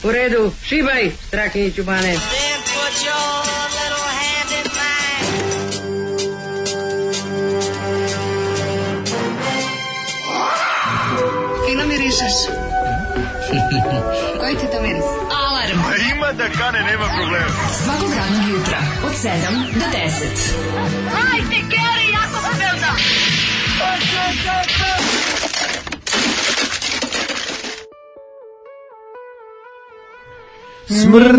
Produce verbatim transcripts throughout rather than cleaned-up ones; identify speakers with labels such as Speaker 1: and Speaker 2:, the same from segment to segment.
Speaker 1: U redu, šibaj, Strahinjiću bane.
Speaker 2: Fino mirišeš. Koji ti to miris?
Speaker 3: Alarm.
Speaker 4: Ima da kane, nema problema.
Speaker 3: Svakog radnog jutra od sedam do deset.
Speaker 2: Hajde, Geri, jako se velda.
Speaker 5: Smrz.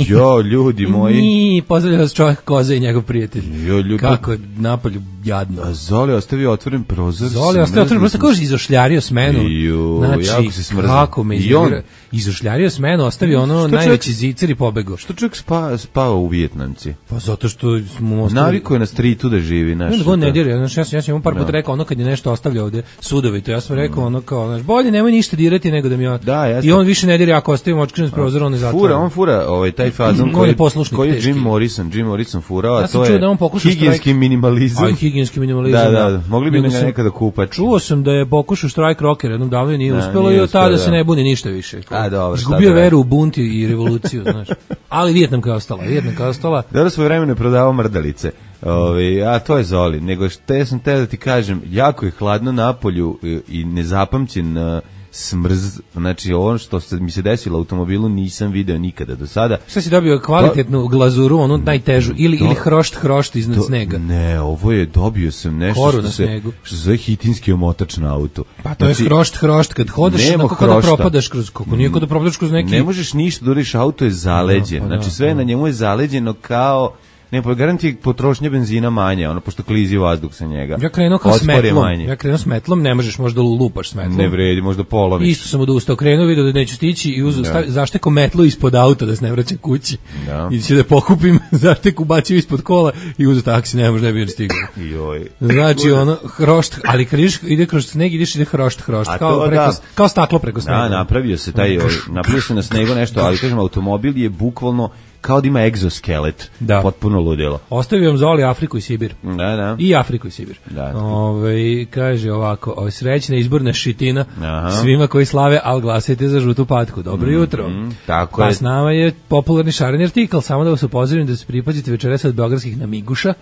Speaker 5: Jo, ljudi moji.
Speaker 6: Pozdravlja vas čovjek Koza i njegov prijatelj.
Speaker 5: Jo, ljudi.
Speaker 6: Kako je napolju jadno.
Speaker 5: A Zoli ostavio otvoren prozor.
Speaker 6: Zoli ostavio otvoren prozor, kako je izošljario smenu.
Speaker 5: Jo,
Speaker 6: znači,
Speaker 5: jako se smrzao.
Speaker 6: kako me izgleda. Izošljario smenu, ostavio ono
Speaker 5: Što
Speaker 6: najveći
Speaker 5: čovjek,
Speaker 6: zicer i pobegao.
Speaker 5: Što čovjek spa, spava u Vijetnamci?
Speaker 6: Pa zato što smo ostavili...
Speaker 5: Navikuje na streetu da živi. Naš,
Speaker 6: Onda god ne dira, znači, ja sam, ja sam imam par puta rekao ono kad je nešto ostavljao ovde sudovito, ja sam rekao ono kao, znaš, bolje nemoj ništa dirati nego da mi on...
Speaker 5: Da, jasno.
Speaker 6: I on više ne dira, ako ostavimo očkren s prozora, on ne zatvara.
Speaker 5: Fura, on fura ovaj, taj fazon
Speaker 6: On
Speaker 5: koji,
Speaker 6: je poslušnik
Speaker 5: koji je
Speaker 6: teški.
Speaker 5: Jim Morrison, Jim Morrison furao, a
Speaker 6: Ja sam
Speaker 5: to
Speaker 6: čuo
Speaker 5: je
Speaker 6: da on pokušao
Speaker 5: higijenski
Speaker 6: štrajk-
Speaker 5: minimalizam.
Speaker 6: Aj, higijenski minimalizam.
Speaker 5: Da, da, mogli bi
Speaker 6: Nego
Speaker 5: ga
Speaker 6: sam-
Speaker 5: nekada kupati.
Speaker 6: Čuo sam da je pokušao štrajk rocker jednom davno i nije
Speaker 5: Da,
Speaker 6: uspelo
Speaker 5: nije
Speaker 6: i od tada
Speaker 5: uspeo,
Speaker 6: se
Speaker 5: da.
Speaker 6: ne buni ništa više.
Speaker 5: A, dobro, šta
Speaker 6: Izgubio
Speaker 5: da radi?
Speaker 6: veru u bunt i revoluciju, znaš. Ali Vijetnamka je ostala, Vijetnamka je ostala.
Speaker 5: Dobro, svoje vremena je prodavao mrdalice. Ove, a to je Zoli. Nego što ja sam te da ti kažem, jako je hladno napolju i, i nezapamćen uh, smrz. Znači, ovo što se, mi se desilo u automobilu nisam video nikada do sada.
Speaker 6: Šta si dobio kvalitetnu glazuru, onu najtežu, ili,
Speaker 5: To-
Speaker 6: ili hrošt hrošt iznad
Speaker 5: To-
Speaker 6: snega?
Speaker 5: Ne, ovo je, dobio sam nešto
Speaker 6: Koru
Speaker 5: što
Speaker 6: na
Speaker 5: se,
Speaker 6: snegu.
Speaker 5: što se zove hitinski omotač na auto.
Speaker 6: Pa to je
Speaker 5: Znači,
Speaker 6: hrošt hrošt, kad hodaš,
Speaker 5: nema
Speaker 6: onako kada
Speaker 5: hrošta.
Speaker 6: propadaš kroz, kako nije kada propadaš kroz neki...
Speaker 5: Ne možeš ništa da uradiš, auto je zaleđen.
Speaker 6: Da, pa da,
Speaker 5: znači sve
Speaker 6: da.
Speaker 5: na njemu je zaleđeno kao, ne, pa garanti potrošnja benzina manja, ono, pošto klizi vazduh sa njega.
Speaker 6: Ja krenuo kao
Speaker 5: Otpor je
Speaker 6: smetlom,
Speaker 5: manji.
Speaker 6: ja krenuo smetlom, ne možeš možda lupaš smetlom.
Speaker 5: Ne vredi, možda poloviš.
Speaker 6: Isto sam odustao, krenuo, vidio da neću stići i uzeo, stavi- zašteko metlu ispod auta da se ne vraća kući.
Speaker 5: Da.
Speaker 6: I će da pokupim, zašteku bacio ispod kola i uzeo taksi, ne može, ne bi stigao.
Speaker 5: Joj.
Speaker 6: Znači ono hrošt, ali kad ideš, ide kroz sneg, ideš ide hrošt hrošt,
Speaker 5: A
Speaker 6: kao
Speaker 5: to
Speaker 6: preko,
Speaker 5: da.
Speaker 6: kao staklo preko snega.
Speaker 5: Da, napravio se taj, ovaj, napravio se na snegu nešto, ali kažem, automobil je bukvalno kao da ima egzoskelet.
Speaker 6: Da.
Speaker 5: Potpuno ludilo.
Speaker 6: Ostavio vam Zoli Afriku i Sibir.
Speaker 5: Da, da.
Speaker 6: I Afriku i Sibir.
Speaker 5: Da.
Speaker 6: Ovaj, kaže ovako, ovaj, srećna izborna šitina
Speaker 5: Aha.
Speaker 6: svima koji slave, al glasajte za žutu patku. Dobro jutro.
Speaker 5: tako
Speaker 6: pa
Speaker 5: je.
Speaker 6: s nama je popularni šareni artikl, samo da vas upozorim da se pripazite večeras od beogradskih namiguša.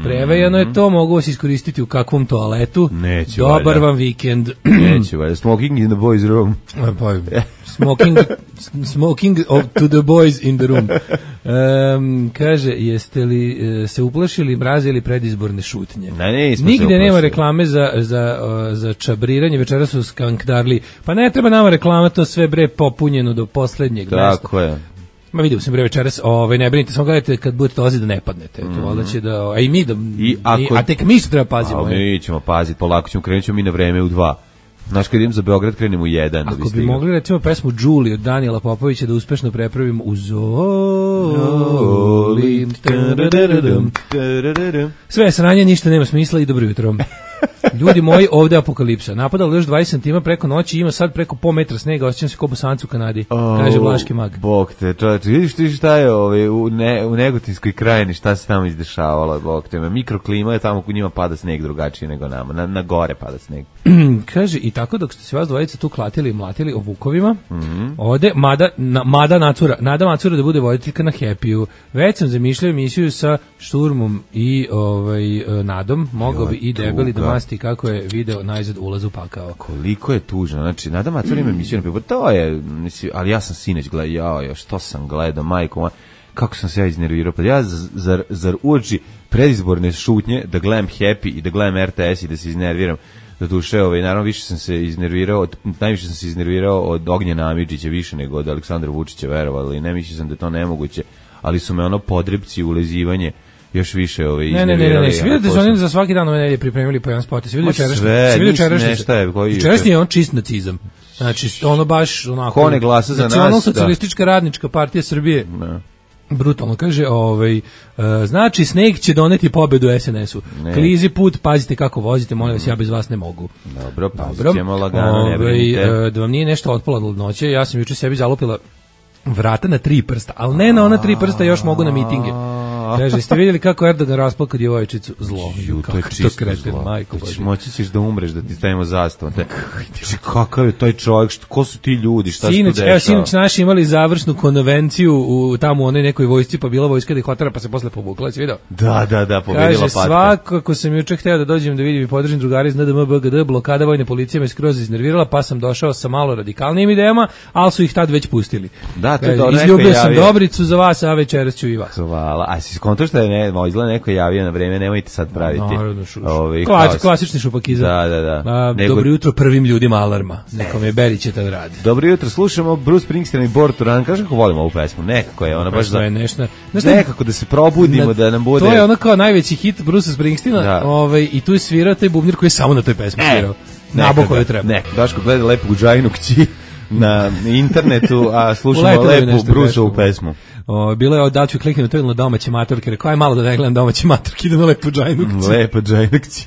Speaker 6: Prevejano je to, mogu vas iskoristiti u kakvom toaletu.
Speaker 5: Neće,
Speaker 6: Dobar
Speaker 5: valjda.
Speaker 6: vam vikend.
Speaker 5: Neće, valjda. Smoking in the boys room.
Speaker 6: Pa, smoking, smoking of to the boys in the room. Um, kaže, jeste li e, se uplašili mraza ili predizborne šutnje?
Speaker 5: Ne, nismo se
Speaker 6: Nigde nema
Speaker 5: uplašili.
Speaker 6: reklame za, za, o, za čabriranje, večeras su skankdarli. Pa ne treba nama reklama, to sve bre popunjeno do poslednjeg mesta.
Speaker 5: Tako je.
Speaker 6: Ma vidio sam bre večeras, ovaj, ne brinite, samo gledajte kad budete dolaziti da ne padnete. To valjda će da, a i mi da,
Speaker 5: I ako-
Speaker 6: a tek mi što treba pazimo.
Speaker 5: A mi ćemo paziti, polako ćemo, krenut ćemo mi na vreme u dva. Znaš, kad idem za Beograd, krenem u jedan. da
Speaker 6: Ako
Speaker 5: bi
Speaker 6: bi
Speaker 5: stigao.
Speaker 6: mogli recimo pesmu Julie od Danijela Popovića da uspešno prepravimo u Zoli. Tadadadadam. Sve sranje, ništa nema smisla i dobro jutro. Ljudi moji, ovde apokalipsa. Napadalo još dvadeset santimetara preko noći, ima sad preko po metra snega, osjećam se kao Bosanac u Kanadi, kaže Vlaški mag.
Speaker 5: Bog te, čovječe, vidiš ti šta je ovaj, u, ne, u Negotinskoj krajini, šta se tamo izdešavalo, Bog te, mikroklima je tamo, u njima pada sneg drugačije nego nama, na, na gore pada sneg.
Speaker 6: Kaže, i tako dok ste se vas dvojica tu klatili i mlatili o vukovima,
Speaker 5: Mhm.
Speaker 6: ode Mada, na, Mada Nacura, Nada Macura da bude voditeljka na Happy-u. Već sam zamišljao emisiju sa Šturmom i ovaj, e, Nadom, mogao bi i debeli da
Speaker 5: tuga.
Speaker 6: masti kako je video najzad ulaz u pakao.
Speaker 5: Koliko je tužno, znači, Nada Macura ima emisiju na Pivo, to je, mislim, ali ja sam sinoć gledao, jao, jao, što sam gledao, majko moja, kako sam se ja iznervirao, pa ja, z- zar, zar uoči predizborne šutnje, da gledam Happy i da gledam R T S i da se iznerviram, do duše, ovaj, naravno više sam se iznervirao, od, najviše sam se iznervirao od Ognjena Amidžića, više nego od Aleksandra Vučića, verovali, ne mislio sam da je to nemoguće, ali su me ono podrepci, ulezivanje, još više ovaj,
Speaker 6: Ne, ne,
Speaker 5: iznervirali.
Speaker 6: ne, ne, ne, svi vidite
Speaker 5: Ako
Speaker 6: da su
Speaker 5: sam-
Speaker 6: oni za svaki dan ove nedelje pripremili po jedan spot, svi
Speaker 5: Ma
Speaker 6: vidite čerašnji,
Speaker 5: sve,
Speaker 6: svi vidite
Speaker 5: nisam
Speaker 6: čerašnji,
Speaker 5: nešto je, koji-
Speaker 6: čerašnji je on čist nacizam. Znači, ono baš onako...
Speaker 5: Ko ne glasa za nas,
Speaker 6: Nacionalno-socijalistička radnička partija Srbije.
Speaker 5: Ne.
Speaker 6: Brutalno, kaže, ovaj, e, znači sneg će doneti pobedu S N S-u.
Speaker 5: Ne.
Speaker 6: Klizi put, pazite kako vozite, molim vas, ja bez vas ne mogu.
Speaker 5: Dobro, pazit
Speaker 6: Dobro,
Speaker 5: ćemo lagano, ne
Speaker 6: Ovaj,
Speaker 5: brinite.
Speaker 6: e, da vam nije nešto otpalo od ladnoće, ja sam juče sebi zalupila vrata na tri prsta, ali ne na ona tri prsta, još mogu na mitinge. Kaže, ste vidjeli kako Erdogan rasplakao djevojčicu? Zlo.
Speaker 5: Ju, to je
Speaker 6: Kako
Speaker 5: čisto
Speaker 6: kreten,
Speaker 5: zlo.
Speaker 6: majko
Speaker 5: To ćeš-
Speaker 6: Bože.
Speaker 5: Moći ćeš da umreš, da ti stavimo zastavu. Te, znači, kakav je taj čovjek, što, ko su ti ljudi, šta se tu
Speaker 6: Sinoć,
Speaker 5: dešava?
Speaker 6: evo, sinoć naši imali završnu konvenciju u tamo u onoj nekoj vojsci, pa bila vojska da ih otara, pa se posle povukla, si vidio?
Speaker 5: Da, da, da, pobedila
Speaker 6: Kaže,
Speaker 5: patka.
Speaker 6: svakako sam juče hteo da dođem da vidim i podržim drugari iz N D M B G D, blokada vojne policije me skroz iznervirala, pa sam došao sa malo radikalnijim idejama, ali su ih tad već pustili.
Speaker 5: Da, to je
Speaker 6: Kaže,
Speaker 5: dobro, neko
Speaker 6: izljubio
Speaker 5: je
Speaker 6: sam
Speaker 5: javio.
Speaker 6: Dobricu za vas, a večeras ću i vas.
Speaker 5: Hvala. A si skonto što je ne, mo, izgleda neko javio na vreme, nemojte sad praviti.
Speaker 6: Naravno, šu, šu.
Speaker 5: Ovaj,
Speaker 6: Klasi-
Speaker 5: haos.
Speaker 6: klasični šupakizam.
Speaker 5: Da, da, da.
Speaker 6: A,
Speaker 5: Nego-
Speaker 6: Dobro jutro prvim ljudima alarma. Nekom je Berić je tad radi.
Speaker 5: Dobro jutro, slušamo Bruce Springsteen i Born to Run. Kažem kako volimo ovu pesmu. Nekako je ona baš
Speaker 6: To
Speaker 5: za...
Speaker 6: je nešto. Znaš šta je-
Speaker 5: Nekako da se probudimo, da nam bude...
Speaker 6: To je ono kao najveći hit Bruce Springsteena,
Speaker 5: Da.
Speaker 6: ovaj, i tu je svirao taj bubnir koji je samo na toj pesmi svirao. Naboko je treba.
Speaker 5: Ne, Daško gleda lepu Džajnu kći na internetu, a slušamo
Speaker 6: Uletelo je
Speaker 5: lepu
Speaker 6: nešto
Speaker 5: Bruceovu
Speaker 6: teško.
Speaker 5: pesmu.
Speaker 6: O, bilo je da ću kliknuti to ili na domaće matorke, rekao aj malo da ne gledam domaće matorke, idem na lepu džajnu kći.
Speaker 5: Lepa Džajna kći.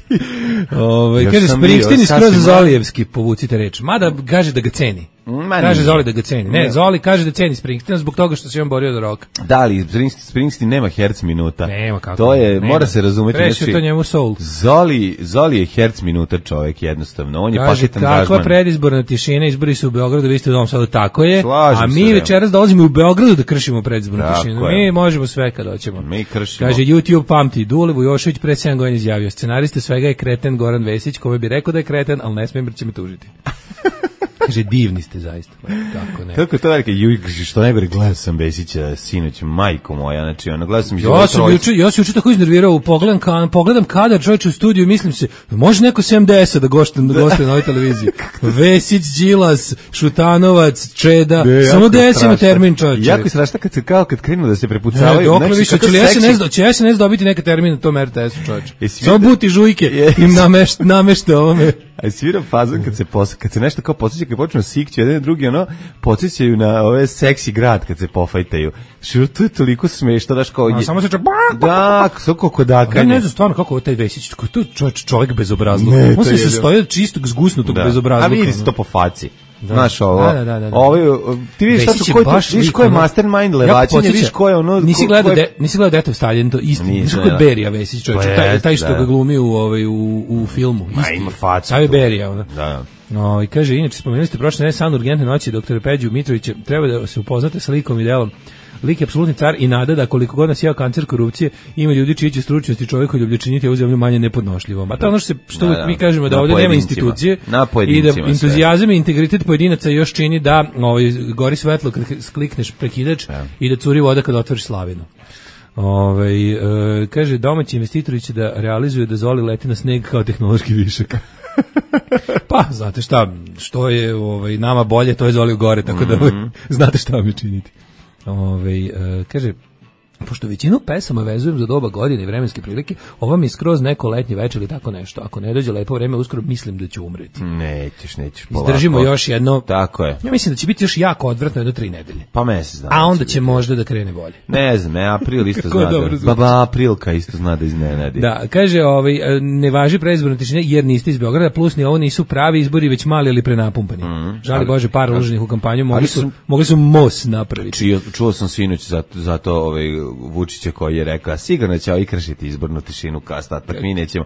Speaker 6: Ovaj
Speaker 5: Još
Speaker 6: kaže
Speaker 5: sam
Speaker 6: Springsteen
Speaker 5: bio
Speaker 6: i skroz
Speaker 5: sasvim
Speaker 6: Zolijevski, povucite reč. Mada kaže da ga ceni.
Speaker 5: Ma
Speaker 6: Kaže
Speaker 5: nije.
Speaker 6: Zoli da ga ceni. Ne,
Speaker 5: Ne.
Speaker 6: Zoli kaže da ceni Springsteena zbog toga što se on borio za rock.
Speaker 5: Da li, Springsteen, Springsteen nema herc minuta.
Speaker 6: Nema kako.
Speaker 5: To je,
Speaker 6: nema.
Speaker 5: mora se razumeti.
Speaker 6: Prešao to njemu soul.
Speaker 5: Zoli, Zoli je herc minuta čovjek jednostavno. On je
Speaker 6: Kaže,
Speaker 5: paketan
Speaker 6: kakva
Speaker 5: gažman.
Speaker 6: predizborna tišina, izbori su u Beogradu, vi ste u Novom Sadu, tako je.
Speaker 5: Slažem
Speaker 6: a
Speaker 5: se,
Speaker 6: mi
Speaker 5: evo.
Speaker 6: večeras dolazimo u Beogradu da kršimo predizbornu
Speaker 5: Tako
Speaker 6: tišinu.
Speaker 5: je.
Speaker 6: Mi možemo sve kad hoćemo.
Speaker 5: Mi kršimo.
Speaker 6: Kaže, YouTube pamti, Dule Vujošević pre sedam godina izjavio, scenarista svega je kreten Goran Vesić, kome bi rekao da je kreten, ali ne smijem jer će me tužiti. Kaže, divni ste zaista. Kako ne.
Speaker 5: Kako je to velike, ju, što najgore, gledao sam Besića sinoć, majko moja, znači, ono, gledao sam
Speaker 6: Ja
Speaker 5: život
Speaker 6: sam
Speaker 5: trojice.
Speaker 6: juče, ja sam juče tako iznervirao, pogledam, ka, pogledam kadar čovječe u studiju i mislim se, može neko sedamdeset da gošte, da goste na ovoj televiziji. Vesić, Đilas, Šutanovac, Čeda,
Speaker 5: Ne,
Speaker 6: samo
Speaker 5: jako
Speaker 6: desimo
Speaker 5: strašno.
Speaker 6: termin čovječe.
Speaker 5: Jako je strašno kad se kao kad krenu da se
Speaker 6: Ne,
Speaker 5: prepucavaju.
Speaker 6: dokle
Speaker 5: znači,
Speaker 6: više,
Speaker 5: kako
Speaker 6: će li
Speaker 5: seksi-
Speaker 6: S N S, će S N S dobiti neke termine na tom R T S-u čovječe.
Speaker 5: Jesi
Speaker 6: Samo
Speaker 5: vidio-
Speaker 6: buti žujke
Speaker 5: Je-
Speaker 6: im namešte, namešte ovome.
Speaker 5: A svira fazon kad se pos, kad se nešto kao podsjeća, kad počnu sikću jedan i drugi, ono, podsjećaju na ove seksi grad kad se pofajtaju. Što to je toliko smešno, daš kao...
Speaker 6: A
Speaker 5: je-
Speaker 6: samo se ča...
Speaker 5: Da, sve kako
Speaker 6: Ja
Speaker 5: dakanje.
Speaker 6: ne znam stvarno kako je taj Vesić, ko to čovjek, čovjek bezobrazluk.
Speaker 5: Ne,
Speaker 6: On
Speaker 5: to
Speaker 6: se
Speaker 5: je
Speaker 6: sastoji od čistog zgusnutog
Speaker 5: Da.
Speaker 6: bezobrazluka.
Speaker 5: A vidi se to po faci. Znaš ovo,
Speaker 6: Da, da, da, da.
Speaker 5: ovo je- ti vidiš
Speaker 6: Vesić
Speaker 5: tačno
Speaker 6: je
Speaker 5: ko je, to-
Speaker 6: baš
Speaker 5: vidiš
Speaker 6: lik,
Speaker 5: ko je
Speaker 6: ono-
Speaker 5: mastermind
Speaker 6: Jako
Speaker 5: levačenja,
Speaker 6: podsjeća-
Speaker 5: vidiš ko je ono...
Speaker 6: Nisi
Speaker 5: ko-
Speaker 6: gledao,
Speaker 5: ko je-
Speaker 6: de, nisi gledao Death of Stalin, to isti,
Speaker 5: Nisam,
Speaker 6: znaš kako je
Speaker 5: da.
Speaker 6: Berija Vesić, čovječe,
Speaker 5: Pa
Speaker 6: taj,
Speaker 5: jest,
Speaker 6: taj što
Speaker 5: da.
Speaker 6: ga glumi u, ovaj, u, u filmu.
Speaker 5: Ma,
Speaker 6: isti.
Speaker 5: ima facu
Speaker 6: Taj je
Speaker 5: tu.
Speaker 6: Berija, ono.
Speaker 5: Da.
Speaker 6: No, i kaže, inače, spomenuli ste prošle ne san urgentne noći doktora Peđu Mitrovića, treba da se upoznate sa likom i delom. Lik je apsolutni car i nada da koliko god nas jeo kancer korupcije, ima ljudi čiji će stručnost i čovjeku ljubljačiniti ovu zemlju manje nepodnošljivom. A to je ono što, se, što
Speaker 5: Da,
Speaker 6: uvijek
Speaker 5: da.
Speaker 6: mi kažemo da
Speaker 5: Na
Speaker 6: ovdje nema
Speaker 5: pojedincima.
Speaker 6: institucije
Speaker 5: Na
Speaker 6: i
Speaker 5: pojedincima
Speaker 6: da
Speaker 5: sve.
Speaker 6: entuzijazam i integritet pojedinaca još čini da ovaj, gori svetlo kad klikneš prekidač i da curi voda kad otvoriš slavinu. Ove, e, kaže, domaći investitori će da realizuju da Zoli leti na sneg kao tehnološki višak. Pa, znate šta, što je ovaj, nama bolje, to je Zoli gore, tako da
Speaker 5: Mhm.
Speaker 6: znate šta vam je činiti. Ove, e, kaže, pošto većinu pesama vezujem za doba godine i vremenske prilike, ovo mi je skroz neko letnje večer ili tako nešto. Ako ne dođe lepo vreme, uskoro mislim da ću umreti.
Speaker 5: Nećeš, nećeš. polako.
Speaker 6: Izdržimo još jedno...
Speaker 5: Tako je.
Speaker 6: Ja mislim da će biti još jako odvratno jedno tri nedelje.
Speaker 5: Pa mesec dana.
Speaker 6: A onda
Speaker 5: će
Speaker 6: će možda da krene bolje.
Speaker 5: Ne znam, e, april isto
Speaker 6: Kako
Speaker 5: zna
Speaker 6: dobro
Speaker 5: da...
Speaker 6: zvuči.
Speaker 5: Baba Aprilka isto zna da iznenadi.
Speaker 6: Da, kaže, ovaj, e, ne važi predizborna tišina jer niste iz Beograda, plus ni ovo nisu pravi izbori, već mali ili prenapumpani. Žali
Speaker 5: ali-
Speaker 6: Bože, par uloženih u kampanju, mogli
Speaker 5: ali
Speaker 6: su,
Speaker 5: su-
Speaker 6: mogli su most napraviti.
Speaker 5: Čio, čuo sam sinoć zato, zato ovaj, Vučića koji je rekao, sigurno će ovi kršiti izbornu tišinu kao ostatak, mi nećemo.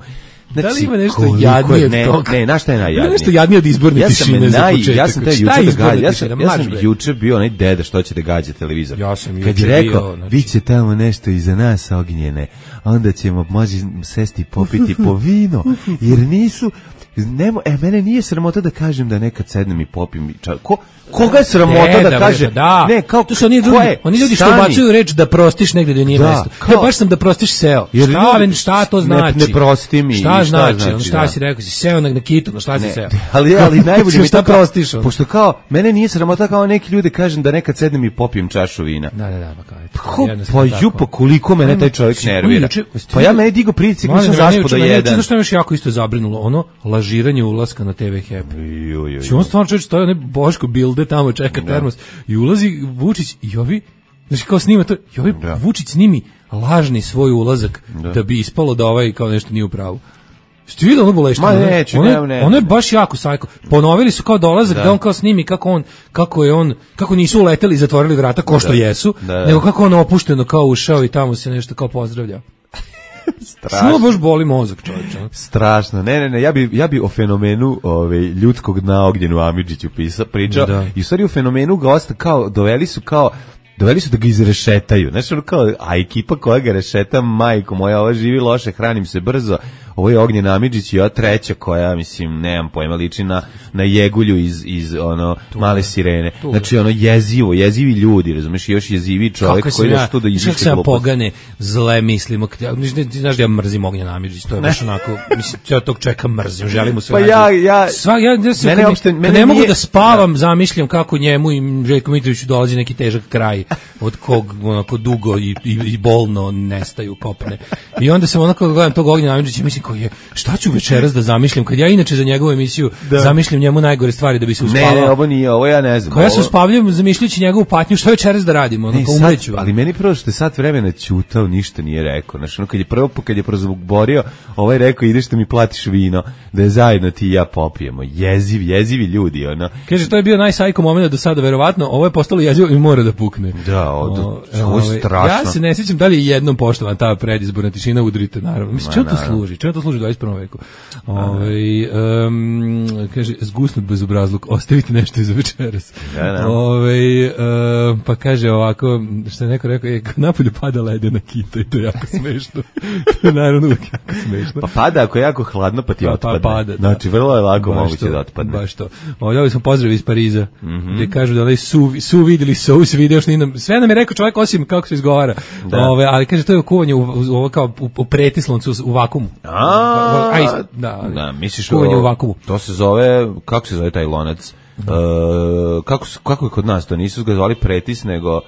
Speaker 5: Znači,
Speaker 6: Da li ima nešto
Speaker 5: koliko
Speaker 6: jadnije
Speaker 5: je-
Speaker 6: od
Speaker 5: ne,
Speaker 6: toga?
Speaker 5: Ne, znaš šta je najjadnije?
Speaker 6: Ima nešto jadnije od izborne
Speaker 5: ja sam
Speaker 6: tišine za
Speaker 5: naj,
Speaker 6: početak.
Speaker 5: Ja sam taj
Speaker 6: Šta
Speaker 5: juče
Speaker 6: je
Speaker 5: da
Speaker 6: izborna
Speaker 5: gađa, ja sam,
Speaker 6: tišina?
Speaker 5: ja
Speaker 6: Marš,
Speaker 5: sam
Speaker 6: bre.
Speaker 5: juče bio onaj deda što će da gađa televizor.
Speaker 6: Ja sam
Speaker 5: Kad
Speaker 6: juče
Speaker 5: je rekao,
Speaker 6: bio, znači-
Speaker 5: vi će tamo nešto iza nas ognjene, onda ćemo može sesti popiti po vino, jer nisu... Nemo, e, mene nije sramota da kažem da nekad sednem i popim i ča, ko, koga je sramota
Speaker 6: Ne,
Speaker 5: da,
Speaker 6: da,
Speaker 5: kaže
Speaker 6: da.
Speaker 5: ne, kao,
Speaker 6: to su oni
Speaker 5: ko
Speaker 6: ljudi,
Speaker 5: je?
Speaker 6: oni ljudi što
Speaker 5: Stani.
Speaker 6: ubacuju reč da prostiš negde gde nije
Speaker 5: Da,
Speaker 6: mesto.
Speaker 5: kao-
Speaker 6: Ja baš sam da prostiš seo.
Speaker 5: Jer
Speaker 6: Šta,
Speaker 5: ljudi-
Speaker 6: ali šta to
Speaker 5: ne-
Speaker 6: znači?
Speaker 5: ne prosti mi, i
Speaker 6: Šta
Speaker 5: šta
Speaker 6: znači?
Speaker 5: znači,
Speaker 6: Ono, šta
Speaker 5: da.
Speaker 6: si rekao? Si seo na, na kitu, no šta si
Speaker 5: Ne,
Speaker 6: seo?
Speaker 5: ali, ali najbolje mi je
Speaker 6: šta
Speaker 5: to kao-
Speaker 6: prostiš? Ono?
Speaker 5: Pošto kao, mene nije sramota kao neki ljudi kažem da nekad sednem i popijem čašu vina.
Speaker 6: Da, da, da, pa kao, eto,
Speaker 5: Ko,
Speaker 6: jednostavno
Speaker 5: pa
Speaker 6: tako.
Speaker 5: ju, pa koliko mene taj čovjek
Speaker 6: Ajmo,
Speaker 5: nervira.
Speaker 6: juče-
Speaker 5: Pa ja meni digo pricik,
Speaker 6: Mladen,
Speaker 5: nisam
Speaker 6: mene
Speaker 5: zaspo do
Speaker 6: juče- mene juče,
Speaker 5: jedan.
Speaker 6: znaš šta me još jako isto zabrinulo? Ono, lažiranje ulaska na T V Happy.
Speaker 5: Ju, ju,
Speaker 6: Znači on stvarno čovječ stoji, onaj Boško Bilde tamo čeka termos i ulazi Vučić i ovi, znači kao snima to, i ovi
Speaker 5: Da.
Speaker 6: Vučić snimi lažni svoj ulazak da. bi ispalo da ovaj kao nešto nije u pravu. Ste vidjeli onu boleštinu?
Speaker 5: Ma neću,
Speaker 6: ono,
Speaker 5: ne, ne.
Speaker 6: ono je baš jako sajko. Ponovili su kao dolazak, da. da on kao snimi kako on, kako je on, kako nisu uleteli i zatvorili vrata ko što da. jesu, da, da. nego kako on opušteno kao ušao i tamo se nešto kao pozdravlja. Strašno. Što baš boli mozak, čovječe.
Speaker 5: Strašno. Ne, ne, ne, ja bi ja bi o fenomenu ove ljudskog dna Ognjenu Amidžiću pisao, pričao. Da. I u stvari o fenomenu gosta kao doveli su kao doveli su da ga izrešetaju. Znači, ono kao, a ekipa koja ga rešeta, majko moja, ova živi loše, hranim se brzo. Ovo je Ognjen Amidžić i ova treća koja, mislim, nemam pojma, liči na, na Jegulju iz, iz ono, tu, Male sirene. Tu. Znači, ono, jezivo, jezivi ljudi, razumiješ, i još jezivi čovjek koji da što da izviše glupost. Kako se pogane,
Speaker 6: zle mislimo, znaš da ja mrzim Ognjen Amidžić, to je baš onako, mislim, ja tog čovjeka mrzim, želim mu sve.
Speaker 5: Pa ja, ja,
Speaker 6: Sva, ja, ja se, mene opšte, mene ne mogu nije, da spavam, da. zamišljam kako njemu i Željko Mitroviću dolazi neki težak kraj, od kog, onako, dugo i, i, i bolno nestaju kopne. I onda sam onako gledam tog Ognjena Amidžića, mislim, koji je, šta ću večeras da zamišljam, kad ja inače za njegovu emisiju da. zamišljam njemu najgore stvari da bi se uspavao.
Speaker 5: Ne, ne, ovo nije, ovo ja ne znam.
Speaker 6: Kao ja se uspavljam zamišljajući njegovu patnju, šta večeras da radimo, ono, kao umreću.
Speaker 5: Ali meni prvo što je sat vremena ćutao, ništa nije rekao. Znači, ono, kad je prvo, kad je prozborio, ovaj rekao, ideš da mi platiš vino, da je zajedno ti i ja popijemo. Jeziv, jezivi ljudi, ono.
Speaker 6: Kaže, to je bio najsajko moment do sada, verovatno, ovo je postalo jezivo i mora da pukne.
Speaker 5: Da, ovo je strašno.
Speaker 6: Ja se ne sjećam da li je jednom poštovan ta predizborna tišina, udrite, naravno. Mislim, čemu to služi? Čemu to služi u dvadeset prvom veku? Ove, um, kaže, zgusnut bezobrazluk, ostavite nešto iza večeras.
Speaker 5: Ja, da.
Speaker 6: Ove, um, pa kaže ovako, što je neko rekao, je, napolju pada ledena kita i to je jako smešno. To je naravno uvijek jako smešno.
Speaker 5: Pa pada ako je jako hladno, pa ti pa, otpadne. Pa pada, da. Znači, vrlo je lako baš moguće to, da otpadne.
Speaker 6: Baš to. Ovdje smo pozdravi iz Pariza, mm-hmm. gdje kažu da onaj su, su vidjeli, su se vidio, nam, sve nam je rekao čovjek osim kako se izgovara. Da. Ove, ali kaže, to je kuvanje u, u, kao u, u pretisloncu u vakumu.
Speaker 5: A,
Speaker 6: Aj, da,
Speaker 5: da, misliš
Speaker 6: kuvanje u vakumu.
Speaker 5: To se zove, kako se zove taj lonac? Uh, kako, kako je kod nas to? Nisu ga zvali pretis, nego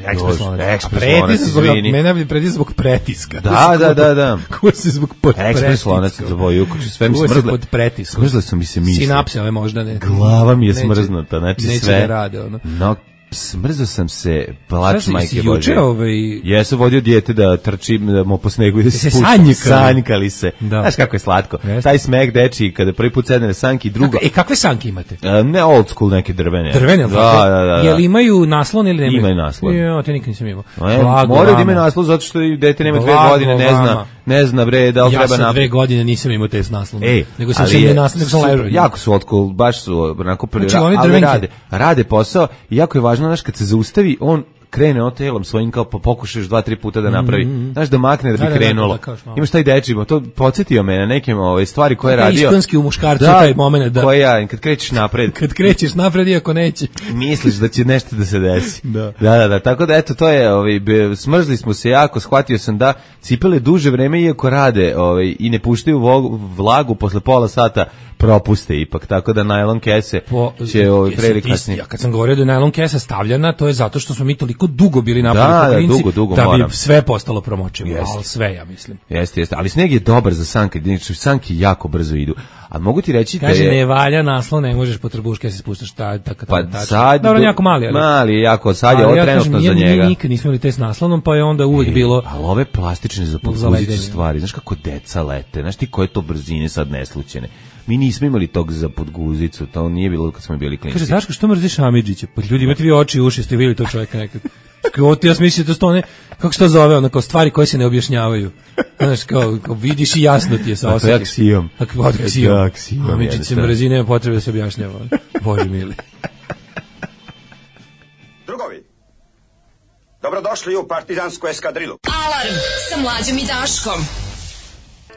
Speaker 6: ekspres lonac.
Speaker 5: Ekspres lonac, izvini.
Speaker 6: Mene bi pretis zbog pretiska.
Speaker 5: Da, da, da, da.
Speaker 6: Ko se zbog pod pretiska.
Speaker 5: Ekspres lonac za boju, kako se sve mi smrzle.
Speaker 6: Pod pretiska.
Speaker 5: Smrzle su mi se misle.
Speaker 6: Sinapse, ove možda ne.
Speaker 5: Glava mi je smrznuta, znači
Speaker 6: neće
Speaker 5: sve.
Speaker 6: Neće da rade, ono.
Speaker 5: No, smrzao sam se, plač majke Bože.
Speaker 6: Ovaj...
Speaker 5: Jesu vodio dijete da trči da mu po snegu i da se
Speaker 6: spušta.
Speaker 5: Sanjkali se. Da. Znaš kako je slatko. Jeste. Taj smeh deči kada prvi put sedne na sanki, drugo.
Speaker 6: E, kakve sanke imate?
Speaker 5: Uh, ne old school, neke drvene.
Speaker 6: Drvene,
Speaker 5: da, da, da, da.
Speaker 6: Jel imaju naslon ili nemaju?
Speaker 5: Imaju naslon.
Speaker 6: Jo, to nikad nisam imao.
Speaker 5: E, moraju da imaju naslon zato što dete nema dve godine, ne zna, ne zna bre da li
Speaker 6: ja
Speaker 5: treba
Speaker 6: na. Ja dve godine nisam imao te s naslonom.
Speaker 5: Ej,
Speaker 6: nego sam se naslon, nego sam ležao.
Speaker 5: Jako su old school, baš su onako prvi.
Speaker 6: Znači, oni
Speaker 5: ali rade, rade posao i jako je važno, znaš, kad se zaustavi, on krene on telom svojim kao pa pokušaš dva tri puta da napravi. Mm-hmm. Znaš da makne da bi da, krenulo. Da, da, da, imaš taj dečimo, to podsjetio me na neke ove stvari koje je radio.
Speaker 6: Iskonski u muškarcu da, taj momenat da.
Speaker 5: Koja kad krećeš napred.
Speaker 6: Kad krećeš napred iako neće.
Speaker 5: Misliš da će nešto da se desi.
Speaker 6: da.
Speaker 5: da, da, da. Tako da eto to je, ovaj smrzli smo se jako, shvatio sam da cipele duže vreme iako rade, ovaj i ne puštaju vlagu posle pola sata propuste ipak, tako da najlon kese po, će ovaj pre kasnije.
Speaker 6: Ja kad sam govorio da je najlon kesa stavljena, to je zato što smo mi toliko dugo bili napolju
Speaker 5: da, da, dugo, dugo,
Speaker 6: da bi
Speaker 5: moram.
Speaker 6: sve postalo promočivo, ali sve ja mislim.
Speaker 5: Jeste, jeste, ali sneg je dobar za sanke, znači sanke jako brzo idu. A mogu ti reći
Speaker 6: kaže,
Speaker 5: da je...
Speaker 6: ne valja naslon, ne možeš po trbuške se spuštaš ta tako
Speaker 5: pa
Speaker 6: tako.
Speaker 5: Sad
Speaker 6: dobro, jako mali, ali
Speaker 5: mali je jako, sad je ovo ja trenutno kažem, za njega.
Speaker 6: Mi nikad nismo imali te s naslonom, pa je onda uvek
Speaker 5: e,
Speaker 6: bilo.
Speaker 5: Ali ove plastične za podguzicu stvari, znaš kako deca lete, znaš ti koje to brzine sad neslućene. Mi nismo imali tog za podguzicu, to nije bilo kad smo bili klinci.
Speaker 6: Kaže, Daško, što mrziš Amidžića? Pa ljudi, imate vi oči i uši, ste vidjeli to čovjeka nekad. Ovo ti ja smislio, to su one, kako se to zove, ono, kao stvari koje se ne objašnjavaju. Znaš, kao, kao vidiš i jasno ti je sa osjetim.
Speaker 5: Ako je aksijom.
Speaker 6: Ako je aksijom.
Speaker 5: aksijom.
Speaker 6: Amidžić se mrzi, nema potrebe da se objašnjava. Bože mili.
Speaker 7: Drugovi, dobrodošli u partizansku eskadrilu.
Speaker 3: Alarm sa Mlađom i Daškom.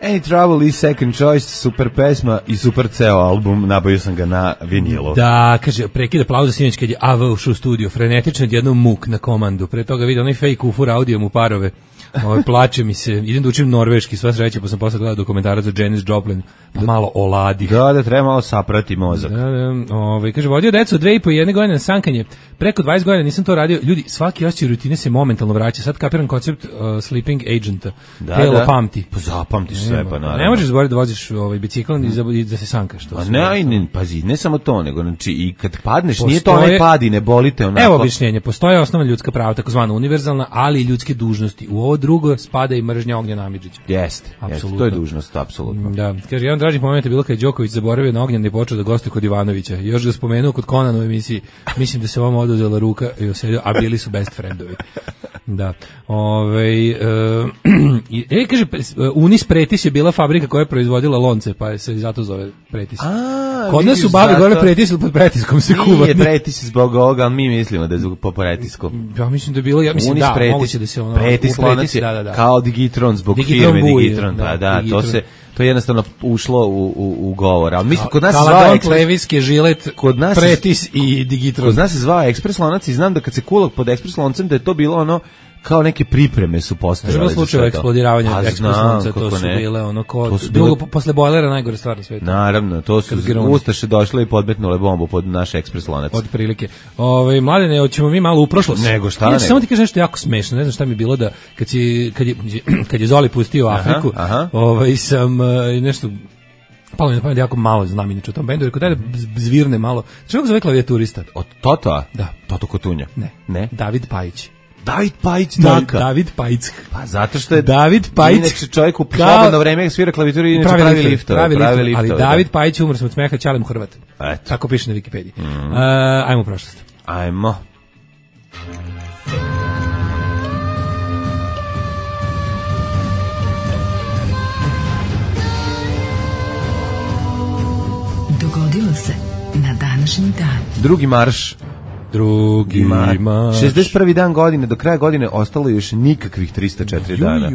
Speaker 5: Any Trouble i Second Choice, super pesma i super ceo album, nabavio sam ga na vinilu.
Speaker 6: Da, kaže, prekida aplauza sinoć kad je A V ušao u studio, frenetično jednom muk na komandu, pre toga vidio onaj fake ufur audio mu parove, ovaj, plače mi se, idem da učim norveški, sva sreća, pa sam posle gledao dokumentarac za Janis Joplin, pa malo oladi.
Speaker 5: Da, da, treba malo saprati mozak.
Speaker 6: Da, da, ovaj, kaže, vodio decu dve i po jedne godine na sankanje, preko dvadeset godina nisam to radio, ljudi, svaki osjećaj rutine se momentalno vraća, sad kapiram koncept uh, sleeping agenta,
Speaker 5: da,
Speaker 6: telo
Speaker 5: da.
Speaker 6: pamti.
Speaker 5: Pa zapamtiš sve, pa naravno.
Speaker 6: Ne možeš zaboraviti da voziš ovaj bicikl i da se sankaš.
Speaker 5: Pa ne, ne, pazi, ne samo to, nego znači i kad padneš, postoje, nije to onaj pad i ne bolite onako.
Speaker 6: Evo objašnjenje, postoje osnovna ljudska prava, takozvana univerzalna, ali i ljudske dužnosti. U ovo drugo spada i mržnja Ognjena Amidžića.
Speaker 5: Jeste, jeste, to je dužnost, apsolutno.
Speaker 6: Da, kaže, jedan dražih momenta je bilo kad je Đoković zaboravio na Ognjena i počeo da gostuje kod Ivanovića. Još ga spomenuo kod Konana u emisiji. Mislim da se vama oduzela ruka i osedio, a bili su best friendovi. Da. Ove, uh, e, kaže, Unis Pretis je bila fabrika koja je proizvodila lonce, pa se zato zove Pretis.
Speaker 5: A,
Speaker 6: kod nas su babe zato... gore Pretis ili pod pretiskom se kuva.
Speaker 5: Nije Pretis zbog ovoga, ali mi mislimo da je zbog po pretisku.
Speaker 6: Ja mislim da je bilo, ja mislim
Speaker 5: Unis
Speaker 6: da,
Speaker 5: Pretis,
Speaker 6: moguće da se ono...
Speaker 5: Pretis lonac je
Speaker 6: da, da, da.
Speaker 5: kao Digitron zbog
Speaker 6: Digitron
Speaker 5: firme
Speaker 6: buj,
Speaker 5: Digitron,
Speaker 6: da,
Speaker 5: pa da,
Speaker 6: Digitron.
Speaker 5: to se... To je jednostavno ušlo u, u, u govor. Ali mislim, kod nas se
Speaker 6: zvao
Speaker 5: zvao
Speaker 6: Ekspres... Leviske, Žilet, kod nas Pretis i Digitron.
Speaker 5: Kod nas se zvao Ekspres lonac i znam da kad se kulak pod Ekspres loncem da je to bilo ono kao neke pripreme su postojale.
Speaker 6: Bilo slučaj eksplodiravanja Ekspres lonca, to su
Speaker 5: ne.
Speaker 6: bile ono ko...
Speaker 5: Su
Speaker 6: drugo,
Speaker 5: bile...
Speaker 6: posle bojlera najgore stvar na svijetu.
Speaker 5: Naravno, to su Ustaše došle i podmetnule bombu pod naš Ekspres lonac.
Speaker 6: Od prilike. Ove, Mladene, hoćemo mi malo u prošlost.
Speaker 5: Nego šta
Speaker 6: ja,
Speaker 5: nego.
Speaker 6: Samo ti kažeš nešto jako smešno, ne znam šta mi je bilo da kad, si, kad, je, kad je Zoli pustio Afriku,
Speaker 5: aha, aha.
Speaker 6: Ovaj, sam uh, nešto... Palo mi na pamet jako malo znam inače o tom bendu, rekao daj da zvirne malo. Znaš kako zove klavijaturista?
Speaker 5: Od Toto?
Speaker 6: Da.
Speaker 5: Toto Kotunja?
Speaker 6: Ne.
Speaker 5: Ne?
Speaker 6: David Pajić.
Speaker 5: David Pajić,
Speaker 6: David,
Speaker 5: Daka.
Speaker 6: David Pajić.
Speaker 5: Pa zato što je
Speaker 6: David Pajić.
Speaker 5: Inače čovjek u slobodno vreme svira klavijaturu i inače pravi, pravi liftove.
Speaker 6: Pravi
Speaker 5: pravi
Speaker 6: liftove, ali
Speaker 5: da.
Speaker 6: David Pajić umro sam od smeha, Ćalem Hrvat.
Speaker 5: Eto.
Speaker 6: Tako piše na Wikipediji.
Speaker 5: Mm.
Speaker 6: Uh, ajmo u prošlost.
Speaker 5: Ajmo.
Speaker 3: Dogodilo se na današnji dan.
Speaker 5: Drugi marš.
Speaker 6: Drugi marš.
Speaker 5: šezdeset prvi dan godine, do kraja godine ostalo još nikakvih trista četiri dana.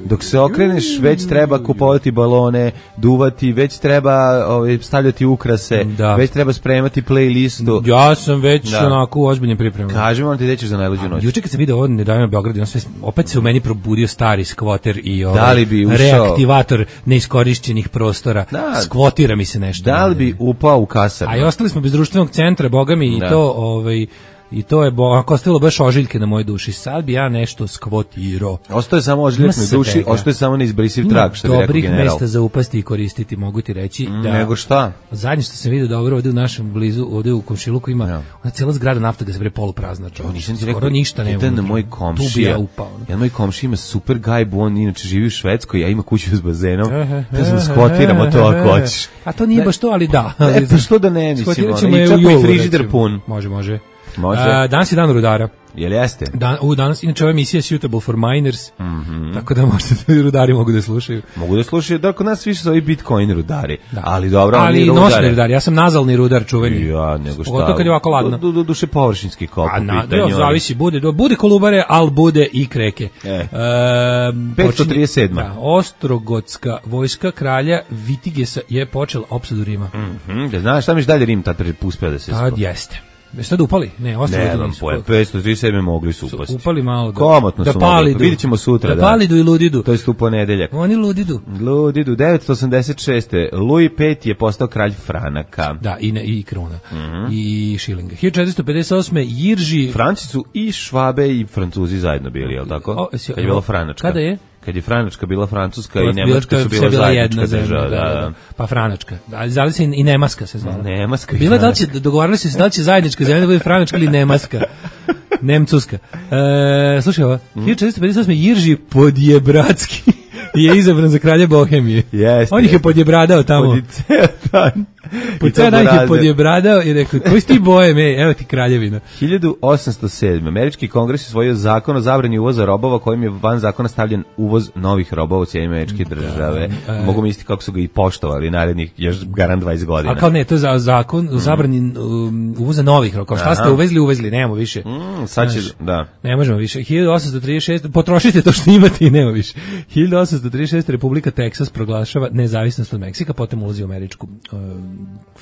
Speaker 5: Dok se okreneš, već treba kupovati balone, duvati, već treba ovaj, stavljati ukrase,
Speaker 6: da.
Speaker 5: Već treba spremati playlistu.
Speaker 6: Ja sam već
Speaker 5: da.
Speaker 6: onako u ozbiljnim pripremama.
Speaker 5: Kažemo vam ti gde ćeš za najluđu noć.
Speaker 6: Juče kad sam video ovo Nedavno Beograd, on sve, opet se u meni probudio stari skvoter i ovaj,
Speaker 5: da li bi ušao,
Speaker 6: reaktivator neiskorišćenih prostora.
Speaker 5: Da.
Speaker 6: Skvotira mi se nešto.
Speaker 5: Da li bi upao u kasarnu?
Speaker 6: A i ostali smo bez društvenog centra, boga mi,
Speaker 5: da.
Speaker 6: i to... Ovaj, i to je ako ostalo baš ožiljke na mojoj duši. Sad bi ja nešto skvotirao.
Speaker 5: Ostaje samo ožiljak na duši, ostaje samo neizbrisiv trag, što bi rekao general.
Speaker 6: Dobrih mesta za upasti i koristiti, mogu ti reći.
Speaker 5: Mm,
Speaker 6: da,
Speaker 5: nego šta?
Speaker 6: Zadnje što sam vidio dobro ovde u našem blizu, ovde u komšiluku ima, ja. Ona cijela zgrada nafta ga se bre poluprazna.
Speaker 5: O, nisam ti
Speaker 6: skoro
Speaker 5: rekao,
Speaker 6: ništa nema.
Speaker 5: Jedan moj komšija,
Speaker 6: ja upao,
Speaker 5: jedan moj komšija ima super gajbu, on inače živi u Švedskoj, ja ima kuću s bazenom, da smo skvotiramo to ako hoćeš.
Speaker 6: A to nije baš to, ali da.
Speaker 5: E, pa što da ne, mislim, i čak i frižider pun.
Speaker 6: Može, može.
Speaker 5: Može.
Speaker 6: A, danas je dan rudara.
Speaker 5: Jel jeste?
Speaker 6: Dan, u, danas, inače, ova emisija je suitable for minors,
Speaker 5: mm -hmm.
Speaker 6: tako da možda rudari mogu da slušaju.
Speaker 5: Mogu da slušaju, da kod nas više su ovi Bitcoin rudari.
Speaker 6: Da.
Speaker 5: Ali dobro,
Speaker 6: ali
Speaker 5: oni
Speaker 6: nosni rudari, ja sam nazalni rudar čuveni.
Speaker 5: Ja, nego šta.
Speaker 6: Pogotovo kad je ovako ladno.
Speaker 5: Du, du, duše površinski kop.
Speaker 6: A na, da, zavisi, bude, bude kolubare, ali bude i kreke.
Speaker 5: E.
Speaker 6: E,
Speaker 5: petsto trideset sedam.
Speaker 6: Da, Ostrogotska vojska kralja Vitigesa je počela opsadu Rima.
Speaker 5: Mm -hmm. Da znaš, šta miš dalje Rim tad uspeo da se
Speaker 6: tad spo... jeste. Jeste da upali? Ne, ostalo
Speaker 5: ne, vam pojem, petsto trideset sedam mogli su upasti.
Speaker 6: Upali malo da.
Speaker 5: Komotno
Speaker 6: da
Speaker 5: su
Speaker 6: palidu.
Speaker 5: mogli. Vidjet ćemo sutra.
Speaker 6: Da,
Speaker 5: da
Speaker 6: palidu i ludidu.
Speaker 5: To je u ponedeljak.
Speaker 6: Oni ludidu.
Speaker 5: Ludidu, devetsto osamdeset šeste. Louis peti je postao kralj Franaka.
Speaker 6: Da, i, ne, i kruna.
Speaker 5: Mm -hmm.
Speaker 6: I šilinga. hiljadu četiristo pedeset osme. Jirži...
Speaker 5: Franci su i Švabe i Francuzi zajedno bili, je li tako?
Speaker 6: O, si,
Speaker 5: kad je bila Franačka.
Speaker 6: Kada je?
Speaker 5: Kad je Franačka bila Francuska
Speaker 6: to
Speaker 5: i Nemačka su bila zajednička država. Da, da.
Speaker 6: Pa Franačka. Da, zvali se i Nemaska se zvala.
Speaker 5: Nemaska.
Speaker 6: Bila da li će, dogovarali se da li će zajednička zemlja da bude Franačka ili Nemaska. Nemcuska. E, slušaj ovo. Mm. hiljadu četiristo pedeset osme. Jirži Podjebradski je izabran za kralja Bohemije.
Speaker 5: Jeste.
Speaker 6: On ih je podjebradao tamo.
Speaker 5: Pod ceo dan.
Speaker 6: Po ceo dan ih je podjebradao i rekao, koji si ti bojem, ej, evo ti kraljevina.
Speaker 5: hiljadu osamsto sedme. Američki kongres je usvojio zakon o zabrani uvoza robova kojim je van zakona stavljen uvoz novih robova u Sjedinjene Američke Države. Da, e, Mogu misliti kako su ga i poštovali narednih još garant dvadeset godina.
Speaker 6: A kao ne, to je za zakon o zabrani um, uvoza novih robova. Kao šta ste uvezli, uvezli, nemamo više.
Speaker 5: Mm, sad će, da.
Speaker 6: Ne možemo više. hiljadu osamsto trideset šeste. Potrošite to što imate i nema više. hiljadu osamsto trideset šeste. Republika Teksas proglašava nezavisnost od Meksika, potom ulazi u Američku um,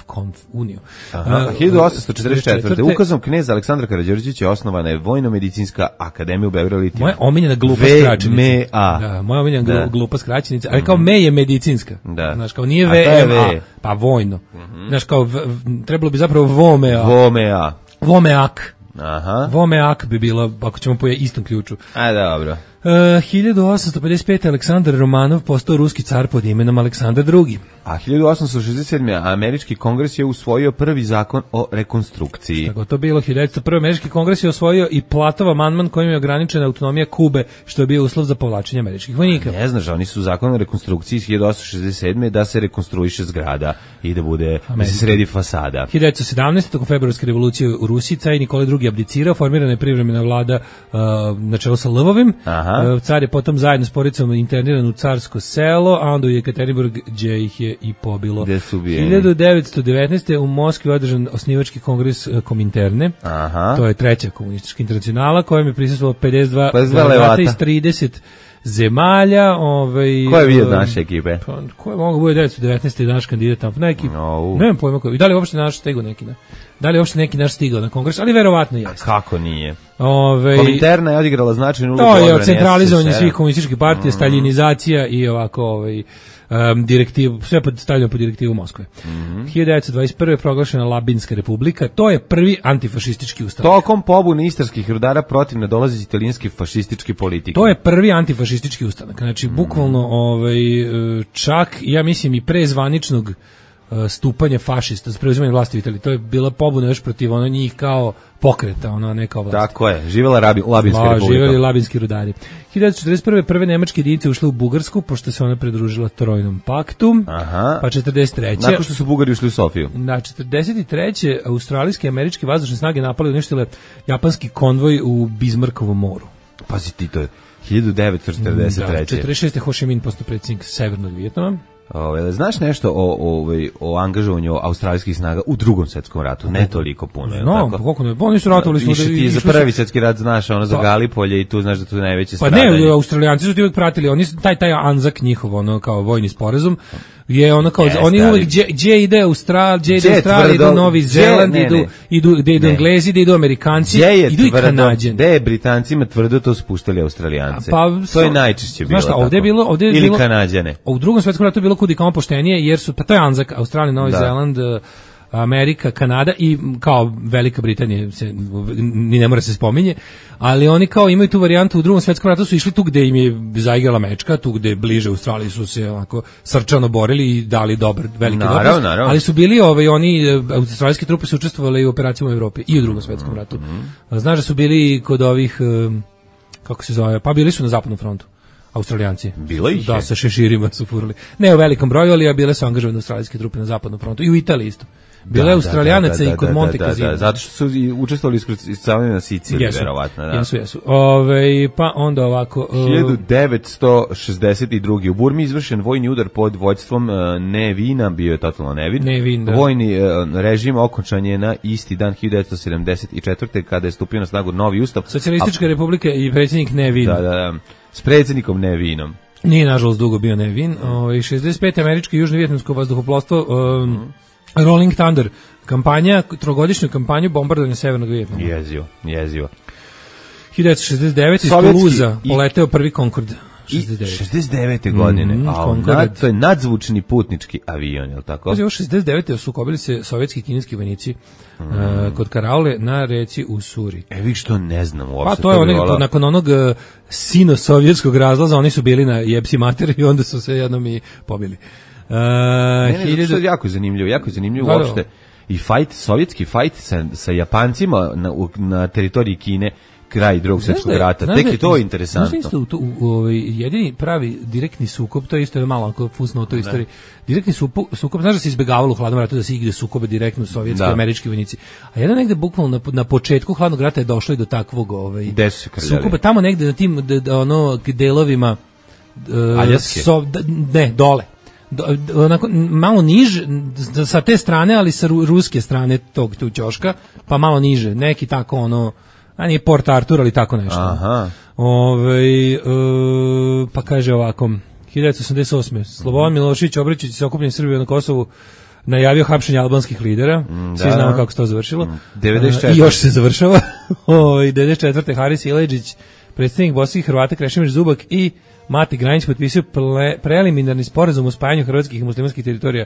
Speaker 6: konf uniju.
Speaker 5: Aha, uh, hiljadu osamsto četrdeset četvrte. Ukazom kneza Aleksandra Karađorđevića osnovana je Vojno-medicinska akademija u Beogradu.
Speaker 6: Moja omiljena glupa skraćenica. Da, moja omiljena da. glupa skraćenica, ali kao me je medicinska.
Speaker 5: Da.
Speaker 6: Znaš, kao nije V M A, pa vojno. Mm -hmm. Znaš, kao v, trebalo bi zapravo Vomea.
Speaker 5: Vomea.
Speaker 6: Vomeak.
Speaker 5: Aha.
Speaker 6: Vomeak bi bilo, ako ćemo po istom ključu.
Speaker 5: A, dobro.
Speaker 6: Uh, hiljadu osamsto pedeset pete. Aleksandar Romanov postao ruski car pod imenom Aleksandar drugi.
Speaker 5: A hiljadu osamsto šezdeset sedme. američki kongres je usvojio prvi zakon o rekonstrukciji.
Speaker 6: Tako to bilo, hiljadu devetsto prve. američki kongres je osvojio i Platov amandman kojim je ograničena autonomija Kube, što je bio uslov za povlačenje američkih vojnika.
Speaker 5: Ne znaš, oni su zakon o rekonstrukciji iz hiljadu osamsto šezdeset sedme. da se rekonstruiše zgrada i da bude, da se sredi fasada.
Speaker 6: hiljadu devetsto sedamnaeste. tokom februarske revolucije u Rusiji car Nikolaj drugi abdicirao, formirana je privremena vlada uh, na čelu sa Lvovim. Uh, car je potom zajedno s porodicom interniran u carsko selo, a onda u Jekaterinburg, gdje ih je i pobilo. hiljadu devetsto devetnaeste. u Moskvi održan osnivački kongres Kominterne.
Speaker 5: Aha.
Speaker 6: To je treća komunistička internacionala kojem je prisustvovalo pedeset dva
Speaker 5: levata
Speaker 6: iz trideset zemalja. Ovaj,
Speaker 5: ko je bio naše ekipe?
Speaker 6: Pa, ko je mogu bude devetsto devetnaeste. naš kandidat tamo? Neki,
Speaker 5: no.
Speaker 6: Nemam pojma koji. Da li uopšte naš stigao neki? Ne? Da li uopšte neki naš stigao na kongres? Ali verovatno jeste.
Speaker 5: Kako nije?
Speaker 6: Ove,
Speaker 5: Kominterna je odigrala značajnu ulogu.
Speaker 6: To je centralizovanje svih komunističkih partija, mm. staljinizacija i ovako ovaj, um, direktivu, sve pod, stavljeno pod direktivu Moskve.
Speaker 5: Mm.
Speaker 6: hiljadu devetsto dvadeset prve. proglašena Labinska republika, to je prvi antifašistički ustav.
Speaker 5: Tokom pobune istarskih rudara protiv nadolazi italijanske fašističke politike.
Speaker 6: To je prvi antifašistički ustanak. Znači, mm. bukvalno ovaj, čak, ja mislim, i pre zvaničnog stupanje fašista za preuzimanje vlasti u Italiji. To je bila pobuna još protiv ono njih kao pokreta, ono ne kao vlast.
Speaker 5: Tako je, živjela Rabi, Labinska
Speaker 6: La,
Speaker 5: republika.
Speaker 6: Živjeli labinski rudari. hiljadu devetsto četrdeset prve. prve nemačke jedinice ušle u Bugarsku, pošto se ona pridružila Trojnom paktu.
Speaker 5: Aha.
Speaker 6: Pa četrdeset treće.
Speaker 5: Nakon što su Bugari ušli u Sofiju.
Speaker 6: Na četrdeset treće. australijske i američke vazdušne snage napali i uništile japanski konvoj u Bismarckovom moru.
Speaker 5: Pazi ti, to je hiljadu devetsto četrdeset treće.
Speaker 6: Da, četrdeset šeste. Ho Chi Minh postao predsjednik Severnog Vijetnama.
Speaker 5: Ove, znaš nešto o, o, o angažovanju australijskih snaga u drugom svjetskom ratu? Ne toliko puno.
Speaker 6: No, pa koliko ne, oni su ratovali smo
Speaker 5: da ti za prvi svjetski rat znaš, ono za Galipolje i tu znaš da tu najveće
Speaker 6: pa
Speaker 5: stradanje.
Speaker 6: Pa ne, Australijanci su ti uvijek pratili, oni taj taj Anzak njihov, ono kao vojni sporazum je ono kao, yes, oni uvijek gdje ide Australija, gdje ide Australija, idu Novi Zeland, idu, idu, gdje idu Englezi, gdje idu Amerikanci, idu i Kanađani.
Speaker 5: Gdje je Britancima tvrdo to spuštali Australijance? Pa, to je najčešće bilo tako.
Speaker 6: Ovdje je bilo, ovdje je
Speaker 5: ili
Speaker 6: bilo,
Speaker 5: Kanađane.
Speaker 6: U drugom svjetskom ratu je bilo kudi kao poštenije, jer su, pa to je Anzak, Australija, Novi da. Zeland, Amerika, Kanada i kao Velika Britanija se ni ne mora se spominje, ali oni kao imaju tu varijantu. U drugom svjetskom ratu su išli tu gde im je zaigrala mečka, tu gde bliže Australiji su se onako srčano borili i dali dobar veliki doprinos, ali su bili ovaj oni australijske trupe su učestvovale i u operacijama u Evropi i u drugom svjetskom ratu. Mm-hmm. Znaš da su bili kod ovih kako se zove, pa bili su na zapadnom frontu. Australijanci.
Speaker 5: Bilo ih
Speaker 6: da, sa šeširima su furali. Ne u velikom broju, ali bile su angažovane australijske trupe na zapadnom frontu i u Italiji isto. Bilo je Australijanaca i kod Monte Cassino.
Speaker 5: Zato što su učestvovali iskrcavanje na Siciliji, verovatno. Da.
Speaker 6: Jesu, jesu. Ove, pa onda ovako... Uh,
Speaker 5: hiljadu devetsto šezdeset druge. U Burmi izvršen vojni udar pod vođstvom uh, Nevina, bio je totalno nevin.
Speaker 6: Nevin, da.
Speaker 5: Vojni uh, režim okončan je na isti dan hiljadu devetsto sedamdeset četvrte. kada je stupio na snagu novi ustav.
Speaker 6: Socijalistička a, republika i predsjednik Nevin.
Speaker 5: Da, da, da. S predsjednikom Nevinom.
Speaker 6: Nije, nažalost, dugo bio Nevin. Ove, šezdeset pete. američko i južno-vjetnamsko vazduhoplovstvo... Um, mm. Rolling Thunder, kampanja, trogodišnju kampanju bombardovanja Severnog Vijetnama.
Speaker 5: Jezivo, jezivo.
Speaker 6: hiljadu devetsto šezdeset devete. iz Toulouse poleteo prvi Concorde. šezdeset devete.
Speaker 5: šezdeset devete godine. Mm, a nad, to je nadzvučni putnički avion, je li tako?
Speaker 6: Ovo šezdeset devete. sukobili se sovjetski i kineski vojnici mm. uh, kod Karaule na reci Usuri.
Speaker 5: E, vi što ne znam uopšte.
Speaker 6: Pa to je onih, vola... nakon onog uh, sino-sovjetskog razlaza, oni su bili na jebsi mater i onda su se jednom i pobili. Uh,
Speaker 5: ne, ne, hiljadu... je jako zanimljivo, jako zanimljivo da, uopšte i fight, sovjetski fight sa, sa Japancima na, u, na teritoriji Kine kraj drugog svjetskog rata, tek je to interesantno.
Speaker 6: Znaš isto, u, u, u, jedini pravi direktni sukob, to je isto je malo ako fusno u toj istoriji, direktni sukob, sukob, znaš da se izbjegavalo u hladnom ratu da se igde sukobe direktno sovjetski i američki vojnici, a jedan negde bukvalno na, na početku hladnog rata je došlo i do takvog ovaj, sukoba, tamo negde na tim da, da, ono, delovima uh, so, da, ne, dole onako malo niže sa te strane, ali sa ruske strane tog tu ćoška, pa malo niže, neki tako ono, a nije Port Arthur, ali tako nešto.
Speaker 5: Aha.
Speaker 6: Ove, e, pa kaže ovako, hiljadu devetsto osamdeset osme. Slobodan Milošević obraćajući se okupljenim Srbije na Kosovu najavio hapšenje albanskih lidera. Mm, svi da. Znamo kako se to završilo. Mm,
Speaker 5: devedeset četvrte.
Speaker 6: I još se završava. Ove, devedeset četvrte. Haris Ileđić, predstavnik bosanskih Hrvata Krešimir Zubak i Mati Granić potpisao preliminarni sporazum o spajanju hrvatskih i muslimanskih teritorija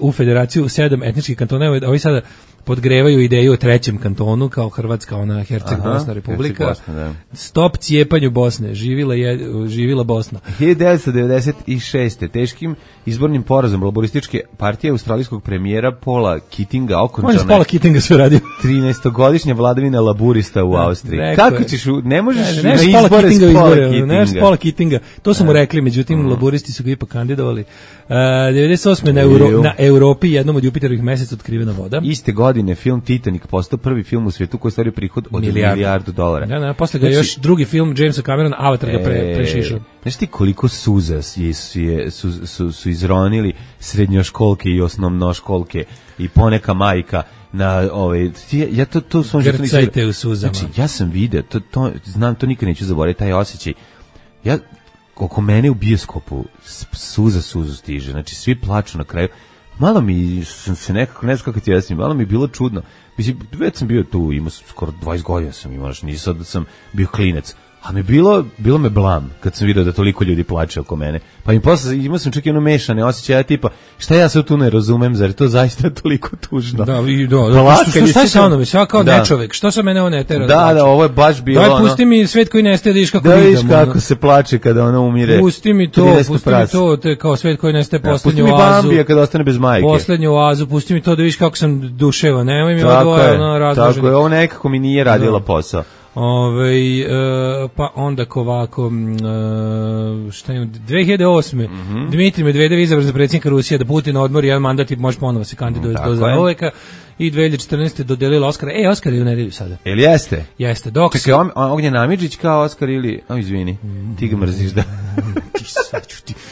Speaker 6: u federaciju sedam etničkih kantona. Ovi sada podgrevaju ideju o trećem kantonu kao Hrvatska, ona Herceg-Bosna republika.
Speaker 5: Herceg-Bosna, da.
Speaker 6: Stop cijepanju Bosne, živila, je, živila Bosna.
Speaker 5: hiljadu devetsto devedeset šeste. teškim izbornim porazom laborističke partije australijskog premijera Paula Keatinga okončana
Speaker 6: je Paula Keatinga sve radio.
Speaker 5: trinaestogodišnja vladavina laburista u Austriji.
Speaker 6: Rekao
Speaker 5: Kako
Speaker 6: je.
Speaker 5: ćeš, u, ne možeš
Speaker 6: Ne, ne,
Speaker 5: na
Speaker 6: ne, Paula
Speaker 5: izbore
Speaker 6: Keatinga
Speaker 5: s Paula
Speaker 6: izbore,
Speaker 5: Keatinga.
Speaker 6: ne, Paula Keatinga. To su mu rekli, međutim, mm. laburisti su ga ipak kandidovali. Uh, devedeset osme na, Euro, na Europi, jednom od Jupiterovih meseca otkrivena voda.
Speaker 5: Iste godine film Titanic postao prvi film u svijetu koji ostvario prihod od milijardu, milijardu dolara.
Speaker 6: Da, da, posle ga znači, još drugi film Jamesa Camerona, Avatar ga pre, prešišao.
Speaker 5: Znaš ti koliko suza je, su, je, su, su, su izronili srednjoškolke i osnovnoškolke i poneka majka na ovaj ja to to sam
Speaker 6: grcajte u suzama.
Speaker 5: Znači ja sam video to to znam, to nikad neću zaboraviti taj osjećaj. Ja oko mene u bioskopu suza suzu stiže, znači svi plaču na kraju. Malo mi sam se nekako, ne znam kako ti jasnim, malo mi je bilo čudno. Mislim, već sam bio tu, imao sam skoro dvadeset godina sam imao, znači nisam da sam bio klinac. A mi bilo, bilo me blam kad sam vidio da toliko ljudi plače oko mene. Pa mi posle imao sam čak i ono mešane osjećaja tipa, šta ja se tu ne razumem, zar je to zaista toliko tužno?
Speaker 6: Da, i do, da, što, što, šta je sa mnom, ja kao da. nečovek, što sa mene on ne tera?
Speaker 5: Da, da, da, ovo je baš bilo
Speaker 6: ono. Daj, pusti mi svet koji nestaje da vidiš kako
Speaker 5: da
Speaker 6: vidim.
Speaker 5: Da vidiš kako ono. Se plače kada ona umire.
Speaker 6: Pusti mi to, pusti mi to, te kao svet koji nestaje poslednju
Speaker 5: oazu.
Speaker 6: Pusti
Speaker 5: mi Bambija kada ostane bez majke.
Speaker 6: Poslednju oazu, pusti mi to da vidiš kako sam duševa, nemoj mi odvoje ono razloženo.
Speaker 5: Tako je, ovo nekako mi nije radila posao.
Speaker 6: Ove, e, pa onda ovako e, šta imam, dve hiljade osme. Mm-hmm. Dmitrij Medvedev izabran za predsjednika Rusije, da Putin odmori jedan mandat i može ponovo se kandiduje do zauveka. I dve hiljade četrnaeste dodelila Oskara. E, Oskar je u nedelju sada.
Speaker 5: Jel jeste?
Speaker 6: Jeste. Dok
Speaker 5: se Ognjen Amidžić kao Oskar ili, o izvini, ti ga mrziš da.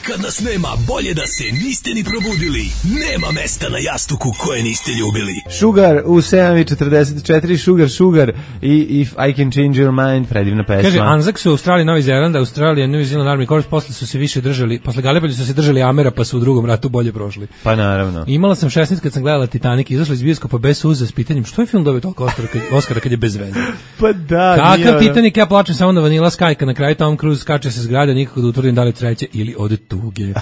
Speaker 8: Kad nas nema, bolje da se niste ni probudili. Nema mesta na jastuku koje niste ljubili.
Speaker 5: Sugar u sedam i četrdeset četiri, Sugar, Sugar i If I Can Change Your Mind, predivna pesma.
Speaker 6: Kaže, Anzac su u Australiji, Novi Zeland, Australija, New Zealand Army Corps, posle su se više držali, posle Gallipoli su se držali Amera, pa su u drugom ratu bolje prošli.
Speaker 5: Pa naravno.
Speaker 6: Imala sam šesnaest kad sam gledala Titanic, izašla iz bioskopa bez suza s pitanjem što je film dobio toliko Oscara kad, Oscara kad je bez veze.
Speaker 5: Pa da,
Speaker 6: kakav Titanic, ja plačem samo na Vanilla Sky, kad na kraju Tom Cruise skače se zgrade, nikako da utvrdim da li treće ili od tuge.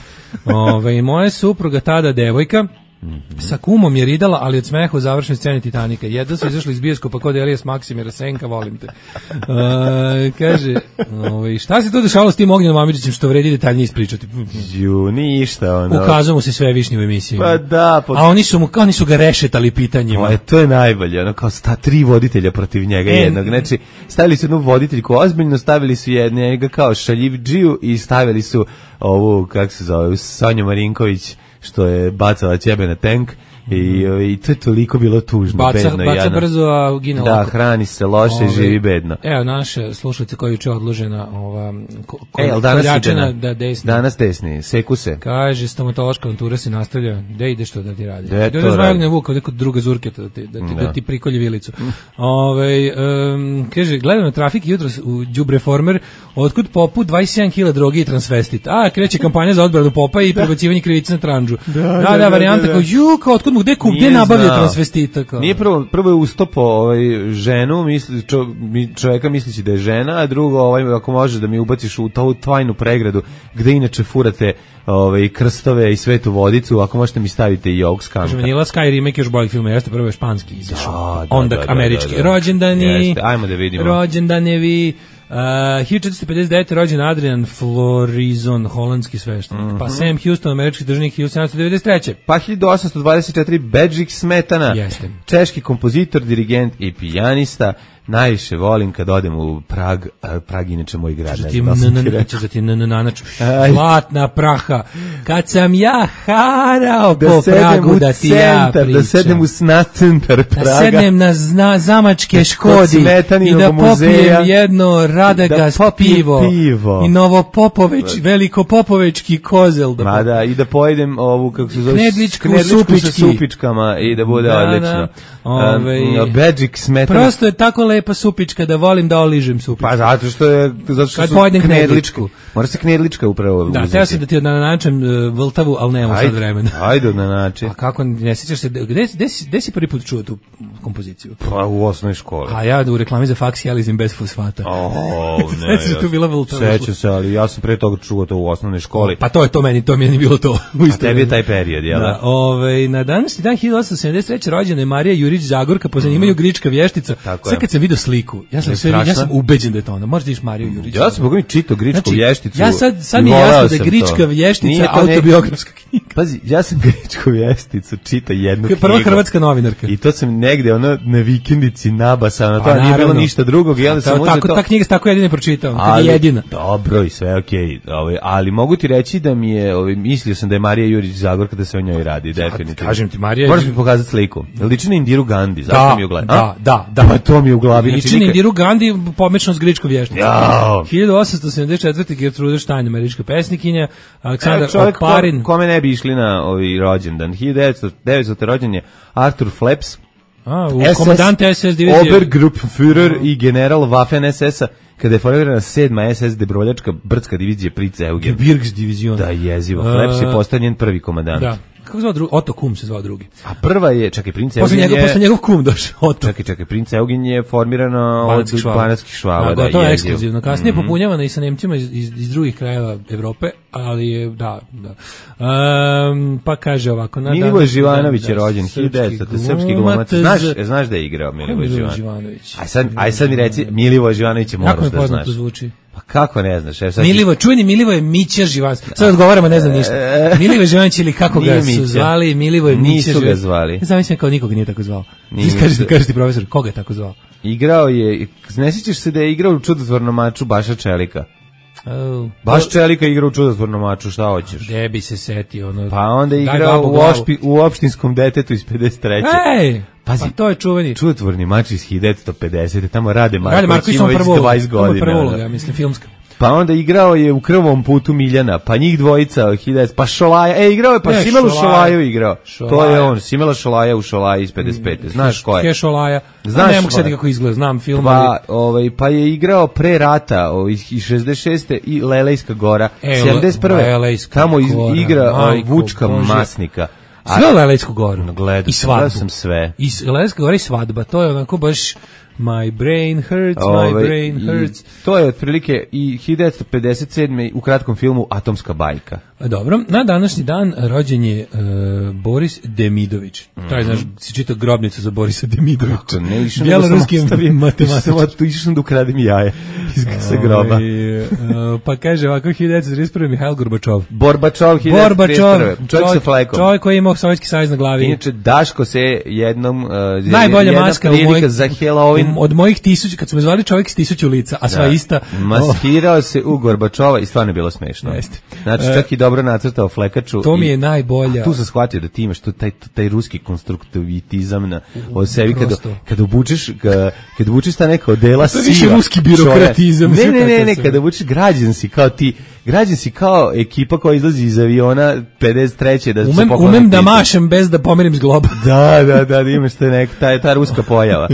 Speaker 6: Ove, moja supruga tada devojka Mm-hmm. sa kumom je ridala, ali od smeha u završnoj sceni Titanika. Jedno su izašli iz bioskopa kod Elijas Maksimira Senka, volim te. Uh, kaže, ovaj, šta se to dešavalo s tim Ognjenom Amidžićem što vredi detaljnije ispričati?
Speaker 5: Ju, ništa. Ono.
Speaker 6: Ukazao mu se sve višnje u emisiji.
Speaker 5: Pa da. Pod...
Speaker 6: A oni su, mu, oni su ga rešetali pitanjima.
Speaker 5: Pa, to je najbolje, ono kao sta, tri voditelja protiv njega, e, jednog. Znači, stavili su jednu voditeljku ozbiljno, stavili su njega kao šaljivđiju i stavili su ovu, kako se zove, Sonju Marinković, što je bacala ćebe na tank i, i to je toliko bilo tužno,
Speaker 6: baca,
Speaker 5: bedno.
Speaker 6: Baca
Speaker 5: jadno.
Speaker 6: brzo, a gine
Speaker 5: da,
Speaker 6: lako.
Speaker 5: Hrani se loše i živi bedno.
Speaker 6: Evo, naše slušalice koja je juče odložena ova, ko, ko,
Speaker 5: e, danas
Speaker 6: koljačina da desni.
Speaker 5: Danas desni, seku se.
Speaker 6: Kaže, stomatološka avantura se nastavlja, gde ideš to da ti radi?
Speaker 5: Gde
Speaker 6: to radi? Ne vuka, neko druga zurketa da ti, da ti, da. Da ti prikolje vilicu. Ove, um, kaže, gledam na trafik jutros u Đubreformer, otkud popu dvadeset sedam kilograma droge i transvestit. A, kreće kampanja za odbranu popa i prebacivanje krivice na tranđu. Da, da, da, da varijanta da, da. Kao, ju, kao, otkud mu, gde kup, gde nabavlja transvestita? Kao.
Speaker 5: Nije prvo, prvo je ustopo ovaj, ženu, misli, čo, čovjeka mislići da je žena, a drugo, ovaj, ako može da mi ubaciš u tu tvajnu pregradu, gde inače furate ovaj, krstove i svetu vodicu, ako možete mi stavite i ovog skanka.
Speaker 6: Kaže, Vanilla Sky remake još boljeg filma, jeste prvo je španski izašao.
Speaker 5: Da, da,
Speaker 6: onda
Speaker 5: da, da,
Speaker 6: američki.
Speaker 5: Da, da.
Speaker 6: Rođendani,
Speaker 5: jeste, ajmo da vidimo.
Speaker 6: Rođendanevi. Uh, hiljadu četiristo pedeset devete. rođen Adrian Florizon, holandski sveštenik. Mm-hmm. Pa Sam Houston, američki državnik hiljadu sedamsto devedeset treće.
Speaker 5: Pa hiljadu osamsto dvadeset četiri. Bedžik Smetana,
Speaker 6: jeste.
Speaker 5: Češki kompozitor, dirigent i pijanista. Najviše volim kad odem u Prag, Prag inače moj grad.
Speaker 6: Ne znam da ti zlatna praha. Kad sam ja harao po Pragu da ti ja pričam.
Speaker 5: Da sednem u sna centar Praga.
Speaker 6: Da sednem na zna, zamačke Škodi i da popijem jedno Radagast da pivo, pivo i Novopopoveć, Velikopopovečki kozel. Da
Speaker 5: Ma da, i da pojedem ovu, kako se zove,
Speaker 6: knedličku,
Speaker 5: knedličku sa supičkama i da bude da, odlično.
Speaker 6: Da. Ove,
Speaker 5: um, Bedžik Smetana.
Speaker 6: Prosto je tako lepo lepa supička, da volim da oližem supičku.
Speaker 5: Pa zato što je zato što
Speaker 6: Kad
Speaker 5: su
Speaker 6: pojedem
Speaker 5: knedličku.
Speaker 6: knedličku.
Speaker 5: Mora se knedlička upravo
Speaker 6: Da,
Speaker 5: uzeti.
Speaker 6: teo sam da ti na način uh, vrltavu, ali nemamo sad vremena.
Speaker 5: Ajde na način.
Speaker 6: A kako, ne sjećaš se, gde, gde, si, gde si prvi put čuo tu kompoziciju?
Speaker 5: Pa u osnovnoj školi.
Speaker 6: A ja u reklami za faks jalizim bez fosfata.
Speaker 5: O, ne.
Speaker 6: Sećaš tu bila vrltava?
Speaker 5: Sećam se, ali ja sam pre toga čuo to u osnovnoj školi.
Speaker 6: Pa to je to meni, to mi je ni bilo to. U
Speaker 5: A
Speaker 6: isto
Speaker 5: tebi je
Speaker 6: vreme.
Speaker 5: taj period, jel da?
Speaker 6: Da, ovaj, na današnji dan hiljadu osamsto sedamdeset treće rođena je Marija Jurić Zagorka, po zanimanju grička vještica.
Speaker 5: Tako
Speaker 6: Sad
Speaker 5: je.
Speaker 6: kad sam vidio sliku, ja sam,
Speaker 5: Je
Speaker 6: sve, ja
Speaker 5: strašna?
Speaker 6: sam ubeđen da je to ona. Možda vidiš Mariju Jurić.
Speaker 5: Ja sam bogami čitao gričku
Speaker 6: Znači,
Speaker 5: vješticu.
Speaker 6: ja sad, sad
Speaker 5: i
Speaker 6: mi je
Speaker 5: voleo
Speaker 6: jasno da je
Speaker 5: sam
Speaker 6: grička
Speaker 5: to.
Speaker 6: vještica
Speaker 5: Nije to neki-
Speaker 6: autobiografska knjiga.
Speaker 5: Pazi, ja sam gričku vješticu čitao jednu knjigu.
Speaker 6: Prva hrvatska novinarka.
Speaker 5: I to sam negde ono na vikendici nabasao, na to
Speaker 6: Pa,
Speaker 5: nije bilo
Speaker 6: naravno.
Speaker 5: ništa drugog, i onda sam
Speaker 6: Ta-
Speaker 5: uzeo
Speaker 6: tako,
Speaker 5: to.
Speaker 6: ta knjiga se tako jedine pročitao, kad
Speaker 5: Ali,
Speaker 6: je jedina.
Speaker 5: Dobro i sve okej, ovaj, ali mogu ti reći da mi je, ovaj, mislio sam da je Marija Jurić Zagorka, da se o njoj radi, definitivno.
Speaker 6: kažem ti, Marija-
Speaker 5: Moraš mi pokazati sliku. Liči na Indiru Gandhi, zašto
Speaker 6: Da,
Speaker 5: mi je u glavi?
Speaker 6: da, da, da.
Speaker 5: Pa to mi je u glavi. znači
Speaker 6: Liči na
Speaker 5: nikad-
Speaker 6: Indiru Gandhi, pomečno s gričkom vješticom.
Speaker 5: Jao.
Speaker 6: hiljadu osamsto sedamdeset četvrte. Gertrude Stein, američka pesnikinja, Aleksandar
Speaker 5: Evo, čovjek
Speaker 6: Oparin.
Speaker 5: ko, kome ne bi išli na ovaj rođendan. hiljadu devetsto rođen je Arthur Flaps,
Speaker 6: A, u
Speaker 5: S S
Speaker 6: komandante S S divizije.
Speaker 5: Obergruppenführer i general Waffen S S-a, kada je formirana sedma S S debroljačka brdska divizija Prince Eugen.
Speaker 6: Birks divizion.
Speaker 5: Da, jezivo. Flaps je
Speaker 6: A,
Speaker 5: postao njen prvi komandant.
Speaker 6: Da. Kako se zvao drugi? Otto Kum se zvao drugi.
Speaker 5: A prva je, čekaj, Prince
Speaker 6: Posle
Speaker 5: Eugen
Speaker 6: njega, posle
Speaker 5: je...
Speaker 6: njegov kum došao, Otto.
Speaker 5: Čekaj, čekaj, Prince Eugen je formirana od
Speaker 6: Banatskih švaba.
Speaker 5: banatskih švaba.
Speaker 6: Da,
Speaker 5: Da,
Speaker 6: gotovo je
Speaker 5: jezivo.
Speaker 6: ekskluzivno. Kasnije
Speaker 5: Mhm.
Speaker 6: popunjavana i sa Nemcima iz, iz, iz drugih krajeva Evrope, ali je, da, da. Um, pa kaže ovako. Na
Speaker 5: Milivoje
Speaker 6: današnji
Speaker 5: Živanović
Speaker 6: dan,
Speaker 5: je
Speaker 6: da,
Speaker 5: rođen,
Speaker 6: srpski
Speaker 5: hiljadu devetsto, srpski glumac.
Speaker 6: glumac.
Speaker 5: Znaš, znaš da je igrao
Speaker 6: Ko je
Speaker 5: Milivoje
Speaker 6: Milivoje
Speaker 5: Živanović?
Speaker 6: Živanović?
Speaker 5: Aj sad, aj sad mi reci, Milivoje Živanović je moraš
Speaker 6: Kako mi
Speaker 5: da
Speaker 6: poznato
Speaker 5: znaš.
Speaker 6: zvuči?
Speaker 5: Pa kako ne znaš? Evo sad ti-
Speaker 6: Milivo, čujeni Milivo je Mića Živanović. Sad odgovaram, a ne znam ništa. Milivo Živanović ili kako
Speaker 5: Nije
Speaker 6: ga su
Speaker 5: Mića.
Speaker 6: zvali, Milivo je Mića
Speaker 5: Nisu ga
Speaker 6: Živanović.
Speaker 5: zvali.
Speaker 6: Zamislim kao nikog nije tako zvao.
Speaker 5: Nije.
Speaker 6: Ti kaži, kaži ti profesor, koga je tako zvao?
Speaker 5: Igrao je, ne sjećaš se da je igrao u čudotvornom maču Baša Čelika?
Speaker 6: Oh.
Speaker 5: Baš Čelika igra u čudotvornom maču, šta hoćeš?
Speaker 6: Gde bi se setio? Ono,
Speaker 5: Pa onda je
Speaker 6: daj
Speaker 5: igrao
Speaker 6: babu
Speaker 5: u,
Speaker 6: glavu.
Speaker 5: ošpi, u opštinskom detetu iz pedeset treće.
Speaker 6: Ej,
Speaker 5: Pazi.
Speaker 6: pa to je čuveni.
Speaker 5: Čudotvorni mač iz hiljadu devetsto pedesete. Tamo Rade
Speaker 6: Rade
Speaker 5: Marković
Speaker 6: Marković
Speaker 5: ima
Speaker 6: ima
Speaker 5: već
Speaker 6: prvu ulogu.
Speaker 5: dvadeset
Speaker 6: Tamo je
Speaker 5: godina.
Speaker 6: prva
Speaker 5: ono.
Speaker 6: uloga, ja mislim, filmska.
Speaker 5: Pa onda igrao je u Krvom putu Miljana, pa njih dvojica, hiljadu, pa Šolaja, e, igrao je, pa
Speaker 6: Ne,
Speaker 5: Simelu
Speaker 6: Šolaja.
Speaker 5: Šolaju igrao. To je
Speaker 6: Šolaja.
Speaker 5: on, Simela Šolaja u Šolaji iz pedeset pete. Znaš ko je?
Speaker 6: Kešolaja.
Speaker 5: Znaš
Speaker 6: Znaš ne mogu
Speaker 5: ko je?
Speaker 6: sad kako izgleda, znam film.
Speaker 5: Pa,
Speaker 6: ali-
Speaker 5: ovaj, pa je igrao pre rata ovaj, iz šezdeset šeste i Lelejska gora.
Speaker 6: E,
Speaker 5: sedamdeset prve.
Speaker 6: Lelejska
Speaker 5: Tamo iz,
Speaker 6: gora,
Speaker 5: igra ovaj,
Speaker 6: majko
Speaker 5: Vučka
Speaker 6: Božja.
Speaker 5: Masnika. A-
Speaker 6: Sve Lelejsku goru.
Speaker 5: Gledao
Speaker 6: I
Speaker 5: sam, gledao
Speaker 6: svadbu.
Speaker 5: sam sve.
Speaker 6: I s- Lelejska gora i svadba. To je onako baš my brain hurts, my
Speaker 5: Ovaj,
Speaker 6: brain
Speaker 5: i
Speaker 6: hurts.
Speaker 5: To je otprilike i hiljadu devetsto pedeset sedme u kratkom filmu Atomska bajka.
Speaker 6: Dobro, na današnji dan rođen je e, Boris Demidović. Taj, znaš, si čitao grobnicu za Borisa Demidovića.
Speaker 5: Kako ne, išao
Speaker 6: Bjeloruski
Speaker 5: nego sam ostavio-
Speaker 6: matematičar.
Speaker 5: išao sam- Išao sam da ukradem jaje iz sa groba.
Speaker 6: Ovaj, e, pa kaže ovako, hiljadu devetsto trideset prve. Mihajl Gorbačov.
Speaker 5: Borbačov, hiljadu devetsto trideset prve.
Speaker 6: Gorbačov,
Speaker 5: Čovjek sa flekom.
Speaker 6: čovjek koji je imao Sovjetski savez na glavi.
Speaker 5: Inače, Daško se jednom... Uh,
Speaker 6: Najbolja
Speaker 5: jedna
Speaker 6: maska u
Speaker 5: prilika
Speaker 6: mojih,
Speaker 5: za Halloween.
Speaker 6: od mojih tisuća, kad su me zvali čovjek s tisuću lica, a sva
Speaker 5: Da.
Speaker 6: ista.
Speaker 5: Maskirao se u Gorbačova i stvarno je bilo smešno.
Speaker 6: Jeste.
Speaker 5: Znači,
Speaker 6: E,
Speaker 5: čak i dobro nacrtao flekaču.
Speaker 6: to mi
Speaker 5: i-
Speaker 6: je najbolja.
Speaker 5: A tu sam shvatio da ti imaš tu taj, taj ruski konstruktivitizam na, od sebi kada,
Speaker 6: prosto.
Speaker 5: kada obučeš ka, kada obučeš ta neka odela
Speaker 6: To je više
Speaker 5: siva
Speaker 6: ruski birokratizam,
Speaker 5: čovjek.
Speaker 6: sve
Speaker 5: Ne, ne, ne,
Speaker 6: tako
Speaker 5: ne,
Speaker 6: sve.
Speaker 5: kada obučeš građan si kao ti, građan si kao ekipa koja izlazi iz aviona pedeset treće da se
Speaker 6: Umem,
Speaker 5: pokloni
Speaker 6: umem da
Speaker 5: pitu.
Speaker 6: mašem bez da pomerim zgloba.
Speaker 5: Da, da, da, da imaš te nek, ta, ta ruska pojava.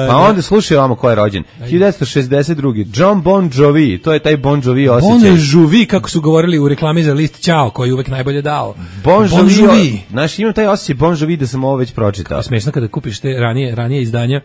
Speaker 5: Pa onda slušaj ovamo ko je rođen. hiljadu devetsto šezdeset druge. John Bon Jovi, to je taj Bon Jovi osjećaj.
Speaker 6: Bon Jovi, kako su govorili u reklami za list Ćao, koji je uvek najbolje dao.
Speaker 5: Bon
Speaker 6: Bon
Speaker 5: Jovi.
Speaker 6: Jovi.
Speaker 5: Znaš, imam taj osjećaj Bon Jovi da sam ovo već pročitao.
Speaker 6: Smešno kada kupiš te ranije, ranije izdanja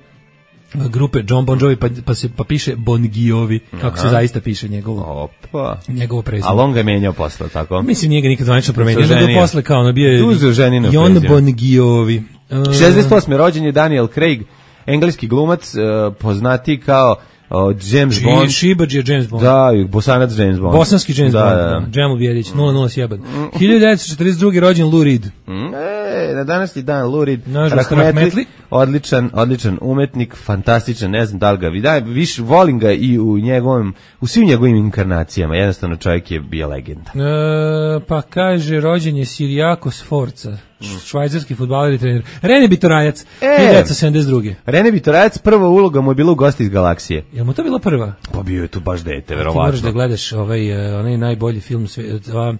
Speaker 6: grupe John Bon Jovi, pa, pa, se, pa piše Bon Giovi, kako se zaista piše njegovo,
Speaker 5: Opa.
Speaker 6: njegovo prezime.
Speaker 5: Ali on ga je menjao posle, tako?
Speaker 6: Mislim, nije ga nikad zvanično promenio,
Speaker 5: Se
Speaker 6: nego
Speaker 5: oženio.
Speaker 6: posle kao ono bio je
Speaker 5: Uzeo ženino
Speaker 6: Jon
Speaker 5: prezime.
Speaker 6: Bon Giovi. Uh,
Speaker 5: šezdeset osme rođen je Daniel Craig, engleski glumac, uh, poznati kao uh, James Bond.
Speaker 6: Šibađ je James Bond.
Speaker 5: Da, i bosanac James Bond.
Speaker 6: Bosanski James
Speaker 5: da,
Speaker 6: Bond,
Speaker 5: da,
Speaker 6: da.
Speaker 5: da.
Speaker 6: Džemil Bjelić, nula nula sjeban. hiljadu devetsto četrdeset druge. rođen Lou Reed.
Speaker 5: Mm, E, na današnji dan Lurid
Speaker 6: Nažalost,
Speaker 5: Rahmetli,
Speaker 6: Rahmetli.
Speaker 5: odličan, odličan umetnik, fantastičan, ne znam da li ga vidim, više volim ga i u njegovom, u svim njegovim inkarnacijama, jednostavno čovjek je bio legenda.
Speaker 6: E, pa kaže, rođen je Sirijako Sforca, švajcarski fudbaler i trener. Rene Bitorajac,
Speaker 5: E.
Speaker 6: hiljadu devetsto sedamdeset druge.
Speaker 5: Rene Bitorajac, prva uloga mu je bila u Gosti iz galaksije.
Speaker 6: Jel mu to bila prva?
Speaker 5: Pa bio je tu baš dete,
Speaker 6: Ti moraš
Speaker 5: verovatno.
Speaker 6: da gledaš ovaj, uh, onaj najbolji film svijeta.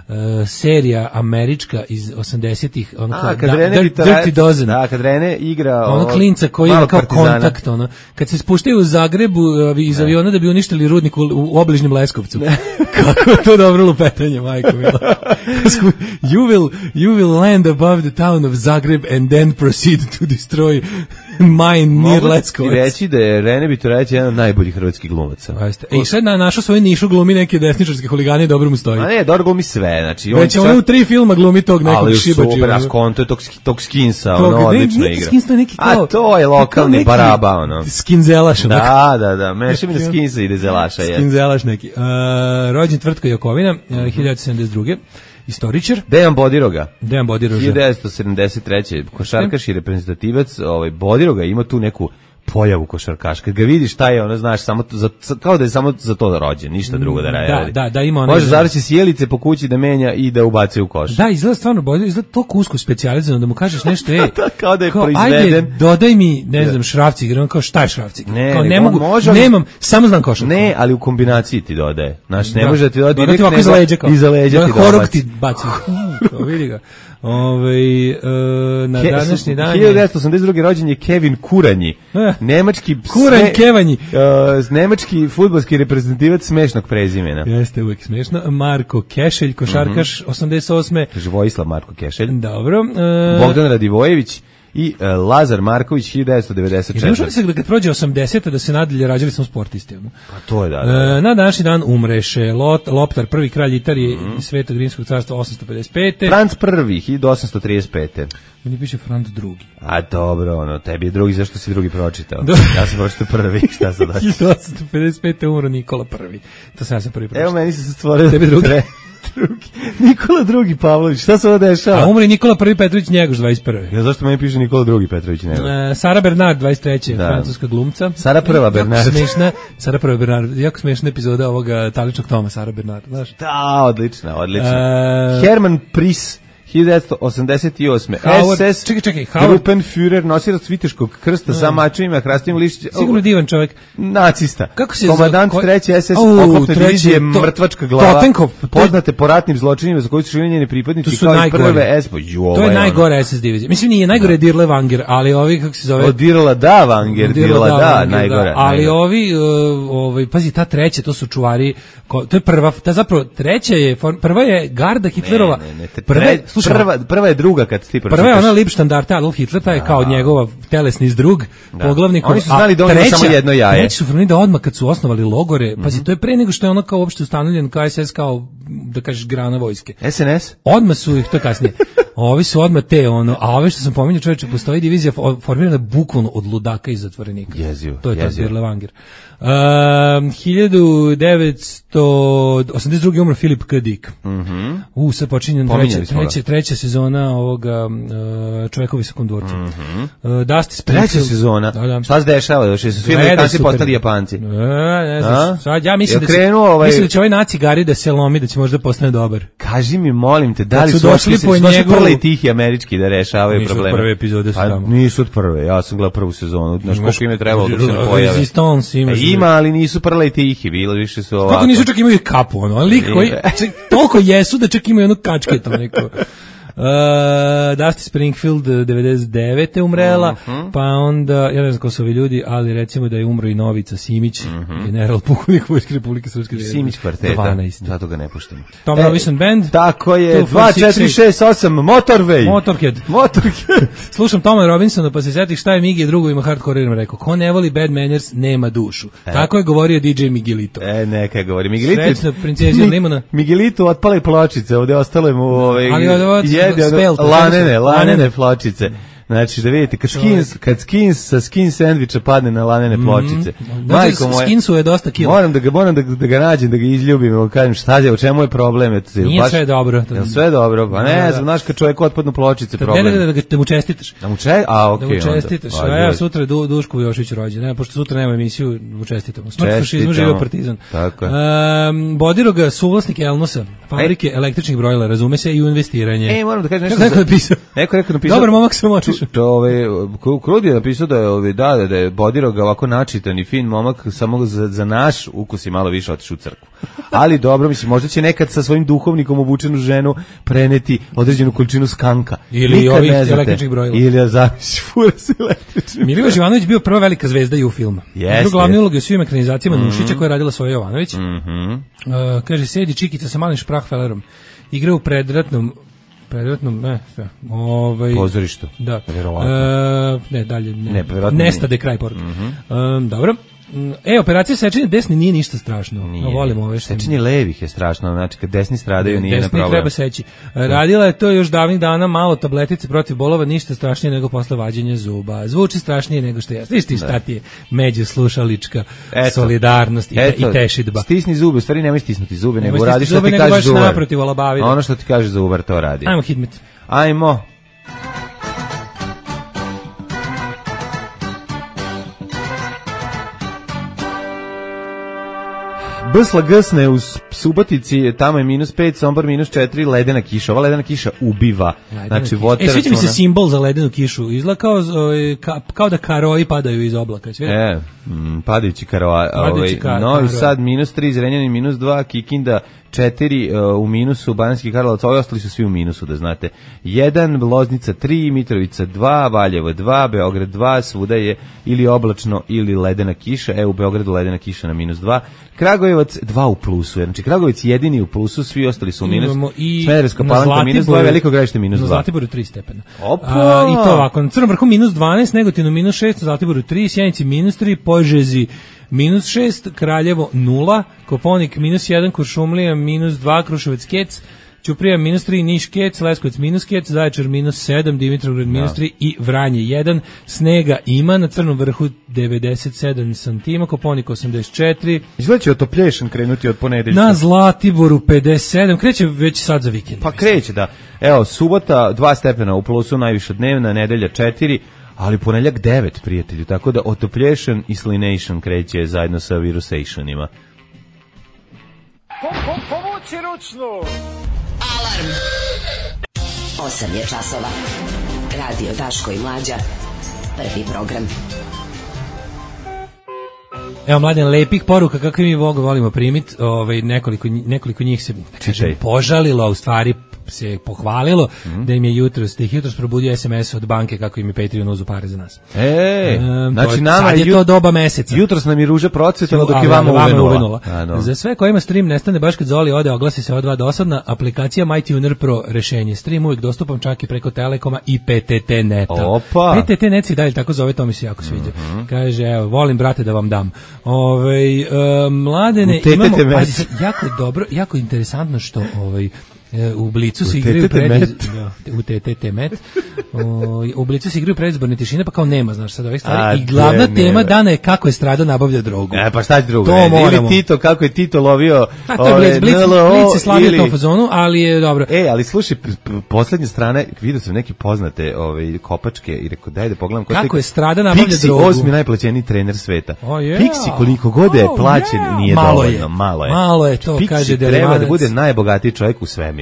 Speaker 6: uh, serija američka iz osamdesetih, ono
Speaker 5: A,
Speaker 6: kao
Speaker 5: kad
Speaker 6: da,
Speaker 5: Rene
Speaker 6: Dirty, Dirty Dozen.
Speaker 5: Da, kad Rene igra
Speaker 6: Ono klinca koji ima kao kontakt, ono. Kad se spuštaju u Zagrebu uh, iz aviona da bi uništili rudnik u, u obližnjem Leskovcu. Kako je to dobro lupetanje, majko mila. you will you will land above the town of Zagreb and then proceed to destroy mine near Leskovac.
Speaker 5: Mogu ti reći da je Rene Bitorajeć jedan od najboljih hrvatskih glumaca.
Speaker 6: E, i sad na našo svoju nišu glumi neke desničarske huligane i dobro mu stoji.
Speaker 5: A ne, dobro glumi sve, znači on
Speaker 6: već on čak... u tri filma glumi tog nekog šibačija.
Speaker 5: Ali super, a skonto je tog, tog Skinsa, ono odlično
Speaker 6: ne,
Speaker 5: igra.
Speaker 6: Skins to je neki kao...
Speaker 5: A to je lokalni baraba, ono.
Speaker 6: Skinzelaš.
Speaker 5: Da, da, da, meša mi da Skinsa ide zelaša.
Speaker 6: Skinzelaš neki. Uh, rođen Tvrtko Jakovina, uh, hiljadu sedamdeset druge. Istoričar.
Speaker 5: Dejan Bodiroga.
Speaker 6: Dejan Bodiroga.
Speaker 5: hiljadu devetsto sedamdeset treće košarkaš i reprezentativac, ovaj Bodiroga ima tu neku pojavu košarkaš. Kad ga vidiš šta je, ono znaš, samo za, kao da je samo za to da rođen, ništa drugo da radi.
Speaker 6: Da, da, da ima ona.
Speaker 5: Može završi sjelice po kući da menja i da ubacuje u koš.
Speaker 6: Da, izgleda stvarno bolje, izgleda toliko usko specijalizirano da mu kažeš nešto, ej.
Speaker 5: kao da je
Speaker 6: kao,
Speaker 5: proizveden.
Speaker 6: Ajde, dodaj mi, ne znam, šrafcig, on kao šta je šrafcig?
Speaker 5: Ne,
Speaker 6: kao,
Speaker 5: ne,
Speaker 6: ne mogu,
Speaker 5: može,
Speaker 6: nemam, samo znam košarku.
Speaker 5: Ne, ali u kombinaciji ti dodaje. Znaš, ne
Speaker 6: da.
Speaker 5: može da ti dodaje
Speaker 6: direkt, nego
Speaker 5: iza leđa,
Speaker 6: kao.
Speaker 5: Iza leđa ti
Speaker 6: horog ti baci. Kao, vidi ga. Ove, e, na Ke, današnji dan
Speaker 5: hiljadu devetsto osamdeset druge rođen je Kevin Kuranji,
Speaker 6: eh,
Speaker 5: nemački
Speaker 6: Kuranj sme, Kevanji,
Speaker 5: uh, nemački fudbalski reprezentativac smešnog prezimena.
Speaker 6: Jeste uvijek smešno. Marko Kešelj, košarkaš, mm-hmm. osamdeset osme
Speaker 5: Kaže Vojislav Marko Kešelj.
Speaker 6: Dobro. E,
Speaker 5: Bogdan Radivojević i uh, Lazar Marković hiljadu devetsto devedeset četvrte.
Speaker 6: I ne možemo da kad prođe osamdesete da se nadalje rađali smo sportisti.
Speaker 5: Pa to je da. da, da.
Speaker 6: E, na današnji dan umreše Lot, Loptar, prvi kralj Italije mm-hmm. i Svetog Rimskog carstva osamsto pedeset pete.
Speaker 5: Franc prvi hiljadu osamsto trideset pete.
Speaker 6: Meni piše Franc drugi.
Speaker 5: A dobro, ono, tebi je drugi, zašto si drugi pročitao? Ja sam pročitao prvi, šta sad daći?
Speaker 6: hiljadu osamsto pedeset pete umro Nikola prvi. To sam ja sam prvi pročitao.
Speaker 5: Evo meni se stvorio
Speaker 6: tebi drugi.
Speaker 5: Tre, drugi. Nikola drugi Pavlović, šta se ovo dešava?
Speaker 6: A umri Nikola prvi Petrović Njegoš dvadeset prve.
Speaker 5: Ja zašto meni piše Nikola drugi Petrović Njegoš?
Speaker 6: E, Sara Bernard dvadeset treće Da. Francuska glumca.
Speaker 5: Sara prva Bernard.
Speaker 6: Jako smešna, Sara prva Bernard. Jako smešna epizoda ovoga Taličnog Toma Sara Bernard, znaš?
Speaker 5: Da, odlična, odlična.
Speaker 6: E,
Speaker 5: Herman Pris hiljadu devetsto osamdeset osme
Speaker 6: Howard,
Speaker 5: S S
Speaker 6: čekaj, čekaj, Howard,
Speaker 5: Gruppenführer, nosilac viteškog krsta sa mačevima, hrastim lišćima.
Speaker 6: Sigurno divan čovjek.
Speaker 5: Nacista.
Speaker 6: Kako se
Speaker 5: komandant
Speaker 6: ko...
Speaker 5: treće S S
Speaker 6: oh,
Speaker 5: oklopne divizije,
Speaker 6: to,
Speaker 5: mrtvačka glava.
Speaker 6: Totenkopf.
Speaker 5: Poznate po ratnim zločinima za koji su živjeli njeni pripadnici kao i prve S.
Speaker 6: To je najgore S S divizije. Mislim, nije najgore je Dirle Vanger, ali ovi, kako se zove...
Speaker 5: O, Dirla da Vanger, Dirla da, da najgore.
Speaker 6: Ali
Speaker 5: najgore.
Speaker 6: ovi, uh, ovi, pazi, ta treća, to su čuvari, ko, to je prva, ta zapravo, treća je, prva je garda Hitlerova.
Speaker 5: Ne, ne, ne, prva, prva, prva je druga kad ti pročitaš.
Speaker 6: Prva je ona Liebstandarte Adolf Hitler, taj je kao njegov telesni zdrug, da. Poglavnik.
Speaker 5: Oni su znali da on ima samo jedno jaje.
Speaker 6: Treći su formirali da odmah kad su osnovali logore, mm-hmm. pazi, to je pre nego što je ono kao uopšte ustanovljen K S S kao, da kažeš, grana vojske.
Speaker 5: S N S?
Speaker 6: Odmah su ih, to kasnije. Ovi su odmah te, ono, a ove što sam pominjao, čovječe, postoji divizija formirana bukvalno od ludaka i zatvorenika.
Speaker 5: Jezivo,
Speaker 6: to je
Speaker 5: jezivo.
Speaker 6: ta Dirle Vanger. Um, hiljadu devetsto osamdeset druge umro Filip K. Dick.
Speaker 5: Mm-hmm.
Speaker 6: U, sad počinje treća, treća, treća sezona ovoga uh, Čovjekovi sekundorci.
Speaker 5: Mm-hmm.
Speaker 6: Uh, Dusty Springfield.
Speaker 5: Treća sezona?
Speaker 6: Da, da.
Speaker 5: Šta se dešava? Još su svi Amerikanci postali Japanci.
Speaker 6: Ne, ne znaš. Sad, ja mislim,
Speaker 5: ja
Speaker 6: da, će,
Speaker 5: ovaj...
Speaker 6: mislim da će ovaj naci Gari da se lomi, da će možda postane dobar.
Speaker 5: Kaži mi, molim te, da li
Speaker 6: su
Speaker 5: su
Speaker 6: došli po njegu...
Speaker 5: prvi tihi američki da rešavaju
Speaker 6: nisu
Speaker 5: probleme?
Speaker 6: Nisu od prve epizode su tamo.
Speaker 5: Pa, nisu od prve, ja sam gledao prvu sezonu. Znaš koliko im je trebalo da se ne pojave.
Speaker 6: Resistance imaš.
Speaker 5: Ima, ali nisu prle i tihi, bilo više su ovako.
Speaker 6: Kako nisu čak imaju kapu, ono, lik koji, čak, toliko jesu da čak imaju jednu kačketu, neko. Uh, Dusty Springfield devedeset devete umrela, uh-huh. pa onda, ja ne znam ko su ovi ljudi, ali recimo da je umro i Novica Simić, uh-huh. general pukovnik Vojske Republike Srpske.
Speaker 5: Simić kvarteta, dvanaest Zato ga ne puštamo.
Speaker 6: Tom e, Robinson Band.
Speaker 5: Tako je, dva četiri šest osam Motorway.
Speaker 6: Motorhead.
Speaker 5: Motorhead.
Speaker 6: Slušam Toma Robinsona, pa se sjetih šta je Migi drugovima hardcore-erima rekao. Ko ne voli Bad Manners, nema dušu. E. Tako je govorio D J Miguelito.
Speaker 5: E, neka je govori. Miguelito.
Speaker 6: Srećna princezija Mi, Limona.
Speaker 5: Miguelito otpale pločice, ovde ostale mu ove...
Speaker 6: Ali od
Speaker 5: Jede, lanene, lanene pločice. Znači, da vidite, kad skins, kad skins sa skin sandviča padne na lanene pločice.
Speaker 6: Mm-hmm. Majko moja, skinsu je dosta kilo.
Speaker 5: Moram da ga, moram da, da ga nađem, da ga izljubim, da kažem šta je, u čemu je problem? Eto,
Speaker 6: nije
Speaker 5: baš,
Speaker 6: sve dobro.
Speaker 5: Je sve dobro? Pa ne, znam, znaš, kad čovjek otpadnu pločice, problem.
Speaker 6: Ne, ne, ne, da mu čestitaš.
Speaker 5: Da mu čestitaš? A, okej.
Speaker 6: Okay, da mu čestitaš. A ja sutra du, Duško Jošić rođen. Ne, pošto sutra nema emisiju, mu čestitamo. Smrt fašizmu, živio partizan.
Speaker 5: Tako je.
Speaker 6: Um, Bodiroga, suvlasnik Elnosa, fabrike e. električnih brojila, razume se, i u investiranje.
Speaker 5: E, moram da kažem nešto.
Speaker 6: Neko je napisao.
Speaker 5: Neko je napisao.
Speaker 6: Dobar momak sam očeš.
Speaker 5: ove, Krud je napisao da je, ove, da, da je Bodiroga ovako načitan i fin momak, samo za, za naš ukus je malo više otišao u crkvu. Ali dobro, mislim, možda će nekad sa svojim duhovnikom obučenu ženu preneti određenu količinu skanka.
Speaker 6: Ili
Speaker 5: Nikad
Speaker 6: ovih
Speaker 5: ne znate.
Speaker 6: električnih brojila.
Speaker 5: Ili zavisi fura s električnim.
Speaker 6: Milivoje Živanović bio prva velika zvezda i u filmu.
Speaker 5: Jeste.
Speaker 6: Igrao glavne uloge u svim ekranizacijama mm-hmm. Nušića koje je radila Soja Jovanović.
Speaker 5: Mhm.
Speaker 6: Uh, kaže, sedi Čikica sa malim šprahfelerom. Igra u predratnom predratnom, ne, sve. Ovaj
Speaker 5: pozorištu.
Speaker 6: Da.
Speaker 5: Verovatno.
Speaker 6: E, ne, dalje ne.
Speaker 5: Ne, verovatno.
Speaker 6: Nestade kraj poruke.
Speaker 5: Mhm.
Speaker 6: Um, dobro. E, operacija sečenja desni nije ništa strašno.
Speaker 5: Nije.
Speaker 6: No, volimo ove što...
Speaker 5: Sečenje levih je strašno, znači kad desni stradaju nije na problem.
Speaker 6: Desni treba seći. Radila je to još davnih dana, malo tabletice protiv bolova, ništa strašnije nego posle vađenja zuba. Zvuči strašnije nego što je. Viš ti šta ti je među slušalička eto, solidarnost i, eto, i tešidba.
Speaker 5: Stisni zube, u stvari nemoj stisnuti zube, nego radi što
Speaker 6: zube,
Speaker 5: ti
Speaker 6: nego
Speaker 5: kaže
Speaker 6: baš
Speaker 5: zubar.
Speaker 6: Naprotiv, olabavi.
Speaker 5: Ono što ti kaže zubar, to radi.
Speaker 6: Ajmo hitmet.
Speaker 5: Ajmo. Bsla gsne u Subotici, tamo je minus pet, Sombor minus četiri, ledena kiša. Ova ledena kiša ubiva. Ledena znači,
Speaker 6: kiša. E, sviđa mi se simbol za ledenu kišu. Izgleda kao, ka, kao da karoji padaju iz oblaka.
Speaker 5: E, m, padajući karoji. Ovaj,
Speaker 6: kar,
Speaker 5: Novi Sad minus tri, Zrenjanin minus dva, Kikinda četiri uh, u minusu, Banatski Karlovac, ovi ostali su svi u minusu, da znate. jedan, Loznica tri, Mitrovica dva, Valjevo dva, Beograd dva, svuda je ili oblačno ili ledena kiša. E, u Beogradu ledena kiša na minus dva. Kragujevac dva u plusu, znači Kragujevac jedini u plusu, svi ostali su u minus. Smederevska Palanka minus dva, Veliko Gradište minus dva.
Speaker 6: Na Zlatiboru tri stepena.
Speaker 5: Opa!
Speaker 6: A, I to ovako, na Crnom vrhu minus dvanaest, Negotinu minus šest, na Zlatiboru tri, Sjenici minus tri, Požegi minus šest, Kraljevo nula, Koponik minus jedan, Kuršumlija minus dva, Kruševac Kec, Ćuprija minus tri, Niš Kec, Leskovac minus Kec, Zaječar minus sedam, Dimitrovgrad minus tri i Vranje jedan. Snega ima, na Crnom vrhu devedeset sedam santima, Koponik osamdeset četiri.
Speaker 5: Izgleda će otoplješan krenuti od ponedeljka.
Speaker 6: Na Zlatiboru pedeset sedam, kreće već sad za vikend.
Speaker 5: Pa kreće, da. Evo, subota dva stepena u plusu, najviša dnevna, nedelja četiri, ali ponedeljak devet, prijatelju, tako da otoplješan i slination kreće zajedno sa virusationima.
Speaker 9: Po, po, povuci ručnu!
Speaker 3: Alarm! osam je časova. Radio Daško i Mlađa. Prvi program.
Speaker 6: Evo, Mladen, lepih poruka kakve mi Boga volimo primiti. Ovaj, nekoliko, nekoliko njih se kažem, požalilo, a u stvari se pohvalilo mm-hmm. da im je jutros, da ih jutros probudio es em es od banke kako im je Patreon uzu pare za nas.
Speaker 5: E,
Speaker 6: um,
Speaker 5: znači
Speaker 6: to,
Speaker 5: nama
Speaker 6: sad je
Speaker 5: jut,
Speaker 6: to doba meseca.
Speaker 5: Jutros nam je ruža procvetala dok je vama uvenula. uvenula.
Speaker 6: A, no. Za sve kojima stream nestane baš kad Zoli ode, oglasi se odva dosadna, aplikacija MyTuner Pro rešenje. Stream uvijek dostupan čak i preko Telekoma i P T T neta.
Speaker 5: Opa.
Speaker 6: P T T net se dalje tako zove, to mi se jako sviđa. Mm-hmm. Kaže, evo, volim brate da vam dam. Ove, uh, mladene, imamo, pazi, jako dobro, jako interesantno što ovaj u Blicu se igraju pred u T T T met. U Blicu se igraju predizborne tišine, pa kao nema, znaš, sad ovih stvari. I glavna tema dana je kako je Strada nabavlja drogu.
Speaker 5: E, pa šta će drugo?
Speaker 6: To
Speaker 5: ili Tito, kako je Tito lovio.
Speaker 6: A to je Blic, Blic se slavio ili... tom fazonu, ali je dobro.
Speaker 5: E, ali slušaj, poslednje strane, vidio sam neke poznate ove, kopačke i rekao, daj da pogledam.
Speaker 6: Kako je Strada nabavlja
Speaker 5: Pixi,
Speaker 6: drogu.
Speaker 5: osmi najplaćeniji trener sveta.
Speaker 6: Oh, yeah.
Speaker 5: Pixi, koliko god je plaćen,
Speaker 6: oh, yeah.
Speaker 5: nije
Speaker 6: malo
Speaker 5: dovoljno.
Speaker 6: Je.
Speaker 5: Malo je.
Speaker 6: Malo je, to
Speaker 5: Pixi
Speaker 6: kaže
Speaker 5: treba
Speaker 6: Delevanac.
Speaker 5: da bude najbogatiji čovjek u svemiru.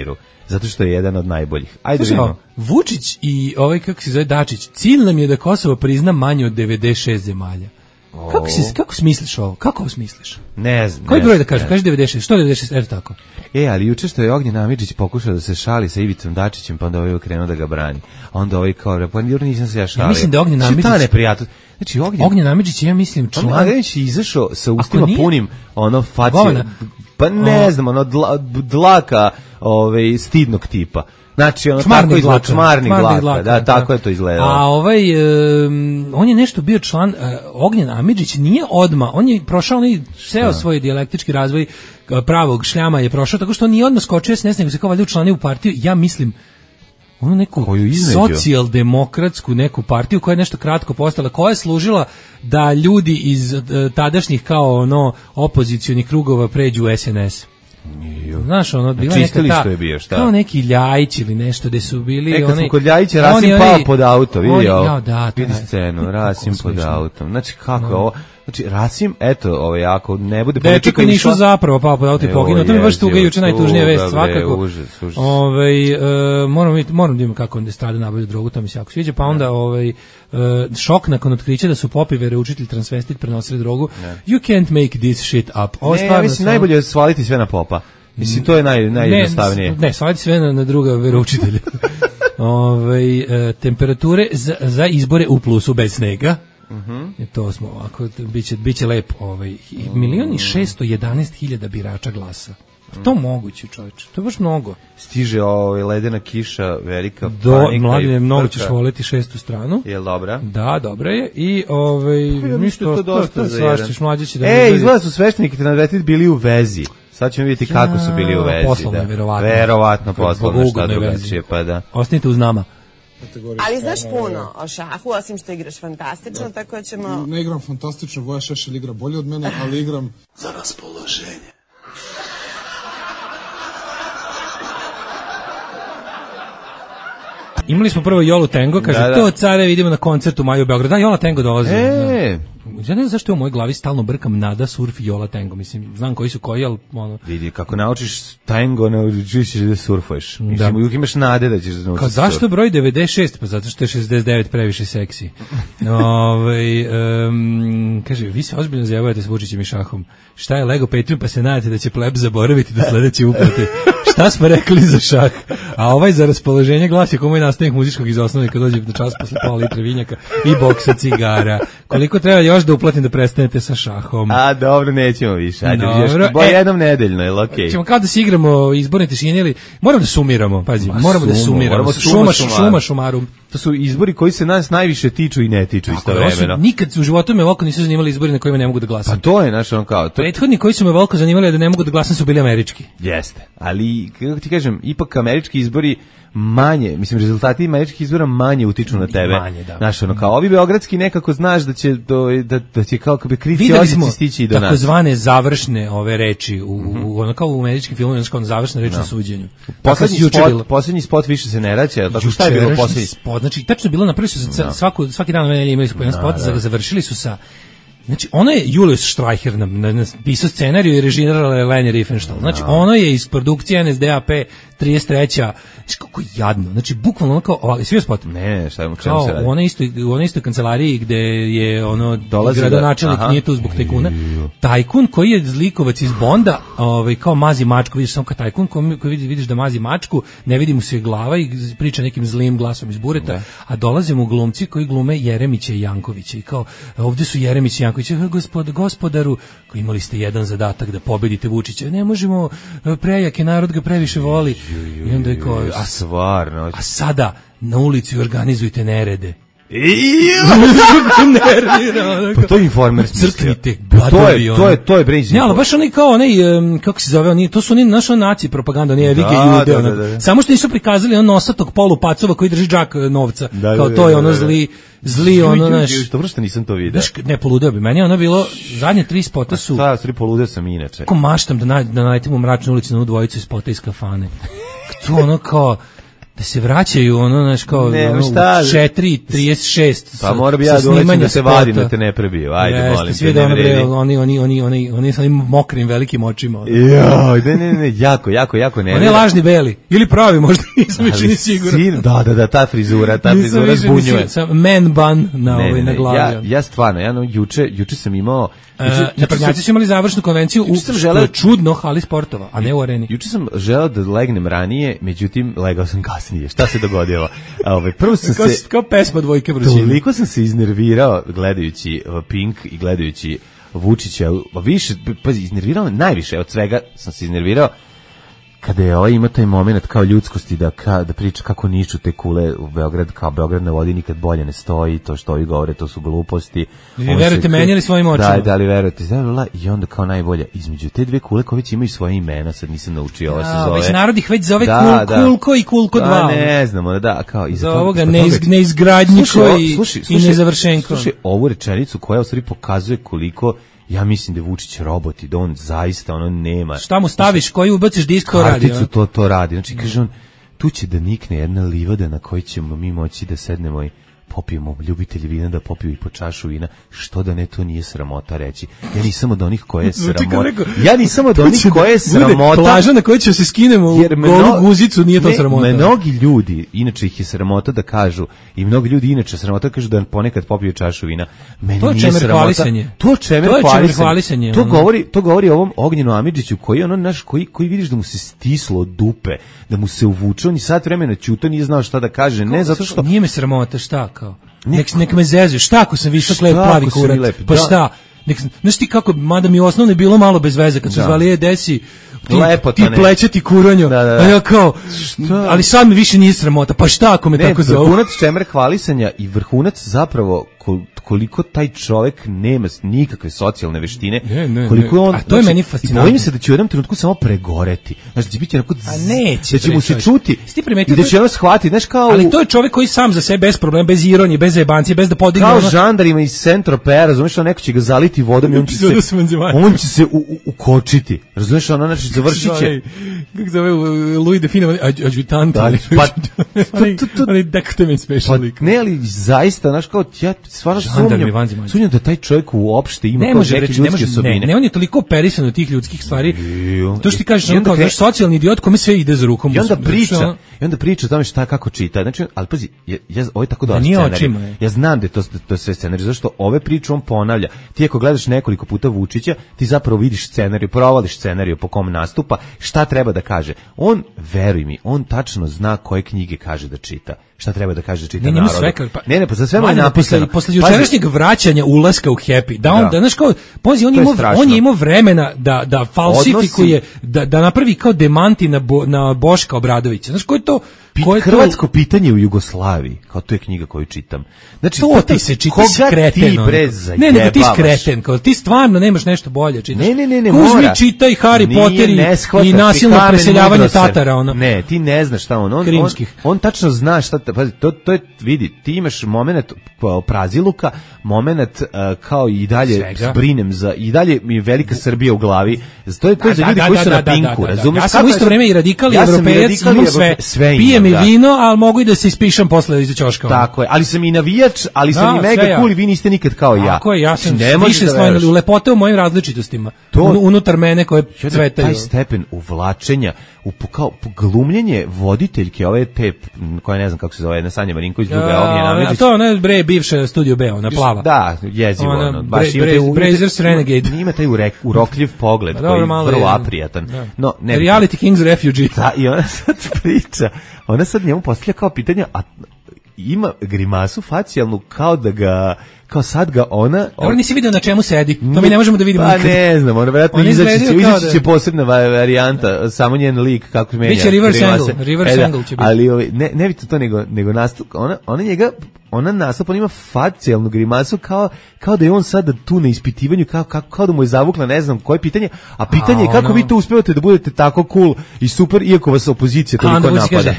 Speaker 5: Zato što je jedan od najboljih. Ajde vidimo.
Speaker 6: Vučić i ovaj, kako se zove, Dačić, cilj nam je da Kosovo prizna manje od devedeset šest zemalja. Oh. Kako, si, kako smisliš ovo? Kako ovo smisliš?
Speaker 5: Ne znam.
Speaker 6: Koji broj da kažem? Kaže devedeset šest. Što devedeset šest? Eto tako.
Speaker 5: E, ali juče što je Ognjen Amidžić pokušao da se šali sa Ivicom Dačićem, pa onda ovaj krenuo da ga brani. Onda ovaj kao, pa nisam se ja šalio.
Speaker 6: Ja mislim da Ognjen Amidžić...
Speaker 5: Šta neprijatno? Znači, Ognjen...
Speaker 6: Ognjen Amidžić, ja mislim, član...
Speaker 5: On je izašao sa ustima nije... punim, ono, facije...
Speaker 6: Govana.
Speaker 5: Pa ne o... znam, ono, dla, dlaka ove, stidnog tipa. Znači, ono,
Speaker 6: čmarni
Speaker 5: tako izgleda,
Speaker 6: dlaka.
Speaker 5: čmarni dlaka,
Speaker 6: dlaka,
Speaker 5: da, da, tako je to izgledalo.
Speaker 6: A ovaj, um, on je nešto bio član, uh, Ognjen Amidžić nije odma, on je prošao, on je seo svoj dijalektički razvoj pravog šljama je prošao, tako što on nije odmah skočio s nesne, nego se kao valjda učlanio u partiju, ja mislim, onu neku socijaldemokratsku neku partiju koja je nešto kratko postala, koja je služila da ljudi iz uh, tadašnjih kao ono opozicionih krugova pređu u es en es. znaš, ono, bila neka ta,
Speaker 5: je bio, šta?
Speaker 6: kao neki Ljajić ili nešto gde su bili,
Speaker 5: e, kad
Speaker 6: oni...
Speaker 5: smo kod Ljajića, Rasim
Speaker 6: oni,
Speaker 5: pao
Speaker 6: oni,
Speaker 5: pod auto, vidi
Speaker 6: oni,
Speaker 5: ovo,
Speaker 6: ja, da,
Speaker 5: vidi
Speaker 6: taj,
Speaker 5: scenu, Rasim pod
Speaker 6: smiješno.
Speaker 5: autom, znači kako je ovo, znači Rasim, eto, ovaj, ako ne bude
Speaker 6: dečak je Nišu zapravo pao pod auto i poginuo, to mi je baš tuga, juče najtužnija vest, svakako.
Speaker 5: Užas, užas.
Speaker 6: Ovaj, e, moram, moram da imam kako on strada nabavlja drogu, to mi se jako sviđa, pa onda ovaj, e, šok nakon otkrića da su Popi veroučitelj transvestit prenosili drogu. Ne. You can't make this shit up. Ovo
Speaker 5: ne, ja mislim, sam... najbolje je svaliti sve na Popa. Mislim, to je naj, najjednostavnije.
Speaker 6: Ne, ne, svaliti sve na, na druga veroučitelja. Ove, e, temperature za, za izbore u plusu bez snega. Uh-huh. I to smo ovako, biće, biće lepo. Ovaj, milion i šesto jedanaest hiljada birača glasa. To moguće, čovječe. To je baš mnogo.
Speaker 5: Stiže ovaj ledena kiša, velika
Speaker 6: Do,
Speaker 5: panika.
Speaker 6: Mladine, mnogo ćeš voleti šestu stranu.
Speaker 5: Je li dobra?
Speaker 6: Da, dobra je. I ovaj, ništa, to, to, to svašćeš, mlađe će da...
Speaker 5: E, izgleda su svešteniki nadvetiti bili u vezi. Sad ćemo vidjeti ja, kako su bili u vezi.
Speaker 6: Poslovno, da. verovatno.
Speaker 5: Verovatno poslovno, šta drugačije, pa da.
Speaker 6: Ostanite uz nama.
Speaker 10: Ali znaš puno o šahu, osim što igraš fantastično, tako da ćemo...
Speaker 11: Ne igram fantastično, Voja Šešelj igra bolje od mene, ali igram za raspoloženje.
Speaker 6: Imali smo prvo Jolu Tango, kaže, da, da. to care vidimo na koncertu u maju u Beogradu. Da, Jola Tango dolazi.
Speaker 5: E.
Speaker 6: Ja ne znam zašto je u mojoj glavi stalno brkam Nada, Surf i Jola Tango. Mislim, znam koji su koji, ali... Ono...
Speaker 5: Vidi, kako naučiš tango, naučiš ćeš da surfuješ. Mislim, da. Uvijek imaš nade da ćeš da naučiš.
Speaker 6: Kao, zašto broj devedeset šest? Pa zato što je šezdeset devet previše seksi. Ove, um, kaže, vi se ozbiljno zjavujete s Vučićem i šahom. Šta je Lego Patreon, pa se nadate da će pleb zaboraviti do sledeće uplate. Šta smo rekli za šah? A ovaj za raspoloženje glasi kao moj nastavnik muzičkog iz osnovne kad dođe do čas posle pola litre vinjaka i boksa cigara. Koliko treba još da uplatim da prestanete sa šahom?
Speaker 5: A dobro, nećemo više. Ajde, još bo e, jednom nedeljno, je okej. Okay.
Speaker 6: Ćemo kao da se igramo izborne tišine ili moramo da sumiramo, pazi, Ma, moramo sumo, da sumiramo. Moramo šuma, šuma, šumarum.
Speaker 5: To su izbori koji se nas najviše tiču i ne tiču istovremeno.
Speaker 6: Nikad u životu me ovako nisu zanimali izbori na kojima ne mogu da glasam.
Speaker 5: Pa to je naš on kao. To...
Speaker 6: Prethodni koji su me ovako zanimali da ne mogu da glasam su bili američki.
Speaker 5: Jeste, ali kako ti kažem, ipak američki izbori manje, mislim, rezultati američkih izbora manje utiču na tebe.
Speaker 6: Manje, da.
Speaker 5: Znaš, ono, kao ovi beogradski nekako znaš da će, do, da, da će kao kao bi krivci osici stići i do nas.
Speaker 6: Tako zvane završne ove reči, u, mm-hmm. u, ono kao u američkim filmovima, znači kao završna reč no. na suđenju.
Speaker 5: Poslednji spot, poslednji spot više se ne raća, tako šta je bilo poslednji
Speaker 6: spot? Znači, tačno je bilo, napravili su no. svaku, svaki dan ove imali su po jedan no, spot, no. završili su sa... Znači, ono je Julius Streicher napisao scenariju i režirala je Leni Riefenstahl. Znači, ono je iz produkcije N S D A P trideset treća. Znači, kako jadno. Znači, bukvalno ono kao, ali svi spot.
Speaker 5: Ne, šta mu čemu se radi?
Speaker 6: U onoj istoj, u onoj istoj kancelariji gde je ono gradonačelnik da, nije tu zbog tajkuna. Tajkun koji je zlikovac iz Bonda, ovaj, kao mazi mačku, vidiš samo kao tajkun koji, koji vidiš da mazi mačku, ne vidi mu se glava i priča nekim zlim glasom iz bureta, ne. A dolaze mu glumci koji glume Jeremića i Jankovića i kao, ovdje su Jeremić i Janković. Gospod, gospodaru, koji imali ste jedan zadatak da pobedite Vučića, ne možemo, prejak je, narod ga previše voli. I onda je kao, a,
Speaker 5: stvarno.
Speaker 6: A sada na ulici organizujte nerede.
Speaker 5: Pa to je Informer
Speaker 6: crknite
Speaker 5: to je to je to je Brazy.
Speaker 6: Ne, ali baš oni kao onaj kako se zove, oni to su oni naša naci propaganda, nije Vige Jude, da, da, da. Samo što nisu prikazali on nosatog polupacova koji drži džak novca. Da, kao to je ono zli zli ono naš.
Speaker 5: Što vrsta nisam to video.
Speaker 6: Ne, poludeo bi. Meni ono bilo zadnje tri spota su.
Speaker 5: Da, tri poludeo sam inače.
Speaker 6: Kako maštam da da naletimo u mračnu ulicu na dvojicu iz spota iz kafane. To ono kao da se vraćaju ono naš kao
Speaker 5: ne,
Speaker 6: ono, četiri trideset šest
Speaker 5: pa mora bi ja doleći da se vadim da te ne prebiju. Ajde,
Speaker 6: jeste,
Speaker 5: molim
Speaker 6: te, ne vredi. Oni, oni, oni, oni, oni sa onim mokrim velikim očima.
Speaker 5: Joj, ne, ne, ne, jako, jako, jako ne.
Speaker 6: On je lažni beli, ili pravi možda, nisam više ni siguran.
Speaker 5: Da, da, da, ta frizura, ta frizura zbunjuje.
Speaker 6: Man bun na, ne, ovaj, ne, na glavi.
Speaker 5: Ja, ja stvarno, ja no, juče, juče sam imao...
Speaker 6: Juče, uh, naprednjaci su imali završnu konvenciju u želeo, čudno hali sportova, a ne u areni.
Speaker 5: Juče sam želeo da legnem ranije, međutim, legao sam kasnije. Šta se dogodilo? Ove, prvo sam
Speaker 6: kao,
Speaker 5: se...
Speaker 6: Kao pesma Dvojke vrućine.
Speaker 5: Toliko sam se iznervirao gledajući Pink i gledajući Vučića. Više, pazi, iznervirao najviše od svega sam se iznervirao kada je ovaj ima taj moment kao ljudskosti da, ka, da priča kako niču te kule u Beograd, kao Beograd na vodi nikad bolje ne stoji, to što ovi govore, to su gluposti.
Speaker 6: Vi verujete meni ili svojim očima?
Speaker 5: Da, da li verujete. I onda kao najbolje, između te dve kule koje već imaju svoje imena, sad nisam naučio, ovo se zove.
Speaker 6: Već narod ih već zove da, kul, da. Kulko i Kulko dva.
Speaker 5: Da, ne znamo, da, kao.
Speaker 6: Za ovoga neizgradnjiko i, i nezavršenko.
Speaker 5: Slušaj, ovu rečenicu koja u stvari pokazuje koliko ja mislim da je Vučić robot i da on zaista ono nema.
Speaker 6: Šta mu staviš, koji ubaciš disk, to radi.
Speaker 5: Karticu to, to radi. Znači, kaže on, tu će da nikne jedna livada na kojoj ćemo mi moći da sednemo i popijemo, ljubitelji vina da popiju i po čašu vina, što da ne, to nije sramota reći. Ja nisam od onih koje je sramota. Ja nisam od onih koje je sramota.
Speaker 6: Plaža na kojoj će se skinemo u golu guzicu, nije to sramota.
Speaker 5: Mnogi ljudi, inače ih je sramota da kažu, i mnogi ljudi inače sramota kažu da ponekad popiju čašu vina. Meni
Speaker 6: to
Speaker 5: nije sramota.
Speaker 6: To
Speaker 5: čemer hvalisanje. To govori, to govori o ovom Ognjenu Amidžiću koji ono naš koji koji vidiš da mu se stislo od dupe, da mu se uvuče, on i sat vremena ćuto, nije znao šta da kaže, ne zato što
Speaker 6: nije me sramota, šta kao. Nek, nek me zezu, šta ako sam visok, lep, plavi kurat, lep, pa da. Šta, nek, znaš ti kako, mada mi osnovno bilo malo bez veze, kad su da. Zvali je desi, ti, ti plećati kuranjo, da, da, da. A ja kao, šta? Ali sad mi više nije sramota, pa šta ako me
Speaker 5: ne,
Speaker 6: tako zove?
Speaker 5: Vrhunac čemer hvalisanja i vrhunac zapravo koliko taj čovjek nema nikakve socijalne veštine,
Speaker 6: ne, ne,
Speaker 5: koliko on,
Speaker 6: a to je znači, meni fascinantno.
Speaker 5: Bojim se da će u jednom trenutku samo pregoreti. Znači, da će biti onako,
Speaker 6: a neće,
Speaker 5: da će mu se čuti
Speaker 6: i
Speaker 5: da će ono shvatiti, znaš kao...
Speaker 6: Ali to je čovjek koji sam za sebe, bez problema, bez ironije, bez jebancije, bez da podigne...
Speaker 5: Kao
Speaker 6: ono...
Speaker 5: žandarima iz Saint-Tropez, razumiješ, neko će ga zaliti vodom i on će se, on će se u, u, ukočiti. Razumiješ, ono, znači, završit će...
Speaker 6: Kako zove Louis de Fino, adjutant, ali... Ali dektemen special lik.
Speaker 5: Ne, ali zaista, znaš, kao, ja stvarno sumnjam, sumnjam da taj čovjek uopšte ima kao neke ljudske osobine.
Speaker 6: Ne, ne, on je toliko operisan od tih ljudskih stvari. To što ti kažeš, on kao naš socijalni idiot kome sve ide za rukom.
Speaker 5: I onda priča, i onda priča o tome šta kako čita. Znači, ali pazi, ja, ja ovo je tako dobar scenarij. Ja znam da je to, to je sve scenarij, zašto ove priče on ponavlja. Ti ako gledaš nekoliko puta Vučića, ti zapravo vidiš scenarij, provališ scenarij po kom nastupa, šta treba da kaže. On, veruj mi, on tačno zna koje knjige kaže da čita. Šta treba da kaže da čita
Speaker 6: ne,
Speaker 5: narodu.
Speaker 6: Sve, pa,
Speaker 5: ne, ne, pa za sve mu je napisano.
Speaker 6: Posle jučerašnjeg vraćanja ulaska u Happy, da on, da, znaš kao, pozi, on, imao, on je imao vremena da, da falsifikuje, da, da napravi kao demanti na, Bo, na Boška Obradovića. Znaš, ko je to...
Speaker 5: Ko je Hrvatsko to... pitanje u Jugoslaviji, kao to je knjiga koju čitam. Znači,
Speaker 6: to ti se čita skreten.
Speaker 5: Ti bre
Speaker 6: ne, nego ti skreten, kao ti stvarno nemaš nešto bolje čitaš.
Speaker 5: Ne, ne, ne, ne,
Speaker 6: Kuzmi
Speaker 5: mora.
Speaker 6: Čitaj Harry Nije Potter i, i nasilno preseljavanje Tatara, ono.
Speaker 5: Ne, ti ne znaš šta on. On, on, on tačno zna šta, pazi, to, to je, vidi, ti imaš moment praziluka, moment uh, kao i dalje Svega. Brinem za, i dalje mi je velika Srbija u glavi. To je to za ljudi koji su na pinku, razumiješ?
Speaker 6: Ja sam u isto vreme i radikali, evropejac, imam sve, pijem i vino, ali mogu i da se ispišem posle iz ćoška.
Speaker 5: Tako je, ali sam i navijač, ali sam da, i mega cool i vi niste nikad kao ja.
Speaker 6: Tako je, ja sam više slojno u lepote u mojim različitostima. To, unutar mene koje cvetaju.
Speaker 5: Taj stepen uvlačenja, u kao glumljenje voditeljke ove te, koja ne znam kako se zove, na Sanja Marinković, druga je Ognjena Amidžić.
Speaker 6: A to ona bre bivša Studio B, ona plava.
Speaker 5: Da, jezivo
Speaker 6: ona,
Speaker 5: ono.
Speaker 6: Baš bre, bre, Brazers Renegade.
Speaker 5: Ima taj urokljiv pogled koji je vrlo aprijatan.
Speaker 6: No, ne, Reality Kings Refugee.
Speaker 5: Da, i ona sad priča, ona sad njemu postavlja kao pitanja, a ima grimasu facijalnu kao da ga kao sad ga ona...
Speaker 6: Dobro, nisi vidio na čemu sedi, to mi ne možemo da vidimo
Speaker 5: pa
Speaker 6: nikad.
Speaker 5: Pa ne znam, ona vjerojatno izaći će, izaći će posebna varijanta, da. Samo njen lik kako se menja.
Speaker 6: Biće reverse angle, reverse angle će biti.
Speaker 5: Ali ovi, ne, ne vidite to nego, nego nastup, ona, ona njega, ona nastup, ona ima facijalnu grimasu kao, kao da je on sada tu na ispitivanju, kao, kao, kao da mu je zavukla ne znam koje pitanje, a pitanje je kako vi to uspevate da budete tako cool i super, iako vas opozicija toliko napada.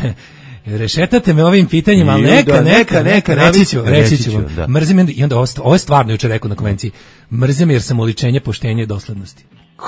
Speaker 6: Rešetate me ovim pitanjima, ali neka, neka, neka, reći ću, reći ću vam. Mrzim, i onda ovo je stvarno jučer rekao na konvenciji, mrzim jer sam oličenje poštenja i doslednosti.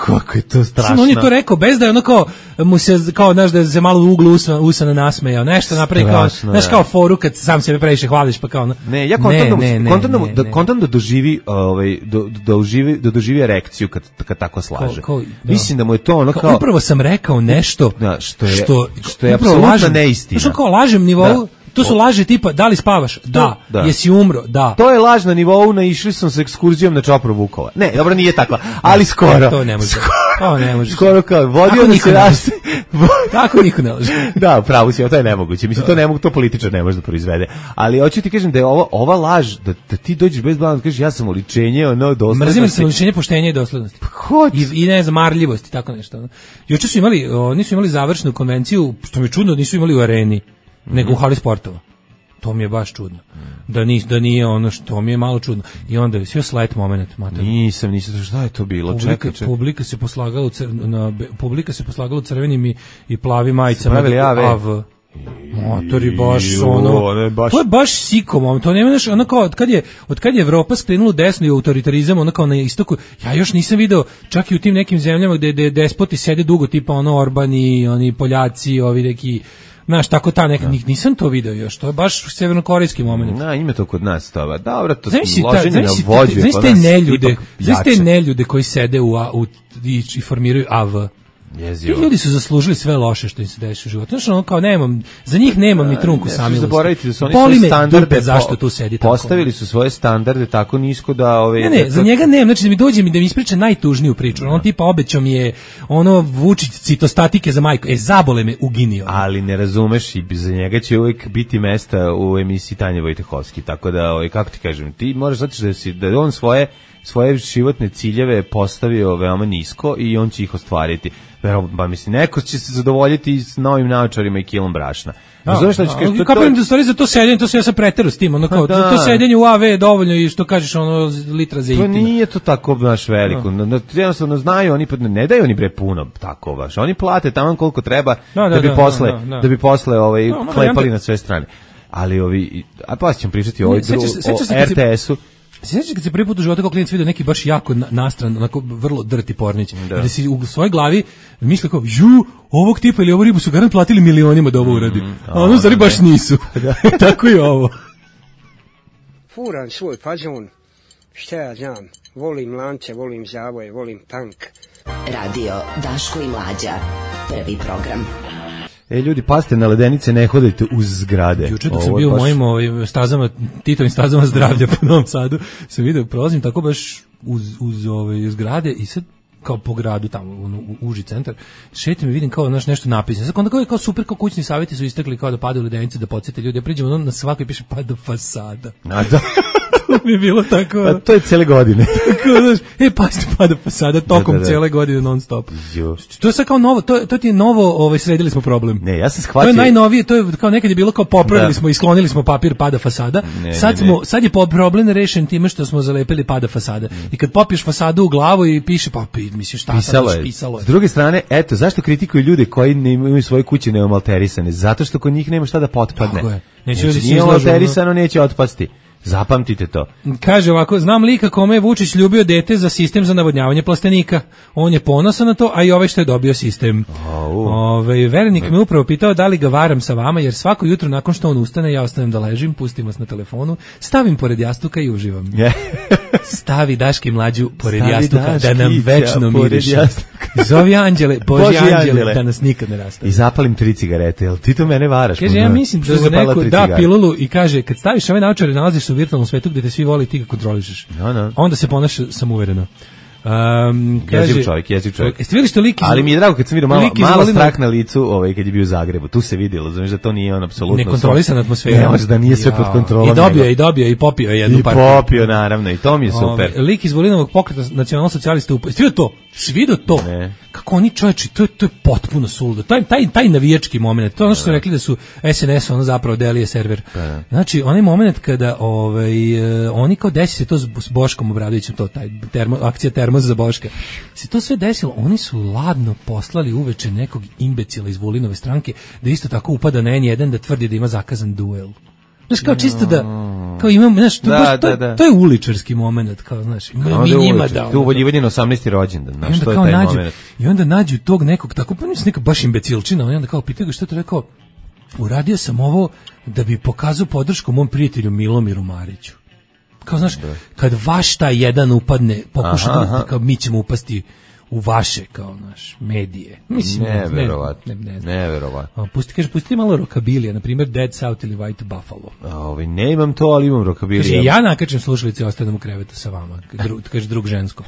Speaker 5: Kako je to strašno.
Speaker 6: On je to rekao bez da je ono kao, mu se, kao, znaš, da se malo u uglu usana, usana nasmejao, nešto napravi kao, znaš, kao foru kad sam sebe previše hvališ, pa kao, no.
Speaker 5: Ne, ja kontam ne, da, kontam da, da, kontam da doživi, ovaj, do, da doživi, da doživi erekciju kad, kad tako slaže. Kao, kao, da. Mislim da mu je to ono kao... kao
Speaker 6: upravo sam rekao nešto,
Speaker 5: da, što je,
Speaker 6: što,
Speaker 5: što je apsolutno neistina.
Speaker 6: Znaš, kao lažem nivou, da. To su laži tipa, da li spavaš? Da. da. Jesi umro? Da.
Speaker 5: To je laž na nivou, naišli sam sa ekskurzijom na Čopru Vukova. Ne, dobro, nije takva, ali skoro.
Speaker 6: Ne, to ne može. Skoro,
Speaker 5: to ne može. Skoro kao, vodio da se raste.
Speaker 6: Tako niko ne laže.
Speaker 5: Da, pravo si, to je nemoguće. Mislim, to ne mogu, to političar ne može da proizvede. Ali hoću ti kažem da je ova, ova laž, da, da ti dođeš bez blana, da kažeš ja sam oličenje, ono, doslednosti.
Speaker 6: Mrzim sam oličenje poštenja i doslednosti. I, i ne znam, marljivosti, tako nešto. Juče su imali, oni su imali završnu konvenciju, što mi je čudno, nisu imali u areni, nego u hali sportova. To mi je baš čudno. Da nije, da nije ono što mi je malo čudno. I onda je sve slight moment, mater.
Speaker 5: Nisam, nisam, šta je to bilo?
Speaker 6: Publika,
Speaker 5: čekaj, čekaj.
Speaker 6: Publika se poslagala u cr, na publika se poslagala u crvenim i, i plavim majicama.
Speaker 5: Spravili A V.
Speaker 6: A V. Motori baš ono, baš... to je baš sikom, to nema nešto, ono kao, od kad je, od kad je Evropa skrenula desno i autoritarizam, ono kao na istoku, ja još nisam video, čak i u tim nekim zemljama gde, gde despoti sede dugo, tipa ono Orbani, oni Poljaci, ovi neki, znaš, tako ta neka, nisam to video još, to je baš severnokorejski moment.
Speaker 5: Na, ima to kod nas, to, dobro, to
Speaker 6: znači,
Speaker 5: loženje na vođu je kod nas
Speaker 6: te neljude, znaš te neljude koji sede u, u, i, i formiraju A V.
Speaker 5: Jezivo.
Speaker 6: Ti ljudi su zaslužili sve loše što im se dešava u životu. Znači, ono kao nemam, za njih nemam ni trunku samilosti.
Speaker 5: Zaboravite da su oni
Speaker 6: Boli
Speaker 5: svoje standarde
Speaker 6: dupe, zašto tu sedi tako.
Speaker 5: Postavili su svoje standarde tako nisko da ove
Speaker 6: Ne, ne, da, za njega nemam, znači da mi dođe mi da mi ispriča najtužniju priču. On tipa obećao mi je ono Vučić citostatike za majku. E zabole me, uginio.
Speaker 5: Ali ne razumeš i za njega će uvijek biti mesta u emisiji Tanje Vojtehovski. Tako da, ovaj kako ti kažem, ti moraš znati da si da on svoje svoje životne ciljeve postavio veoma nisko i on će ih ostvariti. Pa mislim, neko će se zadovoljiti s novim naočarima i kilom brašna. Razumeš šta ću kažem?
Speaker 6: Kapiram da stvari za to sedenje, to se ja sam preteru s tim, ono kao, za to sedenje u A V je dovoljno i što kažeš, ono, litra za itina.
Speaker 5: To nije to tako baš veliko. Jednostavno znaju, oni ne daju oni bre puno tako baš. Oni plate tamo koliko treba da bi posle, da bi posle ovaj klepali na sve strane. Ali ovi, a pa ćemo pričati o R T S-u.
Speaker 6: Sjećaš kad se prvi put u životu kao klinac vidio neki baš jako nastran, onako vrlo drti pornić, da. Da si u svojoj glavi mislio kao, ju, ovog tipa ili ovu ribu su garant platili milionima da ovo uradi. Mm, a ono zari baš nisu. Tako i ovo.
Speaker 12: Furan svoj fazon, šta ja znam, volim lance, volim zavoje, volim tank.
Speaker 3: Radio Daško i Mlađa, prvi program.
Speaker 5: E, ljudi, pazite na ledenice, ne hodajte uz zgrade.
Speaker 6: Juče dok sam bio baš... u mojim ovaj, stazama, Titovim stazama zdravlja po Novom Sadu, sam vidio, prolazim tako baš uz, uz ove zgrade i sad kao po gradu tamo, u, u uži centar, šetim i vidim kao naš nešto napisano. Sad onda kao, kao super, kao kućni savjeti su istekli kao da padaju ledenice, da podsjete ljudi. Ja priđem, ono na svakoj piše pada fasada.
Speaker 5: A da...
Speaker 6: mi je bilo tako.
Speaker 5: A to je cele godine.
Speaker 6: Tako, znaš, e, pazite, pada fasada tokom da, da, da. cele godine non stop. Jo. To je sad kao novo, to, to ti je novo, ovaj, sredili smo problem.
Speaker 5: Ne, ja sam shvatio.
Speaker 6: To je najnovije, to je kao nekad je bilo kao popravili da. smo i sklonili smo papir pada fasada. Ne, sad, ne, smo, ne. sad je problem rešen time što smo zalepili pada fasada. Mm. I kad popiješ fasadu u glavu i piše, pa misliš šta
Speaker 5: pisalo
Speaker 6: sad,
Speaker 5: je.
Speaker 6: pisalo je.
Speaker 5: S druge strane, eto, zašto kritikuju ljude koji ne imaju svoje kuće neomalterisane? Zato što kod njih nema šta da potpadne.
Speaker 6: Tako je. Neće
Speaker 5: znači, nije malterisano, neće otpasti. Zapamtite to.
Speaker 6: Kaže ovako, znam lika kome je Vučić ljubio dete za sistem za navodnjavanje plastenika. On je ponosan na to, a i ovaj što je dobio sistem. Oh. Ove, Verenik me upravo pitao da li ga varam sa vama, jer svako jutro nakon što on ustane, ja ostanem da ležim, pustim vas na telefonu, stavim pored jastuka i uživam. Yeah. Stavi Daške Mlađu pored Stavi jastuka daškića, da nam večno miriše. Zovi anđele, Boži, Boži anđele, anđele, da nas nikad ne rastave.
Speaker 5: I zapalim tri cigarete, jel ti to mene varaš?
Speaker 6: Kaže, ja mislim da neko da pilulu i kaže, kad staviš ove naočare, nalaziš se u virtualnom svetu gde te svi voli i ti ga kontrolišeš.
Speaker 5: No, no.
Speaker 6: Onda se ponaša samouvereno. Um, kaže,
Speaker 5: jeziv čovjek, jeziv čovjek.
Speaker 6: Jeste vidjeli što lik iz...
Speaker 5: Ali mi je drago kad sam vidio malo, malo strah na licu ovaj, kad je bio u Zagrebu. Tu se vidjelo, znaš da to nije on apsolutno...
Speaker 6: Nekontrolisana atmosfera.
Speaker 5: Ne, možda da nije sve pod kontrolom.
Speaker 6: I dobio je, i dobio je, i popio je jednu
Speaker 5: I
Speaker 6: partiju.
Speaker 5: I popio, naravno, i to mi je super.
Speaker 6: Ove, lik iz Volinovog pokreta nacionalno-socijalista up... Jeste vidio to? Svidio to? Ne. Kako oni čovječi, to je, to je potpuno suludo. Taj, taj, taj navijački moment, to je ono što su rekli da su S N S, ono zapravo delije server. Da. Znači, onaj moment kada ovaj, oni kao desi se to s Boškom Obradovićem, to taj termo, akcija termos za Boška, se to sve desilo, oni su ladno poslali uveče nekog imbecila iz Vulinove stranke da isto tako upada na N jedan da tvrdi da ima zakazan duel. Znaš, kao čisto da, kao imam, znaš, to, da, baš, to, da, da. to je uličarski moment, kao, znaš, ima mi njima da...
Speaker 5: To uvoljivanje na osamnaesti rođendan, znaš, to je taj
Speaker 6: nađu,
Speaker 5: moment.
Speaker 6: I onda nađu tog nekog, tako, pa nisam neka baš imbecilčina, i onda kao pitaju ga što je to rekao, uradio sam ovo da bi pokazao podršku mom prijatelju Milomiru Mariću. Kao, znaš, da. Kad vaš taj jedan upadne, pokuša da, kao mi ćemo upasti u vaše, kao naš, medije. Mislim,
Speaker 5: neverovatno.
Speaker 6: Ne, ne, ne
Speaker 5: neverovatno.
Speaker 6: Pusti, kaže, pusti malo rokabilija, na primjer Dead South ili White Buffalo.
Speaker 5: A, ovaj, ne imam to, ali imam rokabilija.
Speaker 6: Kaže, ja nakačem slušalice i ostanem u krevetu sa vama. Dru, kaže, drug žensko.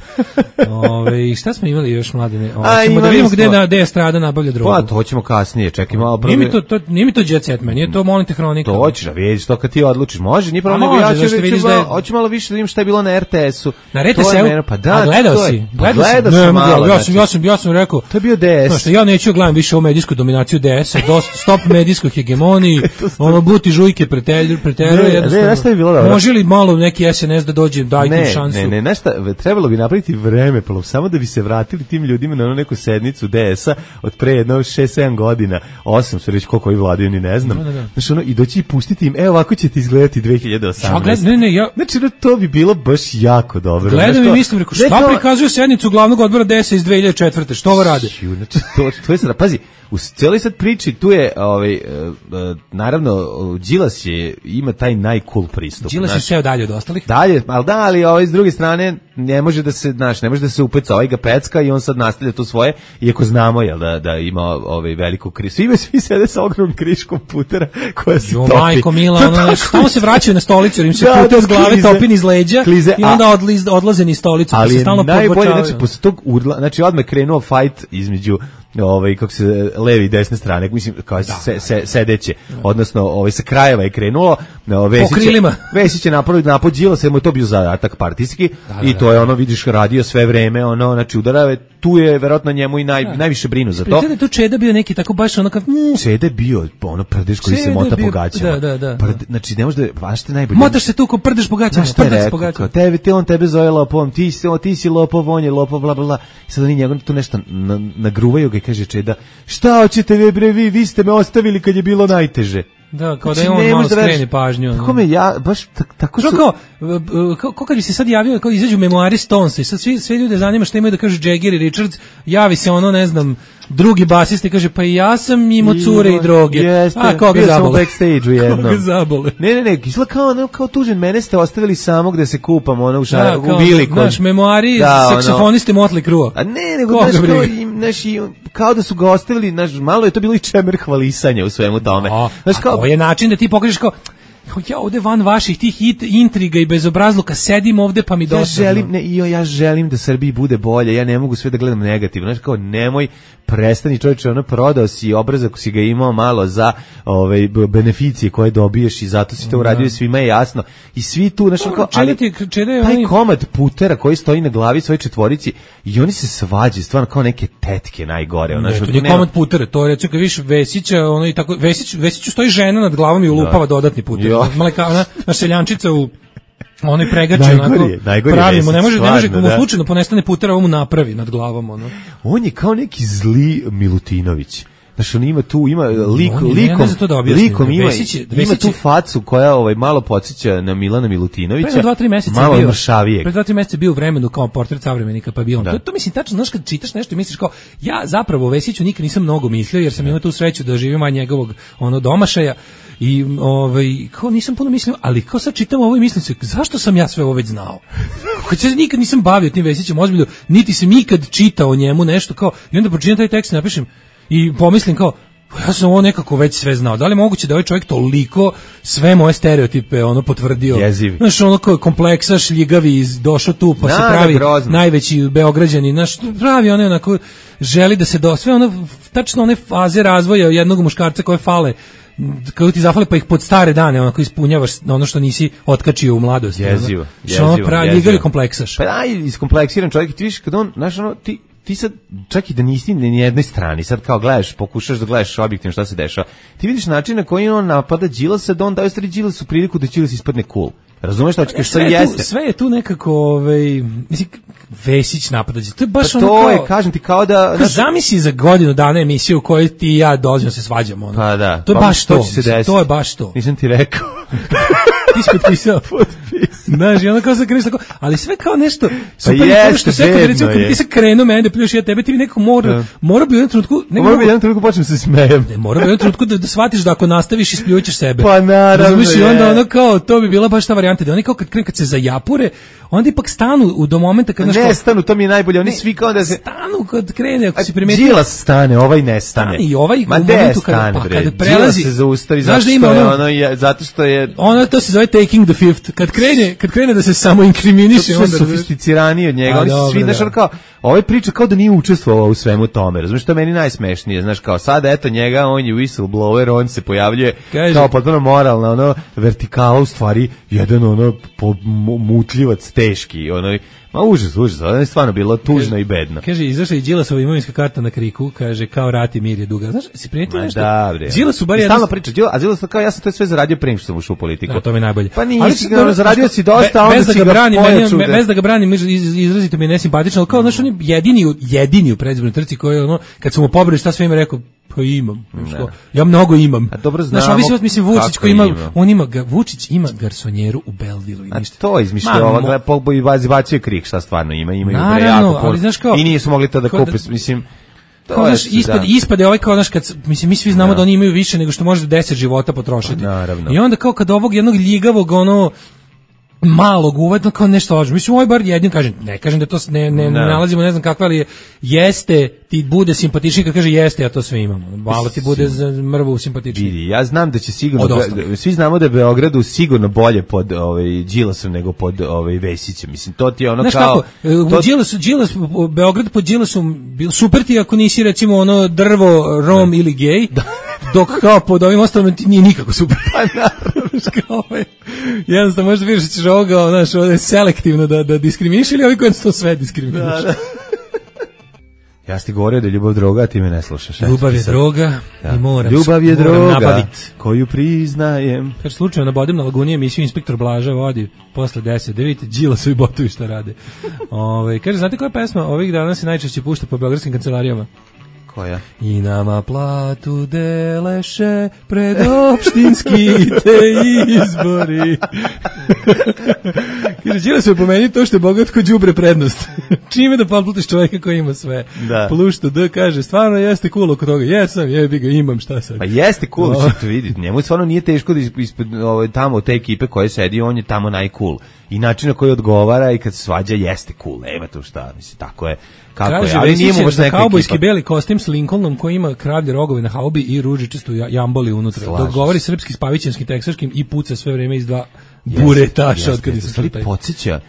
Speaker 6: Ove, šta smo imali još, mladine? Ove, A, ćemo da vidimo gde, na, gde je Strada nabavlja drogu.
Speaker 5: Pa, to hoćemo kasnije, čekaj malo. Prvi...
Speaker 6: Nije mi to, to, nije mi to Jet Set, man, nije to, molim te, Hronika.
Speaker 5: To hoćeš, a vidiš to kad ti odlučiš. Može, nije problem, ja ću reći, hoću malo više da vidim šta je bilo na R T S-u.
Speaker 6: Na R T S-u?
Speaker 5: Pa da,
Speaker 6: gledao si?
Speaker 5: Gledao sam malo,
Speaker 6: ja sam, ja sam, ja sam rekao,
Speaker 5: to je bio D S.
Speaker 6: Znaš, ja neću gledam više o medijsku dominaciju D S-a, dosta, stop medijskoj hegemoniji, ono, buti žujke preteruje, preteruje, jednostavno. Može li malo neki S N S da dođe, dajte im šansu.
Speaker 5: Ne, ne, nešto, trebalo bi napraviti vreme, samo da bi se vratili tim ljudima na ono neku sednicu D S-a od pre jedno šest sedam godina, osam su reći koliko ovi vladaju, ni ne znam. Znači, ono, i doći i pustiti im, evo ovako ćete izgledati dve hiljade osamnaeste.
Speaker 6: Ne, ne, ja...
Speaker 5: Znači, to bi bilo baš jako dobro.
Speaker 6: Gledam i mislim, rekao, šta prikazuje sednicu glavnog odbora D S-a iz dve hiljade četvrte. Što ovo rade?
Speaker 5: Znači, to, to je sada, pazi, u cijeloj sad priči tu je, ovaj, uh, uh, naravno, Đilas je, ima taj najcool pristup.
Speaker 6: Đilas je sve dalje od ostalih.
Speaker 5: Dalje, ali da, ali ovaj, s druge strane, ne može da se, znaš, ne može da se upeca, ovaj ga pecka i on sad nastavlja tu svoje, iako znamo, jel, da, da ima ovaj veliku križ. Svi, svi sede sa ogromnom kriškom putera koja se jo, topi.
Speaker 6: Majko Mila, ono, tamo se vraćaju na stolicu, jer im se da, puter s glave topi niz leđa klize, i onda odliz, odlaze niz stolicu.
Speaker 5: Ali je najbolje, znači, posle tog urla, znači, odmah krenuo fight između ovaj kako se levi i desne strane, mislim kao da, se, se, sedeće, odnosno ovaj sa krajeva je krenulo, Vesić Vesić je napravio napad Đilasa, mu je to bio zadatak partijski da, da, i to je ono, vidiš, radio sve vreme, ono, znači udarave, tu je verovatno njemu i naj, da. najviše brinu za to.
Speaker 6: Pretende tu Čeda bio neki tako baš ono kao mm.
Speaker 5: Čeda bio ono prdež koji Čeda se mota bio, po gaćama.
Speaker 6: Da, da, da.
Speaker 5: Prde, znači ne može da baš te najbolje.
Speaker 6: Motaš se tu ko prdež po gaćama, prdež po gaćama.
Speaker 5: Tebe te on tebe zove lopovom, ti si ti si lopov, on je lopov, bla bla bla. I sad oni njegov tu nešto na, nagruvaju ga i kaže Čeda, šta hoćete vi bre, vi, vi ste me ostavili kad je bilo najteže.
Speaker 6: Da, kao znači, da je on malo skreni pažnju.
Speaker 5: Tako me ja, baš tako su...
Speaker 6: Kao, kao, kao kad bi se sad javio, kao izađu memoari Stonesa i sad svi, sve ljude zanima šta imaju da kažu Jagger i Richards, javi se ono, ne znam, drugi basista i kaže, pa i ja sam imao cure i droge.
Speaker 5: Jeste,
Speaker 6: a koga zabole?
Speaker 5: Backstage-u jednom.
Speaker 6: Koga zabole?
Speaker 5: Ne, ne, ne, izgleda kao, ne, kao tužen, mene ste ostavili samo gde se kupam, ono, u, šar, da, kao, u Biliku.
Speaker 6: Naš memoari, da, saksofoniste ono, Motley Crue.
Speaker 5: A ne, nego, znaš, kao, im, naš, kao da su ga ostavili, naš, malo je to bilo i čemer hvalisanja u svemu tome.
Speaker 6: A, znaš, kao, a to je način da ti pokažeš kao, ja ovde van vaših tih intriga i bezobrazluka sedim ovde pa mi dosadno.
Speaker 5: Ja želim, ne, jo, ja želim da Srbiji bude bolje, ja ne mogu sve da gledam negativno. Znaš, kao, nemoj, prestani čovječe, ono, prodao si obrazak, si ga imao malo za ove, beneficije koje dobiješ i zato si to uradio, svima je jasno. I svi tu, znaš, kao, ali
Speaker 6: ti, čede,
Speaker 5: taj oni... komad putera koji stoji na glavi svoje četvorici i oni se svađaju, stvarno kao neke tetke najgore. Ono,
Speaker 6: ne, to je komad putera, to je, recimo, kad viš Vesića, ono i tako, Vesić, Vesiću stoji žena nad glavom i ulupava da. dodatni puter. Maleka, ona, na seljančica u onoj pregače, onako, pravimo, ne može, ne može, komu slučajno ponestane putera, ovo mu napravi nad glavom, ono.
Speaker 5: On je kao neki zli Milutinović. Znaš, on ima tu, ima lik, on, likom,
Speaker 6: da
Speaker 5: likom ima,
Speaker 6: Vesić je, Vesić
Speaker 5: ima tu facu koja ovaj, malo podsjeća na Milana Milutinovića,
Speaker 6: pre dva, tri meseca
Speaker 5: malo
Speaker 6: bio,
Speaker 5: mršavijeg.
Speaker 6: Pre dva, tri meseca bio u vremenu kao portret savremenika, pa bio on. To, to mislim, tačno, znaš, kad čitaš nešto i misliš kao, ja zapravo o Vesiću nikad nisam mnogo mislio, jer sam imao tu sreću da živim od njegovog ono, domašaja, i ovaj, kao nisam puno mislio, ali kao sad čitam ovo i mislim se, zašto sam ja sve ovo već znao? Kad se nikad nisam bavio tim Vesićem, ozbiljno, niti sam ikad čitao o njemu nešto, kao, i onda pročitam taj tekst i napišem, i pomislim kao, ja sam ovo nekako već sve znao. Da li je moguće da ovaj čovjek toliko sve moje stereotipe ono potvrdio?
Speaker 5: Jezivi.
Speaker 6: Znaš, ono kao kompleksa, šljigavi, došao tu, pa da, se pravi grozno. Najveći beograđani, znaš, pravi ono onako, želi da se do, sve ono, tačno one faze razvoja jednog muškarca koje fale, kako ti zafale pa ih pod stare dane onako ispunjavaš ono što nisi otkačio u mladosti.
Speaker 5: Jezivo.
Speaker 6: Ono, što ono pravi, ljigavi kompleksaš.
Speaker 5: Pa da, iskompleksiran čovjek, ti viš kad on, znaš, ono, ti ti sad, čak i da nisi ni jednoj strani, sad kao gledaš, pokušaš da gledaš objektivno šta se dešava, ti vidiš način na koji on napada Đilasa, da on daje stvari Đilasu priliku da Đilas ispadne cool. Razumeš šta ćeš, sve jeste?
Speaker 6: Sve je tu nekako, ovaj, mislim, Vesić napada. To je baš
Speaker 5: pa
Speaker 6: ono
Speaker 5: to
Speaker 6: kao...
Speaker 5: je, kažem ti, kao da...
Speaker 6: Kao zamisli za godinu dana emisiju u kojoj ti i ja dolazimo se svađamo. Ono.
Speaker 5: Pa da.
Speaker 6: To je
Speaker 5: pa
Speaker 6: baš to.
Speaker 5: to,
Speaker 6: to je baš to.
Speaker 5: Nisam ti rekao.
Speaker 6: Ti si potpisao.
Speaker 5: Potpisao.
Speaker 6: Znaš, i onda kao se kreneš tako, ali sve kao nešto, super,
Speaker 5: pa jeste,
Speaker 6: što sve kad recimo, kad ti se krenuo mene, pljuš ja tebe, ti bi nekako mora, ja. mora bi u jednom trenutku...
Speaker 5: Mora bi u jednom trenutku počnem se smejem.
Speaker 6: Ne, mora bi u jednom trenutku da, da shvatiš da ako nastaviš ispljućeš sebe.
Speaker 5: Pa naravno
Speaker 6: je. I onda ono kao, to bi bila baš ta varijanta, da oni kao kad krenu, kad se zajapure, onda ipak stanu u do momenta kad...
Speaker 5: Ne
Speaker 6: kao,
Speaker 5: stanu, to mi je najbolje, oni ne, svi kao da se...
Speaker 6: Stanu kad krene, ako si primetio...
Speaker 5: Đilas stane, ovaj ne stane.
Speaker 6: I ovaj
Speaker 5: Ma
Speaker 6: u momentu kada, pa, kada prelazi...
Speaker 5: Đilas se zaustavi zato što, ono, je, ono, je, zato što je...
Speaker 6: Ono, to se zove taking the fifth. Kad krene, kad krene da se samo inkriminiše,
Speaker 5: onda sofisticiraniji od njega. A, oni su svi, znaš, kao, ovaj priča kao da nije učestvovao u svemu tome. Razumiješ, to je meni najsmešnije. Znaš, kao sad, eto njega, on je whistleblower, on se pojavljuje Kaži. kao potpuno moralna, ono, vertikala, u stvari, jedan, ono, po, mutljivac teški, ono, Ma užas, užas, ona je stvarno bilo tužno i bedno.
Speaker 6: Kaže, izašla i Đilasova imovinska karta na Kriku, kaže, kao rat i mir je duga. Znaš, si prijetio nešto?
Speaker 5: Da, bre.
Speaker 6: Đilas su bar
Speaker 5: I
Speaker 6: jedna...
Speaker 5: stalno priča, Đilas, a Đilas kao, ja sam to sve zaradio pre nego što sam ušao u politiku.
Speaker 6: Da, to mi je najbolje.
Speaker 5: Pa nije,
Speaker 6: ali
Speaker 5: si ga zaradio si dosta, onda si ga pojaču.
Speaker 6: Bez da ga branim, izrazito mi je nesimpatično, ali kao, znaš, on je jedini, jedini u predizbornoj trci koji je ono, kad su mu pobrali šta sve ima, rekao, pa imam. Što? Ja mnogo imam.
Speaker 5: A dobro znamo.
Speaker 6: Znaš, mislim, mislim Vučić koji ima, ima, on ima, ga, Vučić ima garsonjeru u Belvilu i ništa.
Speaker 5: A to izmišljao, ova gleda, Pogbo i bacio krik, šta stvarno ima, imaju bre
Speaker 6: jako ali, znaš, kao,
Speaker 5: i nisu mogli to da kupe, mislim,
Speaker 6: kao, znaš, ispade, ispade ovaj kao, znaš, kad, mislim, mi svi znamo da. da oni imaju više nego što može deset života potrošiti.
Speaker 5: Naravno.
Speaker 6: I onda kao kad ovog jednog ljigavog, ono, malog uvedno kao nešto lažno. Mislim, ovaj bar jednim kažem, ne kažem da to ne, ne, ne nalazimo, ne znam kakva, ali jeste, ti bude simpatičniji kad kaže jeste, ja to sve imamo. Malo ti bude za mrvu simpatičniji.
Speaker 5: Ja znam da će sigurno, be, svi znamo da je Beogradu sigurno bolje pod ovaj, Đilasom nego pod ovaj, Vesićem. Mislim, to ti je ono. Znaš kao...
Speaker 6: Znaš kako, Đilas, Đilas, Beograd pod Đilasom, super ti ako nisi recimo ono drvo, rom ne. ili gej, dok kao pod ovim ostalom ti nije nikako super.
Speaker 5: Pa naravno.
Speaker 6: Jednostavno možda vidiš da ćeš ovoga, znaš, ovdje selektivno da, da diskriminiš ili ovi koji to sve diskriminiš. Da, da.
Speaker 5: Ja ti govorio da je ljubav droga, a ti me ne slušaš.
Speaker 6: Ljubav je droga da. i moram,
Speaker 5: ljubav je
Speaker 6: moram
Speaker 5: droga,
Speaker 6: nabavit.
Speaker 5: Koju priznajem.
Speaker 6: Kaže, slučajno nabodim na Laguni emisiju Inspektor Blaža vodi posle deset. Da vidite, Đilasovi botovi šta rade. Ove, kaže, znate koja pesma ovih dana se najčešće pušta po beogradskim kancelarijama?
Speaker 5: Koja?
Speaker 6: I nama platu deleše pred opštinski te izbori. Kaže, Đilas se pomeni to što je bogat ko đubre prednost. Čime da podplatiš čovjeka koji ima sve.
Speaker 5: Da.
Speaker 6: Plus što D kaže, stvarno jeste cool oko toga. Jesam, jebi ga, imam, šta sad.
Speaker 5: Pa jeste cool, no. To vidi. Njemu stvarno nije teško da ispred ovaj, tamo te ekipe koje sedi, on je tamo najcool. I način na koji odgovara i kad se svađa jeste cool. Nema tu šta, mislim, tako je. Kako
Speaker 6: kaže,
Speaker 5: je, ali nije mu baš neka
Speaker 6: kaubojski beli kostim s Lincolnom koji ima kravlje rogove na haubi i ružičastu jamboli unutra. Slažem dok govori srpski s pavićanskim teksaškim i puca sve vreme iz dva buretaša od kada se slutaj.
Speaker 5: Podsjeća,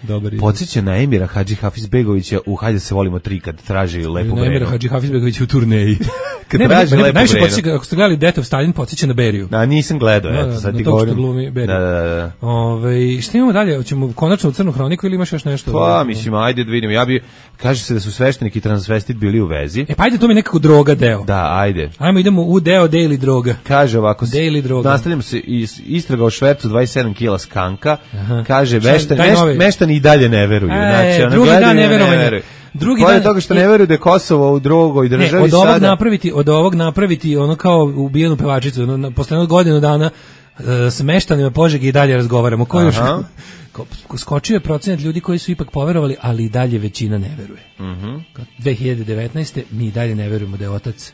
Speaker 5: podsjeća na Emira Hadži Hafizbegovića u Hajde se volimo tri kad traži lepu vrenu.
Speaker 6: Na Emira Hadži Hafizbegovića u turneji.
Speaker 5: Kad ne, traži ne, lepu
Speaker 6: najviše podsjeća, ako ste gledali Death of Stalin, podsjeća na Beriju.
Speaker 5: Da, nisam gledao, eto, sad ti govorim.
Speaker 6: Glumi Beriju.
Speaker 5: Da, da, da.
Speaker 6: Ove, šta imamo dalje? Hoćemo konačno u Crnu hroniku ili imaš još nešto?
Speaker 5: Pa, mislim, ajde da vidimo. Ja bi, kaže se da su sveštenik i transvestit bili u vezi.
Speaker 6: E, pa ajde, to mi je nekako droga deo.
Speaker 5: Da, ajde.
Speaker 6: Ajmo, idemo u deo daily droga.
Speaker 5: Kaže ovako,
Speaker 6: daily droga.
Speaker 5: Nastavljamo se istraga o švercu dvadeset sedam kila skanka. Aha. Kaže, meštan, meš, meštani i dalje ne veruju.
Speaker 6: E,
Speaker 5: znači, ono,
Speaker 6: drugi dan ne
Speaker 5: veruju.
Speaker 6: verovanja. Drugi
Speaker 5: dan toga što ne veruju da je Kosovo u drugoj državi
Speaker 6: ne, od ovog
Speaker 5: sada.
Speaker 6: napraviti, od ovog napraviti ono kao ubijenu pevačicu, ono, posle jednog godinu dana uh, s meštanima Požege i dalje razgovaramo. Ko još? Skočio je procenat ljudi koji su ipak poverovali, ali i dalje većina ne veruje.
Speaker 5: Mhm.
Speaker 6: dve hiljade devetnaeste mi i dalje ne verujemo da je otac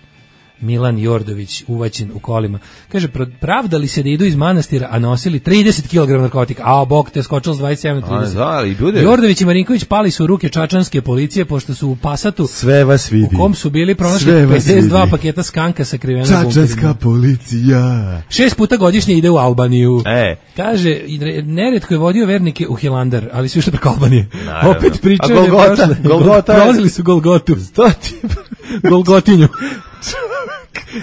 Speaker 6: Milan Jordović uvaćen u kolima. Kaže, pravdali se da idu iz manastira, a nosili trideset kilograma narkotika. A, bog te skočilo s dvadeset sedam na trideset.
Speaker 5: Da, bude...
Speaker 6: Jordović i Marinković pali su u ruke čačanske policije, pošto su u Pasatu,
Speaker 5: sve vas vidi.
Speaker 6: U kom su bili pronašli pedeset dva paketa skanka sakrivena bunkerima.
Speaker 5: Čačanska policija.
Speaker 6: Šest puta godišnje ide u Albaniju.
Speaker 5: E.
Speaker 6: Kaže, neretko je vodio vernike u Hilandar, ali su išli preko Albanije.
Speaker 5: Naravno.
Speaker 6: Opet pričaju.
Speaker 5: A Golgota? Golgota.
Speaker 6: Prolazili su Golgotu. Golgotinju.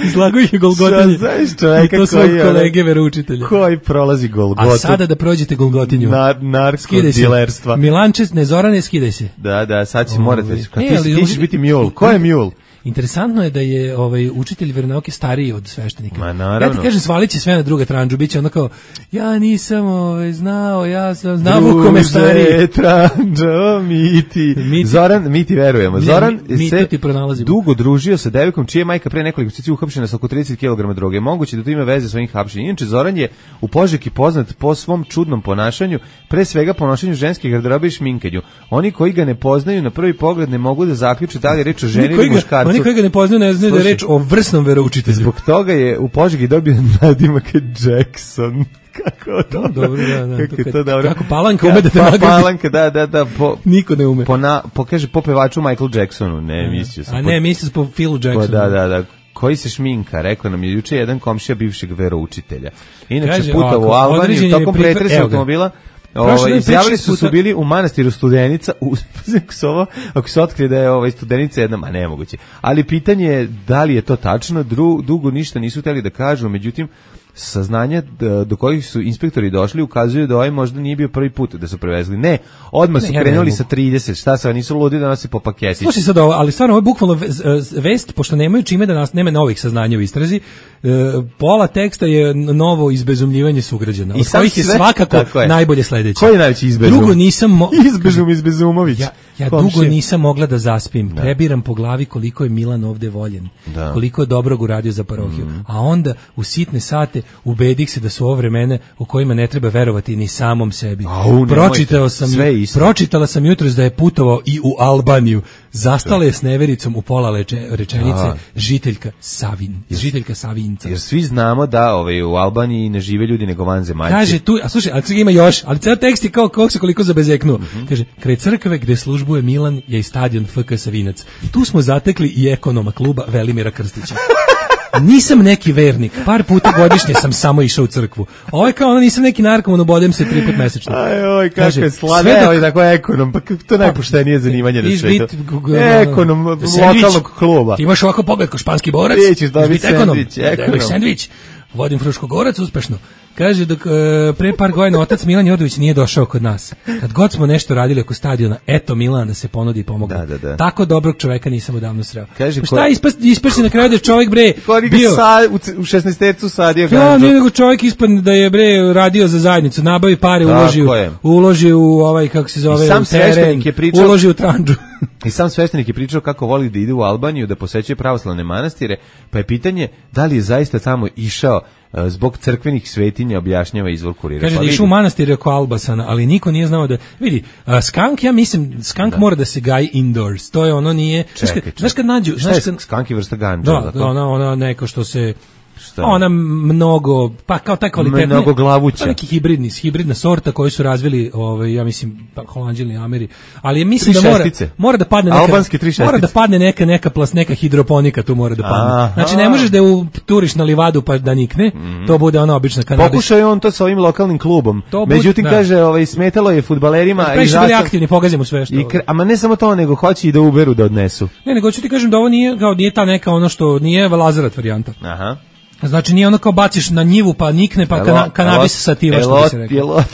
Speaker 6: Izlago ih je Golgotinje.
Speaker 5: Znaš čovjeka
Speaker 6: to svog kolege veroučitelja.
Speaker 5: Koji prolazi Golgotu.
Speaker 6: A sada da prođete Golgotinju.
Speaker 5: Na, narko-dilerstva.
Speaker 6: Milanče, ne Zorane, skidaj se.
Speaker 5: Da, da, sad će morate. Ti ćeš biti mjul. Ko je mjul?
Speaker 6: Interesantno je da je ovaj učitelj veronauke stariji od sveštenika.
Speaker 5: Ma naravno.
Speaker 6: Ja ti kažem, svalit će sve na druga tranđu, biće ono kao, ja nisam ovaj, znao, ja sam znao u kome stariji.
Speaker 5: Druže, tranđo, miti. miti. Zoran, mi ti verujemo. Zoran
Speaker 6: mi, mi
Speaker 5: se
Speaker 6: dugo
Speaker 5: družio sa devojkom čija je majka pre nekoliko mjeseci uhapšena sa oko trideset kilograma droge. Moguće da to ima veze sa ovim hapšenjem. Inače, Zoran je u Požegi poznat po svom čudnom ponašanju, pre svega ponašanju ženskih garderobe i šminkanju. Oni koji ga ne poznaju na prvi pogled ne mogu da zaključe da li je reč o ženi ili muškarcu.
Speaker 6: Oni koji ga ne poznaju ne znaju da je reč o vrsnom veroučitelju.
Speaker 5: Zbog toga je u Požegi dobio nadimak Jackson. Kako to?
Speaker 6: No, dobro, da, da.
Speaker 5: Kako,
Speaker 6: to
Speaker 5: to dobro.
Speaker 6: Kako Palanka ume da te
Speaker 5: pa,
Speaker 6: nagradi.
Speaker 5: Palanka, da, da, da. Po,
Speaker 6: Niko ne ume.
Speaker 5: Po, na, po, kaže, po pevaču Michael Jacksonu, ne, mislio sam.
Speaker 6: A ne, mislio sam po Philu Jacksonu.
Speaker 5: Po, da, da, da. Koji se šminka, rekao nam je juče jedan komšija bivšeg veroučitelja. Inače, kaže, puta u Albaniji, tokom pretresa automobila, Ovaj izjavili su su bili u manastiru Studenica, u ovo, ako se otkrije da je ovaj Studenica jedna, ma nemoguće. Ali pitanje je da li je to tačno, Dru, dugo ništa nisu hteli da kažu, međutim saznanja do kojih su inspektori došli ukazuju da ovaj možda nije bio prvi put da su prevezli. Ne, odmah su ne, krenuli sa trideset. Šta se, nisu ludi da nosi po paketić.
Speaker 6: Slušaj sad ovo, ali stvarno ovo je bukvalno vest, pošto nemaju čime da nas, nema novih saznanja u istrazi, pola teksta je novo izbezumljivanje sugrađana, od kojih je svakako je. najbolje sledeće.
Speaker 5: Koji je najveći izbezum?
Speaker 6: Dugo nisam... Mo...
Speaker 5: Izbezum, izbezumović.
Speaker 6: Ja, ja dugo nisam mogla da zaspim. Da. Prebiram po glavi koliko je Milan ovde voljen. Da. Koliko je dobrog uradio za parohiju. Mm. A onda u sitne sate ubedih se da su ovo vremena u kojima ne treba verovati ni samom sebi.
Speaker 5: Au,
Speaker 6: Pročitao sam, pročitala sam jutros da je putovao i u Albaniju. Zastala je s nevericom u pola leče, rečenice da. žiteljka Savin, jer, žiteljka Savinca.
Speaker 5: Jer svi znamo da ovaj, u Albaniji ne žive ljudi nego vanzemaljci.
Speaker 6: Kaže tu, a slušaj, ali ima još, ali ceo tekst je kao kako se koliko zabezeknuo. Mm-hmm. Kaže, kraj crkve gde službuje Milan je i stadion F K Savinac. Tu smo zatekli i ekonoma kluba Velimira Krstića. Nisam neki vernik, par puta godišnje sam samo išao u crkvu. Ovo je kao ono, nisam neki narkoman, ubodem se tri put mesečno.
Speaker 5: Aj, oj, kako je slave, evo i tako ekonom, pa to najpoštenije zanimanje na svetu. Ekonom lokalnog kluba.
Speaker 6: Ti imaš ovako pogled ko španski borac,
Speaker 5: ćeš dobiti sendvič, ekonom.
Speaker 6: Sendvič, vodim Fruškogorac uspešno. Kaže, dok e, pre par godina otac Milan Jordović nije došao kod nas. Kad god smo nešto radili oko stadiona, eto Milan da se ponudi i pomogne. Da, da, da. Tako dobrog čoveka nisam odavno sreo. Kaže, pa šta ko... ispas, ispašće na kraju da je čovjek bre bio...
Speaker 5: Sa, u šesnaestercu sadio
Speaker 6: ganđu. Ja, nije nego čovjek ispadne da je bre radio za zajednicu, nabavi pare, uloži, uloži u ovaj, kako se zove,
Speaker 5: sam
Speaker 6: u teren,
Speaker 5: je pričao,
Speaker 6: uloži u tranđu.
Speaker 5: I sam sveštenik je pričao kako voli da ide u Albaniju, da posećuje pravoslavne manastire, pa je pitanje da li je zaista tamo išao zbog crkvenih svetinja, objašnjava izvor Kurira.
Speaker 6: Kaže
Speaker 5: pa
Speaker 6: da išao u manastir oko Albasana, ali niko nije znao da... Vidi, uh, skank, ja mislim, skank da. mora da se gaji indoors. To je ono nije...
Speaker 5: Čekaj,
Speaker 6: znaš, kad, znaš kad nađu...
Speaker 5: Šta je kad, skank je vrsta ganđa?
Speaker 6: Da, da ona, ona neko što se... Šta? Ona mnogo, pa kao taj kvalitetne,
Speaker 5: mnogo glavuća.
Speaker 6: Neki hibridni, hibridna sorta koju su razvili, ovaj, ja mislim, pa Holanđani, Ameri, ali mislim da mora, mora da padne neka, mora da padne neka, neka plas, neka hidroponika tu mora da padne. Aha. Znači ne možeš da u turiš na livadu pa da nikne, mm. to bude ona obična kanabis.
Speaker 5: Pokušao je on to sa ovim lokalnim klubom, bude, međutim da. kaže, ovaj, smetalo je fudbalerima.
Speaker 6: Previše su bili aktivni, pogazimo sve što.
Speaker 5: I, ama ne samo to, nego hoće i da uberu da odnesu.
Speaker 6: Ne, nego ću ti kažem da ovo nije, kao nije ta neka ono što nije Lazarat varijanta. Aha. Znači nije ono kao baciš na njivu pa nikne pa kana, kanabis sativa što bi se rekao.
Speaker 5: Elot,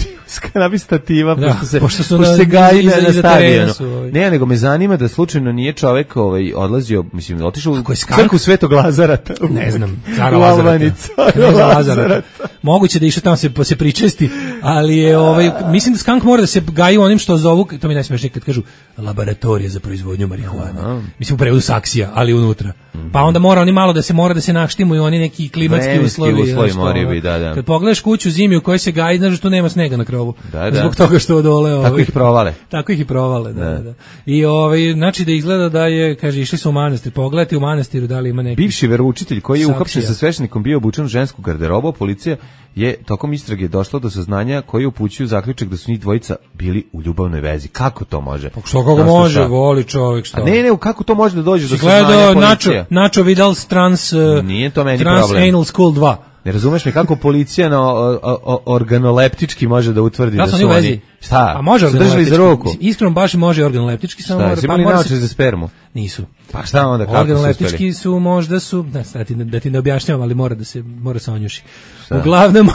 Speaker 5: kanabis sativa da, pošto se, pošto su pošto na, se gaji na, na stadionu. Ovaj. Ne, nego me zanima da slučajno nije čovjek ovaj, odlazio, mislim, otišao u crkvu Svetog Lazarata. U,
Speaker 6: ne znam, cara Lazarata. Lazarata. Moguće da išao tamo se, se pričesti, ali je, ovaj, mislim da skank mora da se gaji onim što zovu, to mi najsmešnije kad kažu, laboratorija za proizvodnju marihuana. Mislim u prevodu saksija, ali unutra. Mm-hmm. Pa onda mora oni malo da se mora da se naštimuju oni neki klimatski Vremenski uslovi.
Speaker 5: uslovi mori bi, da, da.
Speaker 6: Kad pogledaš kuću zimi u kojoj se gaji, znaš da tu nema snega na krovu. Da, da. Zbog toga što dole ovaj.
Speaker 5: Tako ih provale.
Speaker 6: Tako ih i provale, da, da. da. I ovaj znači da izgleda da je, kaže, išli su u manastir, pogledati u manastiru da li ima neki.
Speaker 5: Bivši veroučitelj koji je uhapšen sa sveštenikom bio obučen u žensku garderobu, policija je tokom istrage došla do saznanja koji upućuju zaključak da su njih dvojica bili u ljubavnoj vezi. Kako to može?
Speaker 6: Pa što kako može, voli čovjek što.
Speaker 5: A ne, ne, kako to može da dođe do saznanja policije?
Speaker 6: Nacho, Nacho Vidal trans uh,
Speaker 5: nije to meni
Speaker 6: trans
Speaker 5: problem.
Speaker 6: Anal School dva.
Speaker 5: Ne razumeš me kako policija na o, o, organoleptički može da utvrdi
Speaker 6: da,
Speaker 5: da su oni... Šta?
Speaker 6: A može
Speaker 5: držali za ruku.
Speaker 6: Iskreno baš može organoleptički, samo mora...
Speaker 5: Šta, pa mora se... za spermu?
Speaker 6: Nisu.
Speaker 5: Pa šta onda, kako su
Speaker 6: organoleptički su možda su... Da, da, ti, da ti ne objašnjavam, ali mora da se mora se onjuši. Uglavnom...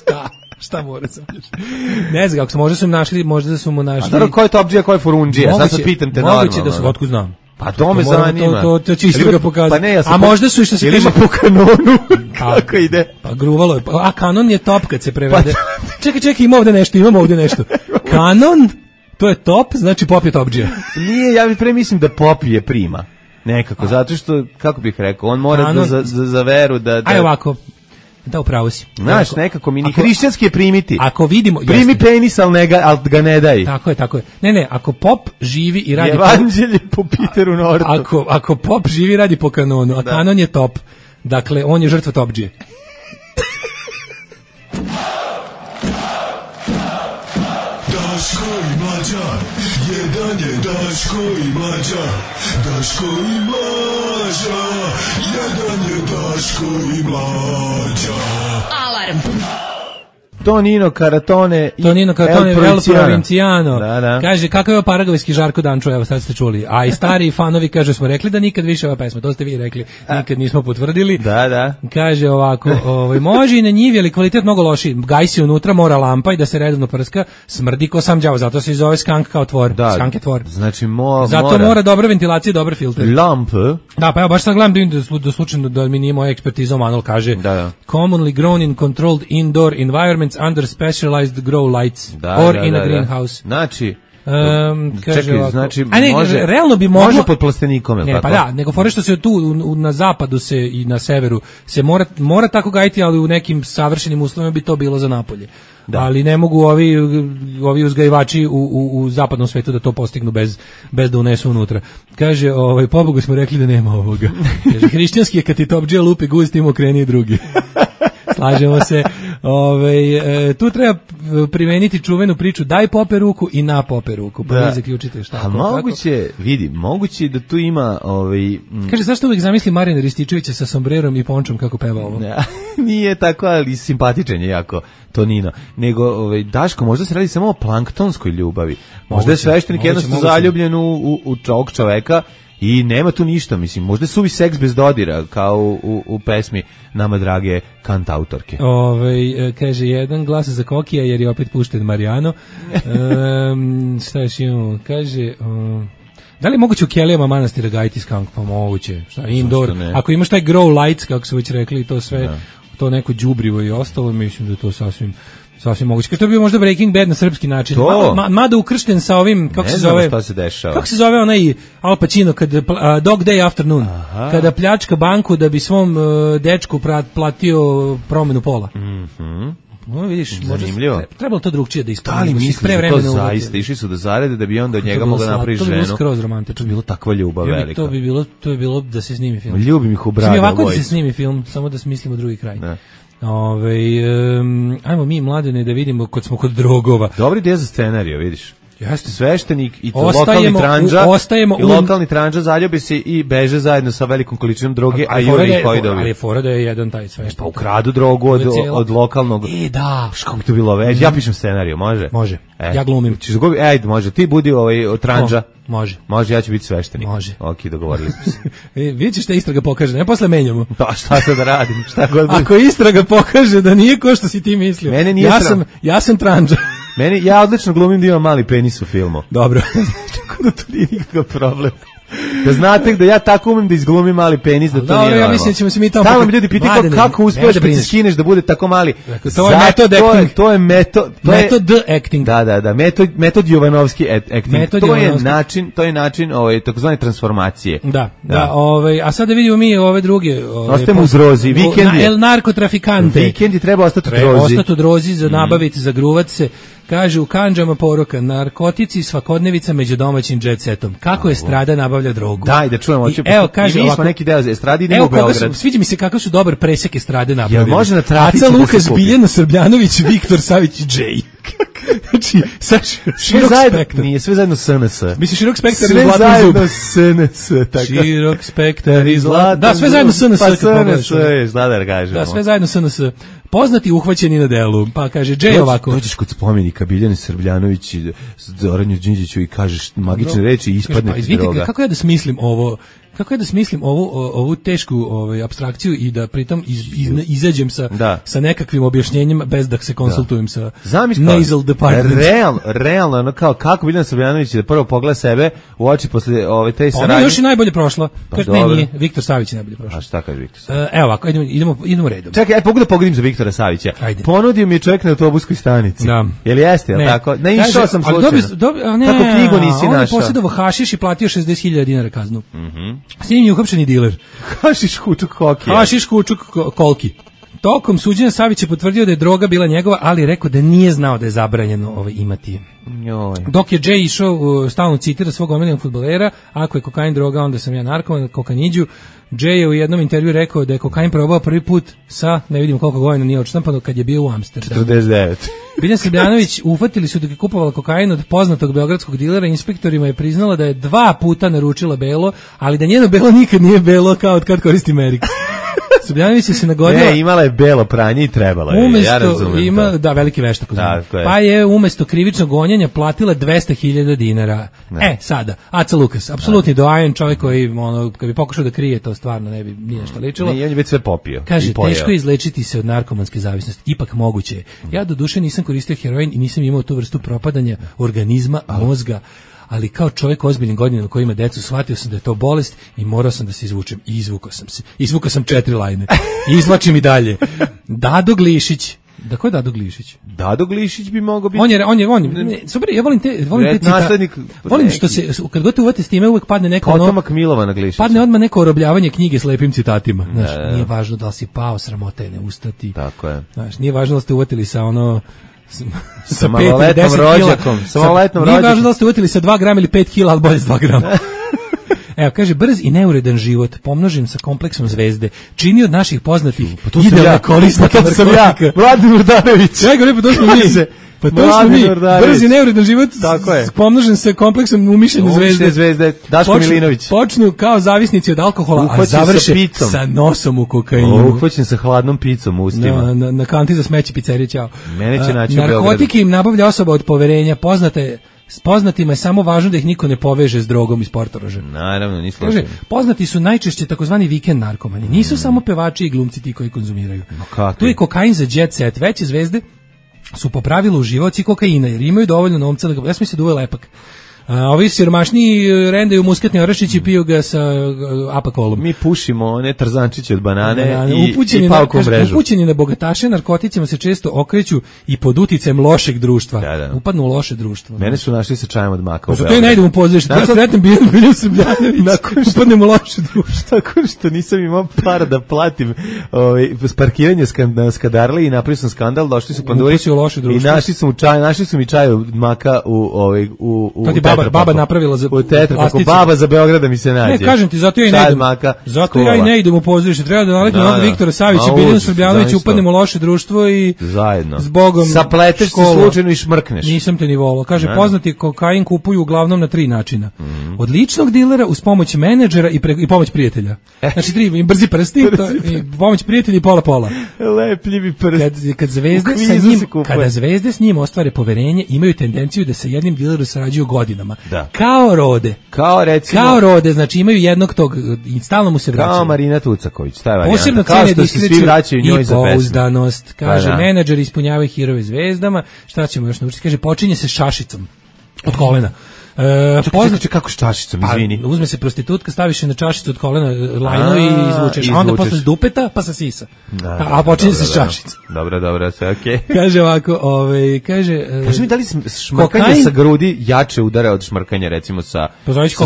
Speaker 6: šta? Šta mora se ne znam kako su, možda su im našli, možda su mu našli...
Speaker 5: A dobro, ko je to obđija, ko je furundžija? Sad se pitam te normalno.
Speaker 6: Moguće da su, otkud znam.
Speaker 5: Pa to me zanima.
Speaker 6: To, to, to čisto ga pokazati.
Speaker 5: Pa ne, ja
Speaker 6: a možda su i što se
Speaker 5: kaže... Ili po kanonu, kako ide?
Speaker 6: Pa gruvalo je. A kanon je top kad se prevede. Pa, čekaj, čekaj, ima ovde nešto, imamo ovde nešto. Kanon, to je top, znači pop je topđija.
Speaker 5: Nije, ja bih pre mislim da pop je prima. Nekako, zato što, kako bih rekao, on mora kanon, da za, za, za veru da... da...
Speaker 6: Aj ovako, da upravo si.
Speaker 5: Znaš, nekako mi ni hrišćanski je primiti.
Speaker 6: Ako vidimo...
Speaker 5: Primi jasne. Penis, ali, ne ga, ali ga ne daj.
Speaker 6: Tako je, tako je. Ne, ne, ako pop živi i radi...
Speaker 5: Evanđelje po Peteru Nortu.
Speaker 6: Ako, ako pop živi i radi po kanonu, a da. Kanon je top, dakle, on je žrtva topđije.
Speaker 8: Daško i Mlađa, jedan je Daško i Mlađa, Daško i Mlađa, jedan je Daško i Mlađa.
Speaker 3: Alarm.
Speaker 5: Tonino Karatone i
Speaker 6: Tonino Karatone
Speaker 5: El
Speaker 6: El Provinciano.
Speaker 5: Da, da.
Speaker 6: Kaže, kakav je paragvajski Žarko Dančo, evo sad ste čuli. A i stari fanovi, kaže, smo rekli da nikad više ova pesma, to ste vi rekli, nikad nismo potvrdili.
Speaker 5: Da, da.
Speaker 6: Kaže ovako, ovaj, može i na njivi, ali kvalitet mnogo loši. Gajsi unutra, mora lampa i da se redovno prska, smrdi ko sam đavo, zato se i zove skank kao tvor.
Speaker 5: Da,
Speaker 6: skank je tvor.
Speaker 5: Znači, mo,
Speaker 6: zato
Speaker 5: mora.
Speaker 6: mora dobra ventilacija i dobar filter.
Speaker 5: Lamp.
Speaker 6: Da, pa ja baš sad gledam da, da, da slučajno da mi nije moja ekspertiza, Manuel kaže,
Speaker 5: da, da.
Speaker 6: commonly grown in controlled indoor environments under specialized grow lights
Speaker 5: da,
Speaker 6: or
Speaker 5: da,
Speaker 6: in
Speaker 5: da,
Speaker 6: a greenhouse.
Speaker 5: Da. Znači,
Speaker 6: Um, kaže
Speaker 5: čekaj,
Speaker 6: ovako,
Speaker 5: znači,
Speaker 6: a ne,
Speaker 5: može,
Speaker 6: realno bi moglo,
Speaker 5: može pod plastenikom, je
Speaker 6: ne,
Speaker 5: tako?
Speaker 6: pa da, nego fore što se tu u, na zapadu se i na severu se mora, mora tako gajiti, ali u nekim savršenim uslovima bi to bilo za napolje. Da. Ali ne mogu ovi, ovi uzgajivači u, u, u zapadnom svetu da to postignu bez, bez da unesu unutra. Kaže, ovaj, pobogu smo rekli da nema ovoga. Kaže, hrišćanski je kad ti topđija lupi guz, tim okreni drugi. Slažemo se. Ove, e, tu treba primeniti čuvenu priču daj pope ruku i na pope ruku. Pa vi zaključite šta.
Speaker 5: A moguće, vidi, moguće da tu ima... Ovaj,
Speaker 6: m... Kaže, zašto uvijek zamisli Marijana Rističevića sa sombrerom i pončom kako peva ovo?
Speaker 5: Ne, nije tako, ali simpatičan je jako Tonino. Nego, ovaj, Daško, možda se radi samo o planktonskoj ljubavi. Možda moguće, je sveštenik jednostavno zaljubljen u, u, u čovjek čoveka i nema tu ništa, mislim, možda je suvi seks bez dodira, kao u, u, u pesmi nama drage kantautorke.
Speaker 6: Ove, kaže, jedan glas za Kokija, jer je opet pušten Marijano. um, šta još imamo? Kaže... Um, da li je moguće u Kelijama manastira gajiti skank? Pa moguće. Šta, indoor. Ako imaš taj grow lights, kako su već rekli, to sve, da. To neko đubrivo i ostalo, mislim da to sasvim... Sasvim moguće. Kad to bi bio možda Breaking Bad na srpski način.
Speaker 5: To.
Speaker 6: Ma, mada ukršten sa ovim, kako
Speaker 5: ne
Speaker 6: se zove?
Speaker 5: Šta se dešava.
Speaker 6: Kako se zove onaj Al Pacino kad uh, Dog Day Afternoon. Aha. Kada pljačka banku da bi svom uh, dečku prat, platio promenu pola.
Speaker 5: Mhm.
Speaker 6: No, vidiš,
Speaker 5: zanimljivo.
Speaker 6: Možda, trebalo to drugčije da ispravimo.
Speaker 5: Da li misliš da to zaista išli su da zarede da bi onda od njega mogla napraviti ženu?
Speaker 6: To bi bilo skroz romantično.
Speaker 5: To bi bilo takva ljubav velika.
Speaker 6: To bi bilo, to bi bilo da se snimi film.
Speaker 5: Ljubim ih u brade.
Speaker 6: Smi ovako da se snimi film, samo da smislimo drugi kraj. Ne. Ove, um, ajmo mi mladene da vidimo kod smo kod drogova.
Speaker 5: Dobri ideja za scenariju, vidiš.
Speaker 6: Jeste.
Speaker 5: Sveštenik i to
Speaker 6: ostajemo,
Speaker 5: lokalni tranđa
Speaker 6: u, ostajemo
Speaker 5: i lokalni tranđa zaljubi se i beže zajedno sa velikom količinom droge, a, a Juri ih hojdovi.
Speaker 6: Ali je fora da je jedan taj sveštenik.
Speaker 5: Pa ukradu drogu od, od lokalnog.
Speaker 6: E, da.
Speaker 5: Kako bi to bilo već? Mm-hmm. Ja pišem scenariju, može?
Speaker 6: Može,
Speaker 5: e,
Speaker 6: ja glumim.
Speaker 5: Čiš gobi, ej, može, ti budi ovaj tranđa.
Speaker 6: O, može.
Speaker 5: Može, ja ću biti sveštenik.
Speaker 6: Može.
Speaker 5: Ok, dogovorili smo se.
Speaker 6: e, vidjet ćeš šta istraga pokaže, ne posle menjamo.
Speaker 5: Pa šta sad da radim? Šta god bude.
Speaker 6: Ako istraga pokaže da nije ko što si ti mislio.
Speaker 5: Mene nije
Speaker 6: ja,
Speaker 5: sram.
Speaker 6: sam, ja sam tranđa.
Speaker 5: Meni, ja odlično glumim da imam mali penis u filmu.
Speaker 6: Dobro.
Speaker 5: Tako da to nije nikakav problem. Da znate da ja tako umem da izglumim mali penis, da to
Speaker 6: dobro,
Speaker 5: nije
Speaker 6: ja mislim da ćemo se mi tamo...
Speaker 5: Stalno mi ljudi pitaju kako, kako uspiješ da se skineš da bude tako mali.
Speaker 6: Dakle, to je metod acting.
Speaker 5: To je metod... To
Speaker 6: metod je, acting.
Speaker 5: Da, da, da. Metod, metod Jovanovski acting.
Speaker 6: Metod
Speaker 5: to
Speaker 6: Jovanovski.
Speaker 5: je način, to je način ovaj, takozvane transformacije.
Speaker 6: Da, da. da ovaj, a sad da vidimo mi ove druge... Ove,
Speaker 5: Ostajemo u Drozi. Vikend je...
Speaker 6: El narkotrafikante.
Speaker 5: Vikend je treba ostati u Drozi.
Speaker 6: Treba ostati u Drozi, za nabaviti, mm. zagruvat se. Kaže, u kandžama poruka, narkotici i svakodnevica među domaćim jet setom. Kako je Estrada nabavlja drogu?
Speaker 5: Daj, da čujemo.
Speaker 6: I, evo, kaže,
Speaker 5: I mi smo neki deo Estradi, idemo
Speaker 6: evo,
Speaker 5: u Beograd.
Speaker 6: Su, sviđa mi se kako su dobar presek Estrade napravili.
Speaker 5: Jel može na trafici
Speaker 6: Aca
Speaker 5: da
Speaker 6: Lukas,
Speaker 5: se kupi?
Speaker 6: Biljana Srbljanović, Viktor Savić i Džej. Znači, sad širok spektar.
Speaker 5: Nije, sve zajedno S N S.
Speaker 6: Misliš širok spektar
Speaker 5: sve
Speaker 6: i zlatni zub?
Speaker 5: Sve zajedno S N S. Tako.
Speaker 6: Širok spektar i zlatni Da, sve zajedno S N S.
Speaker 5: Pa S N S, šta da kažemo.
Speaker 6: Da, sve zajedno S N S. Poznati uhvaćeni na delu. Pa kaže, Džej ovako.
Speaker 5: Dođeš kod spomenika Biljane Srbljanović i Zoranju Đinđiću i kažeš magične reči i ispadne ti droga.
Speaker 6: Kako ja da smislim ovo... Kako je da smislim ovu, ovu tešku ovaj, apstrakciju i da pritom iz, iz, izađem sa,
Speaker 5: da.
Speaker 6: sa nekakvim objašnjenjima bez da se konsultujem da. sa
Speaker 5: Zamišljam,
Speaker 6: nasal department.
Speaker 5: Real, realno, ono kao kako Biljana Srbljanović da prvo pogleda sebe u oči posle ove te saradnje.
Speaker 6: Ona je još i najbolje prošla.
Speaker 5: Pa
Speaker 6: kaže, ne, nije, Viktor Savić je najbolje prošla.
Speaker 5: A šta kaže Viktor Savić?
Speaker 6: Uh, evo ovako, idemo, idemo, idemo redom.
Speaker 5: Čekaj, aj pogledaj pogodim za Viktora Savića.
Speaker 6: Ajde.
Speaker 5: Ponudio mi je čovjek na autobuskoj stanici.
Speaker 6: Da.
Speaker 5: Jel jeste, jel tako? Ne, išao sam slučajno. Dobi,
Speaker 6: dobi, a ne,
Speaker 5: tako knjigu nisi
Speaker 6: on
Speaker 5: našao.
Speaker 6: On je posjedovao hašiš i platio šezdeset hiljada dinara kaznu.
Speaker 5: Mhm.
Speaker 6: S njim je uhapšen diler.
Speaker 5: Hašiš kučuk koki.
Speaker 6: Hašiš kučuk kolki. Tokom suđenja Savić je potvrdio da je droga bila njegova, ali je rekao da nije znao da je zabranjeno ovaj, imati.
Speaker 5: Joj.
Speaker 6: Dok je Jay išao, uh, stalno citira svog omiljenog fudbalera, ako je kokain droga, onda sam ja narkoman, kokaniđu. Jay je u jednom intervju rekao da je kokain probao prvi put sa, ne vidim koliko godina nije odštampano, kad je bio u Amsterdamu.
Speaker 5: četrdeset devet.
Speaker 6: Biljana Srbljanović ufatili su dok je kupovala kokain od poznatog beogradskog dilera, inspektorima je priznala da je dva puta naručila belo, ali da njeno belo nikad nije belo kao od kad koristi Merik. Srbljanović se nagodila.
Speaker 5: Ne, imala je belo pranje i trebala je.
Speaker 6: Umesto,
Speaker 5: ja razumem
Speaker 6: ima,
Speaker 5: to.
Speaker 6: da, veliki veštak.
Speaker 5: Da, je.
Speaker 6: Pa je umesto krivičnog gonjenja platila dvesta hiljada dinara. Ne. E, sada, Aca Lukas, apsolutni doajen, čovjek koji, ono, kad bi pokušao da krije, to stvarno ne bi nije šta ličilo.
Speaker 5: Ne, on je već sve popio.
Speaker 6: Kaže, teško je izlečiti se od narkomanske zavisnosti, ipak moguće je. Ja do duše nisam koristio heroin i nisam imao tu vrstu propadanja organizma, mozga, ali kao čovjek ozbiljnim godinama koji ima decu, shvatio sam da je to bolest i morao sam da se izvučem. I izvukao sam se. Izvukao sam četiri lajne. I izvlačim i dalje. Dado Glišić. Da, ko je Dado Glišić?
Speaker 5: Dado Glišić bi mogao biti.
Speaker 6: On je, on je, on je, ne, super, ja volim te, volim te cita, volim što se, kad god te uvate s time, uvek padne neko ono,
Speaker 5: potomak Milovana Glišića.
Speaker 6: Padne odmah neko orobljavanje knjige s lepim citatima. Znaš, ne, nije važno da li si pao, sramota je ne ustati.
Speaker 5: Tako je.
Speaker 6: Znaš, nije važno da ste uvatili sa ono, sa,
Speaker 5: sa maloletnom rođakom, sa maloletnom rođakom.
Speaker 6: Nije važno da ste uvatili sa dva grama ili pet kila, ali bolje s dva grama. Evo, kaže, brz i neuredan život, pomnožen sa kompleksom zvezde, čini od naših poznatih
Speaker 5: pa
Speaker 6: idealna korisnika narkotika.
Speaker 5: Ja, Vladimir Danović.
Speaker 6: Ja govorim, pa to smo mi. Pa to smo mi, brz i neuredan život, pomnožen sa kompleksom umišljene zvezde.
Speaker 5: zvezde. Daško
Speaker 6: počnu,
Speaker 5: Milinović.
Speaker 6: Počnu kao zavisnici od alkohola, uhvaćen a završe sa, sa nosom u kokainu.
Speaker 5: Uhvaćen sa hladnom picom u ustima.
Speaker 6: Na, na, na kanti za smeće pizzerije, čao.
Speaker 5: Mene će naći u Beogradu.
Speaker 6: Narkotike im nabavlja osoba od poverenja, poznate. S poznatima je samo važno da ih niko ne poveže s drogom iz Portoroža.
Speaker 5: Naravno, ni slučajno.
Speaker 6: Poznati su najčešće takozvani vikend narkomani. Nisu mm. samo pevači i glumci ti koji konzumiraju.
Speaker 5: No,
Speaker 6: tu je kokain za jet set. Veće zvezde su po pravilu uživaoci kokaina jer imaju dovoljno novca da ga... Ja sam mislio da uve lepak. A ovi siromašniji rendaju muskatni orašić i piju ga sa apakolom.
Speaker 5: Mi pušimo one trzančiće od banane, banane. i,
Speaker 6: upućeni
Speaker 5: i palkom mrežu.
Speaker 6: Upućeni na bogataše narkoticima se često okreću i pod uticajem lošeg društva.
Speaker 5: Da, da.
Speaker 6: Upadnu u loše društvo.
Speaker 5: Mene su našli sa čajem od maka u
Speaker 6: Beogradu. Zato ja ne idem u pozorište. Ja sretnem Biljana Srbljanović. Upadnem u loše društvo.
Speaker 5: Tako što nisam imao para da platim ovaj, parkiranje na Skadarli i napravio sam skandal. Došli su panduri i našli su, čaj, našli su mi čaj od maka u, ovaj, u, u
Speaker 6: Baba, baba napravila za
Speaker 5: plastici. Baba za Beograda mi se nađe.
Speaker 6: Ne, kažem ti, zato ja i ne idem. Maka, zato skova. Ja i ne idem u pozorište. Treba da naletimo na Viktora Savića i Biljana Srbljanović, upadnemo u loše društvo i
Speaker 5: zajedno.
Speaker 6: Zbogom
Speaker 5: sapleteš se slučajno i šmrkneš.
Speaker 6: Nisam te ni volao. Kaže, ne. Poznati kokain kupuju uglavnom na tri načina. Mm. Od ličnog dilera uz pomoć menadžera i, pre, i pomoć prijatelja. Znači, tri brzi prsti, to, i pomoć prijatelja i pola pola.
Speaker 5: Lepljivi prsti.
Speaker 6: Kad, kad zvezde sa njim, kada zvezde s njim ostvare poverenje, imaju tendenciju da sa jednim dilerom sarađuju godinama.
Speaker 5: Da.
Speaker 6: Kao Rode.
Speaker 5: Kao recimo.
Speaker 6: Kao Rode, znači imaju jednog tog i stalno mu se vraćaju.
Speaker 5: Kao Marina Tucaković, taj varijanta.
Speaker 6: Posebno cene da svi vraćaju njoj za pesmu. Pouzdanost. Kaže, pa, menadžer ispunjavaju hirove zvezdama. Šta ćemo još naučiti? Kaže, počinje se šašicom od kolena.
Speaker 5: E, poznaće kako s čašicom, izvini.
Speaker 6: Pa, uzme se prostitutka, staviš je na čašicu od kolena lajno i izvučeš, a onda posle s dupeta pa sa sisa. Da, a, a počinje se s čašicom.
Speaker 5: Dobro, dobro, sve okej.
Speaker 6: Okay. Kaže ovako, ovaj, kaže...
Speaker 5: Kaže mi, da li šmrkanje kokain, sa grudi jače udara od šmrkanja, recimo, sa,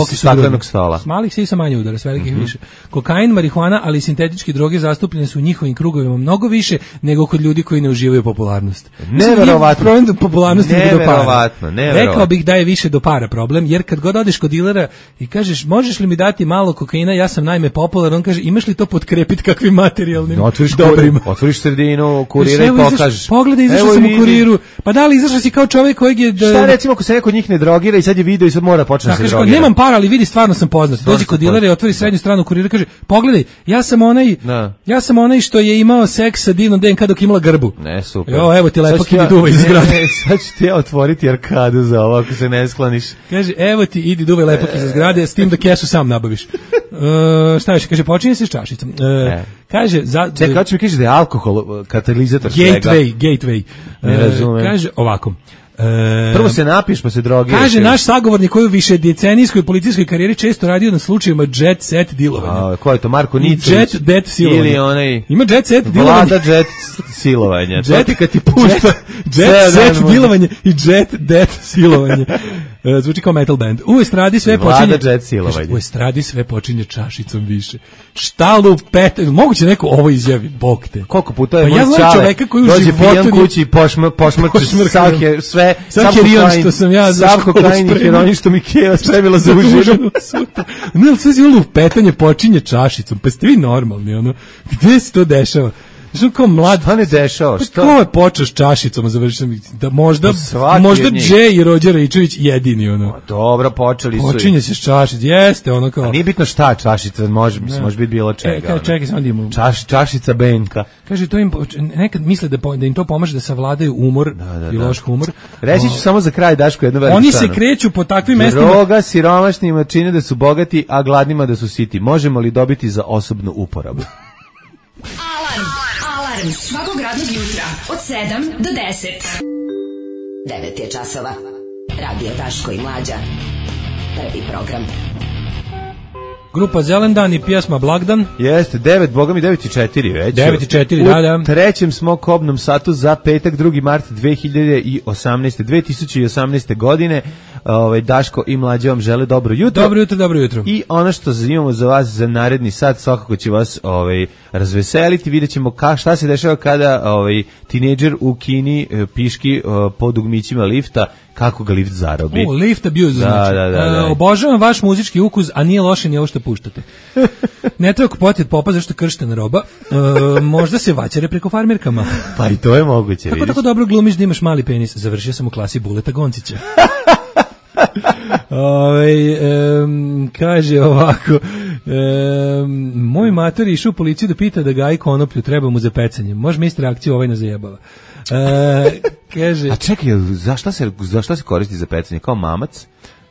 Speaker 5: sa staklenog stola?
Speaker 6: S malih sisa manje udara, s velikih mm -hmm. više. Kokain, marihuana, ali i sintetičke droge zastupljene su u njihovim krugovima mnogo više nego kod ljudi koji ne uživaju popularnost.
Speaker 5: Neverovatno.
Speaker 6: Problem do popularnosti nego do para.
Speaker 5: Neverovatno, neverovatno.
Speaker 6: Rekao bih da je više do para problem, jer kad god odeš kod dilera i kažeš, možeš li mi dati malo kokaina, ja sam naime popularan, on kaže, imaš li to potkrepiti kakvim materijalnim
Speaker 5: no, otvoriš dobrima? Otvoriš sredinu, kurira i pokažeš.
Speaker 6: Pogledaj, izašao sam u kuriru. Pa da li izašao si kao čovjek kojeg je... Da...
Speaker 5: Šta recimo ako se neko od njih ne drogira i sad je video i sad mora početi da se drogira?
Speaker 6: Nemam para, ali vidi, stvarno sam poznat. Dođi kod dilera i otvori srednju stranu kurira i kaže, pogledaj, ja sam onaj, da. ja sam onaj što je imao seks sa divnom D N K dok imala grbu.
Speaker 5: Ne, super.
Speaker 6: Jo, evo ti lepak idi duvaj iz zgrade.
Speaker 5: Sad ću ti ja otvoriti arkadu za ovo ako se ne skloniš.
Speaker 6: Kaže, evo ti idi duvaj lepak iz zgrade, s tim da kesu sam nabaviš. Uh, šta još? Kaže, počinje se s čašicom. Uh, kaže, za...
Speaker 5: Čekaj, kako će mi kaže da je alkohol katalizator
Speaker 6: gateway,
Speaker 5: svega?
Speaker 6: Gateway,
Speaker 5: ne razumem.
Speaker 6: Uh, kaže, ovako.
Speaker 5: E, Prvo se napiš pa se drogiraš.
Speaker 6: Kaže naš sagovornik koji u više decenijskoj policijskoj karijeri često radio na slučajevima jet set dilovanja.
Speaker 5: A ko je to, Marko Nicović?
Speaker 6: Jet det silovanje.
Speaker 5: Ili onaj
Speaker 6: ima jet set dilovanje.
Speaker 5: Vlada jet silovanja.
Speaker 6: Jet kad ti pušta jet set dilovanje i jet det silovanje. Uh, zvuči kao metal band. U estradi sve počinje.
Speaker 5: Vlada jet silovanje.
Speaker 6: U estradi sve počinje čašicom više. Šta lupet, moguće neko ovo izjavi, bog te.
Speaker 5: Koliko puta je
Speaker 6: pa ja znam čoveka koji u životu
Speaker 5: kući i pošmrči svake sve
Speaker 6: sam herion što sam ja za
Speaker 5: sam kokain i heroin što mi Keva spremila za užinu.
Speaker 6: Ne, ali sve si lupetanje počinje čašicom, pa ste vi normalni, ono, gde se to dešava? Što kao mlad.
Speaker 5: Šta ne dešava?
Speaker 6: Šta? Ko je počeo s čašicom, završio da možda
Speaker 5: pa
Speaker 6: možda Džej i Rođer Ričević jedini ono.
Speaker 5: O, dobro, počeli su.
Speaker 6: Počinje se s čašic, jeste ono kao.
Speaker 5: A nije bitno šta čašica, može, mislim, može biti bilo čega.
Speaker 6: E, kao, čekaj, samo da imamo.
Speaker 5: Čaš, čašica Benka.
Speaker 6: Kaže, to im, nekad misle da, po, da im to pomaže da savladaju umor da, da, i loš humor.
Speaker 5: Reći ću o, samo za kraj, Daško, jedno veliko
Speaker 6: Oni
Speaker 5: stano.
Speaker 6: se kreću po takvim mestima.
Speaker 5: Droga siromašnima čine da su bogati, a gladnima da su siti. Možemo li dobiti za osobnu uporabu?
Speaker 3: Alarm, alarm, svakog radnog jutra od sedam do deset. devet je časova. Radio Daško i Mlađa. Prvi program.
Speaker 6: Grupa Zelendan i pjesma Blagdan.
Speaker 5: Jeste, devet, boga mi devet i četiri već.
Speaker 6: devet i četiri, da, da.
Speaker 5: U trećem smo kobnom satu za petak, drugi mart dve hiljade osamnaeste. dve tisuće osamnaeste. godine. Ovaj, Daško i Mlađa vam žele dobro jutro.
Speaker 6: Dobro jutro, dobro jutro.
Speaker 5: I ono što imamo za vas za naredni sat, svakako će vas ovaj, razveseliti. Vidjet ćemo ka, šta se dešava kada ovaj, tinejdžer u Kini piški po dugmićima lifta, kako ga lift zarobi.
Speaker 6: U, lift abuse,
Speaker 5: da,
Speaker 6: znači.
Speaker 5: Da, da, da.
Speaker 6: E, obožavam vaš muzički ukus, a nije loše ni ovo što puštate. Ne treba kupiti od popa zašto krštena roba. E, možda se vaćare preko farmerkama.
Speaker 5: Pa i to je moguće,
Speaker 6: Kako
Speaker 5: vidiš.
Speaker 6: tako dobro glumiš da imaš mali penis? Završio sam u klasi Buleta Goncića. Ove, um, kaže ovako um, moj mater išao u policiju da pita da gaji konoplju, treba mu za pecanje. Može mi isti reakciju, ovaj nas zajebava. E, kaže,
Speaker 5: a čekaj, za šta se, za šta se koristi za pecanje? Kao mamac?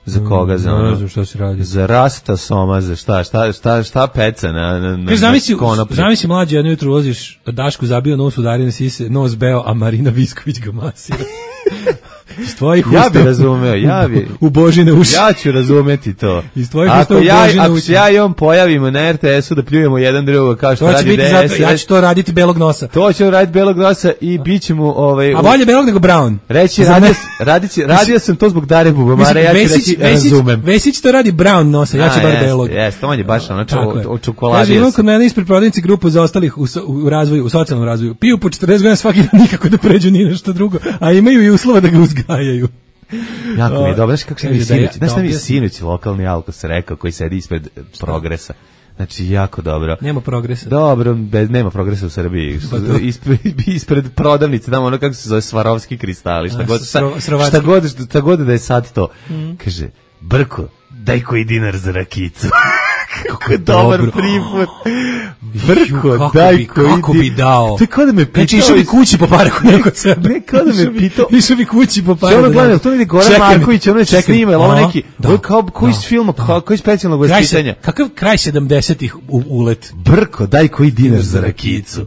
Speaker 5: Za koga? Za, ono,
Speaker 6: ne znam šta se radi.
Speaker 5: Za rasta soma, za šta, šta, šta, šta peca na, na, na,
Speaker 6: kaže, zamisli,
Speaker 5: na konoplju?
Speaker 6: Zamisli mlađe, jedno jutro ulaziš, Dašku zabio nos udarine sise, nos beo, a Marina Visković ga masira. Iz tvojih
Speaker 5: ja
Speaker 6: usta,
Speaker 5: bi razumeo, ja bi.
Speaker 6: U Božine uši.
Speaker 5: Ja ću razumeti to.
Speaker 6: Iz tvojih
Speaker 5: ako
Speaker 6: usta u
Speaker 5: ja,
Speaker 6: Božine
Speaker 5: ako
Speaker 6: uši.
Speaker 5: se ja i on pojavimo na er te esu da pljujemo jedan drugog kao što
Speaker 6: to
Speaker 5: radi D S S.
Speaker 6: Ja ću to raditi belog nosa.
Speaker 5: To ću raditi belog nosa i bit će mu... Ovaj,
Speaker 6: a bolje belog nego brown.
Speaker 5: Reći, radio, radio, radio sam to zbog Dare Bubamara, ja ću
Speaker 6: Vesić,
Speaker 5: reći
Speaker 6: Vesić,
Speaker 5: razumem.
Speaker 6: Vesić to radi brown nosa, ja ću bar belog.
Speaker 5: Jeste, on je baš ono o čokoladi.
Speaker 6: Kaže, imam kod mene ispred prodavnice grupu za ostalih u, u razvoju, u socijalnom razvoju. Piju po četrdeset godina svaki dan nikako da pređu ni nešto drugo, a imaju i uslova da ga uzgajaju.
Speaker 5: Jako mi je dobro, znaš kako se mi sinoć, znaš šta mi je
Speaker 6: ja,
Speaker 5: sinoć lokalni Alkos rekao koji sedi ispred šta? Progresa. Znači, jako dobro.
Speaker 6: Nema progresa.
Speaker 5: Dobro, bez, nema progresa u Srbiji. Ispred, ispred prodavnice, tamo ono kako se zove Svarovski kristali, šta, a, god, šta, šta, god, šta god da je sad to. Mm. Kaže, Brko, daj koji dinar za rakicu. Kako je dobar priput. Brko,
Speaker 6: kako
Speaker 5: daj
Speaker 6: bi,
Speaker 5: koji
Speaker 6: kako bi dao.
Speaker 5: To je kao da me pitao.
Speaker 6: Znači, išao bi kući po pare kod neko sebe.
Speaker 5: Ne, kao da me pitao.
Speaker 6: Išao bi kući po pare.
Speaker 5: Što ono gledam, to vidi Goran Marković, ono će snima, ili ovo neki, ovo kao koji iz filma, koji iz specijalnog vaspitanja.
Speaker 6: Kakav kraj sedamdesetih ulet.
Speaker 5: Brko, daj koji dinar za rakicu.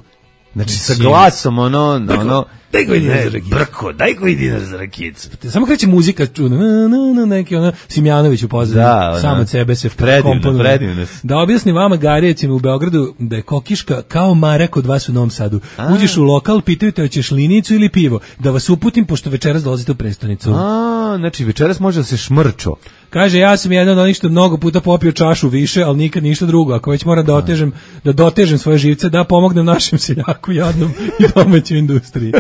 Speaker 5: Znači, sa glasom, ono, ono,
Speaker 6: daj koji dinar za rakicu.
Speaker 5: Brko, daj koji dinar za rakicu.
Speaker 6: Samo kreće muzika, čuna, na, na, na, neki ono, Simjanović u pozadini, sam od sebe se
Speaker 5: predivno, predivno.
Speaker 6: Da objasnim vama Garijecima u Beogradu da je kokiška kao Mare kod vas u Novom Sadu. A. Uđeš u lokal, pitaju te hoćeš linicu ili pivo, da vas uputim pošto večeras dolazite u prestonicu.
Speaker 5: A, znači večeras može da se šmrčo.
Speaker 6: Kaže, ja sam jedan od onih što mnogo puta popio čašu više, ali nikad ništa drugo. Ako već moram da otežem, da dotežem svoje živce, da pomognem našem seljaku jadnom i domaćoj industriji.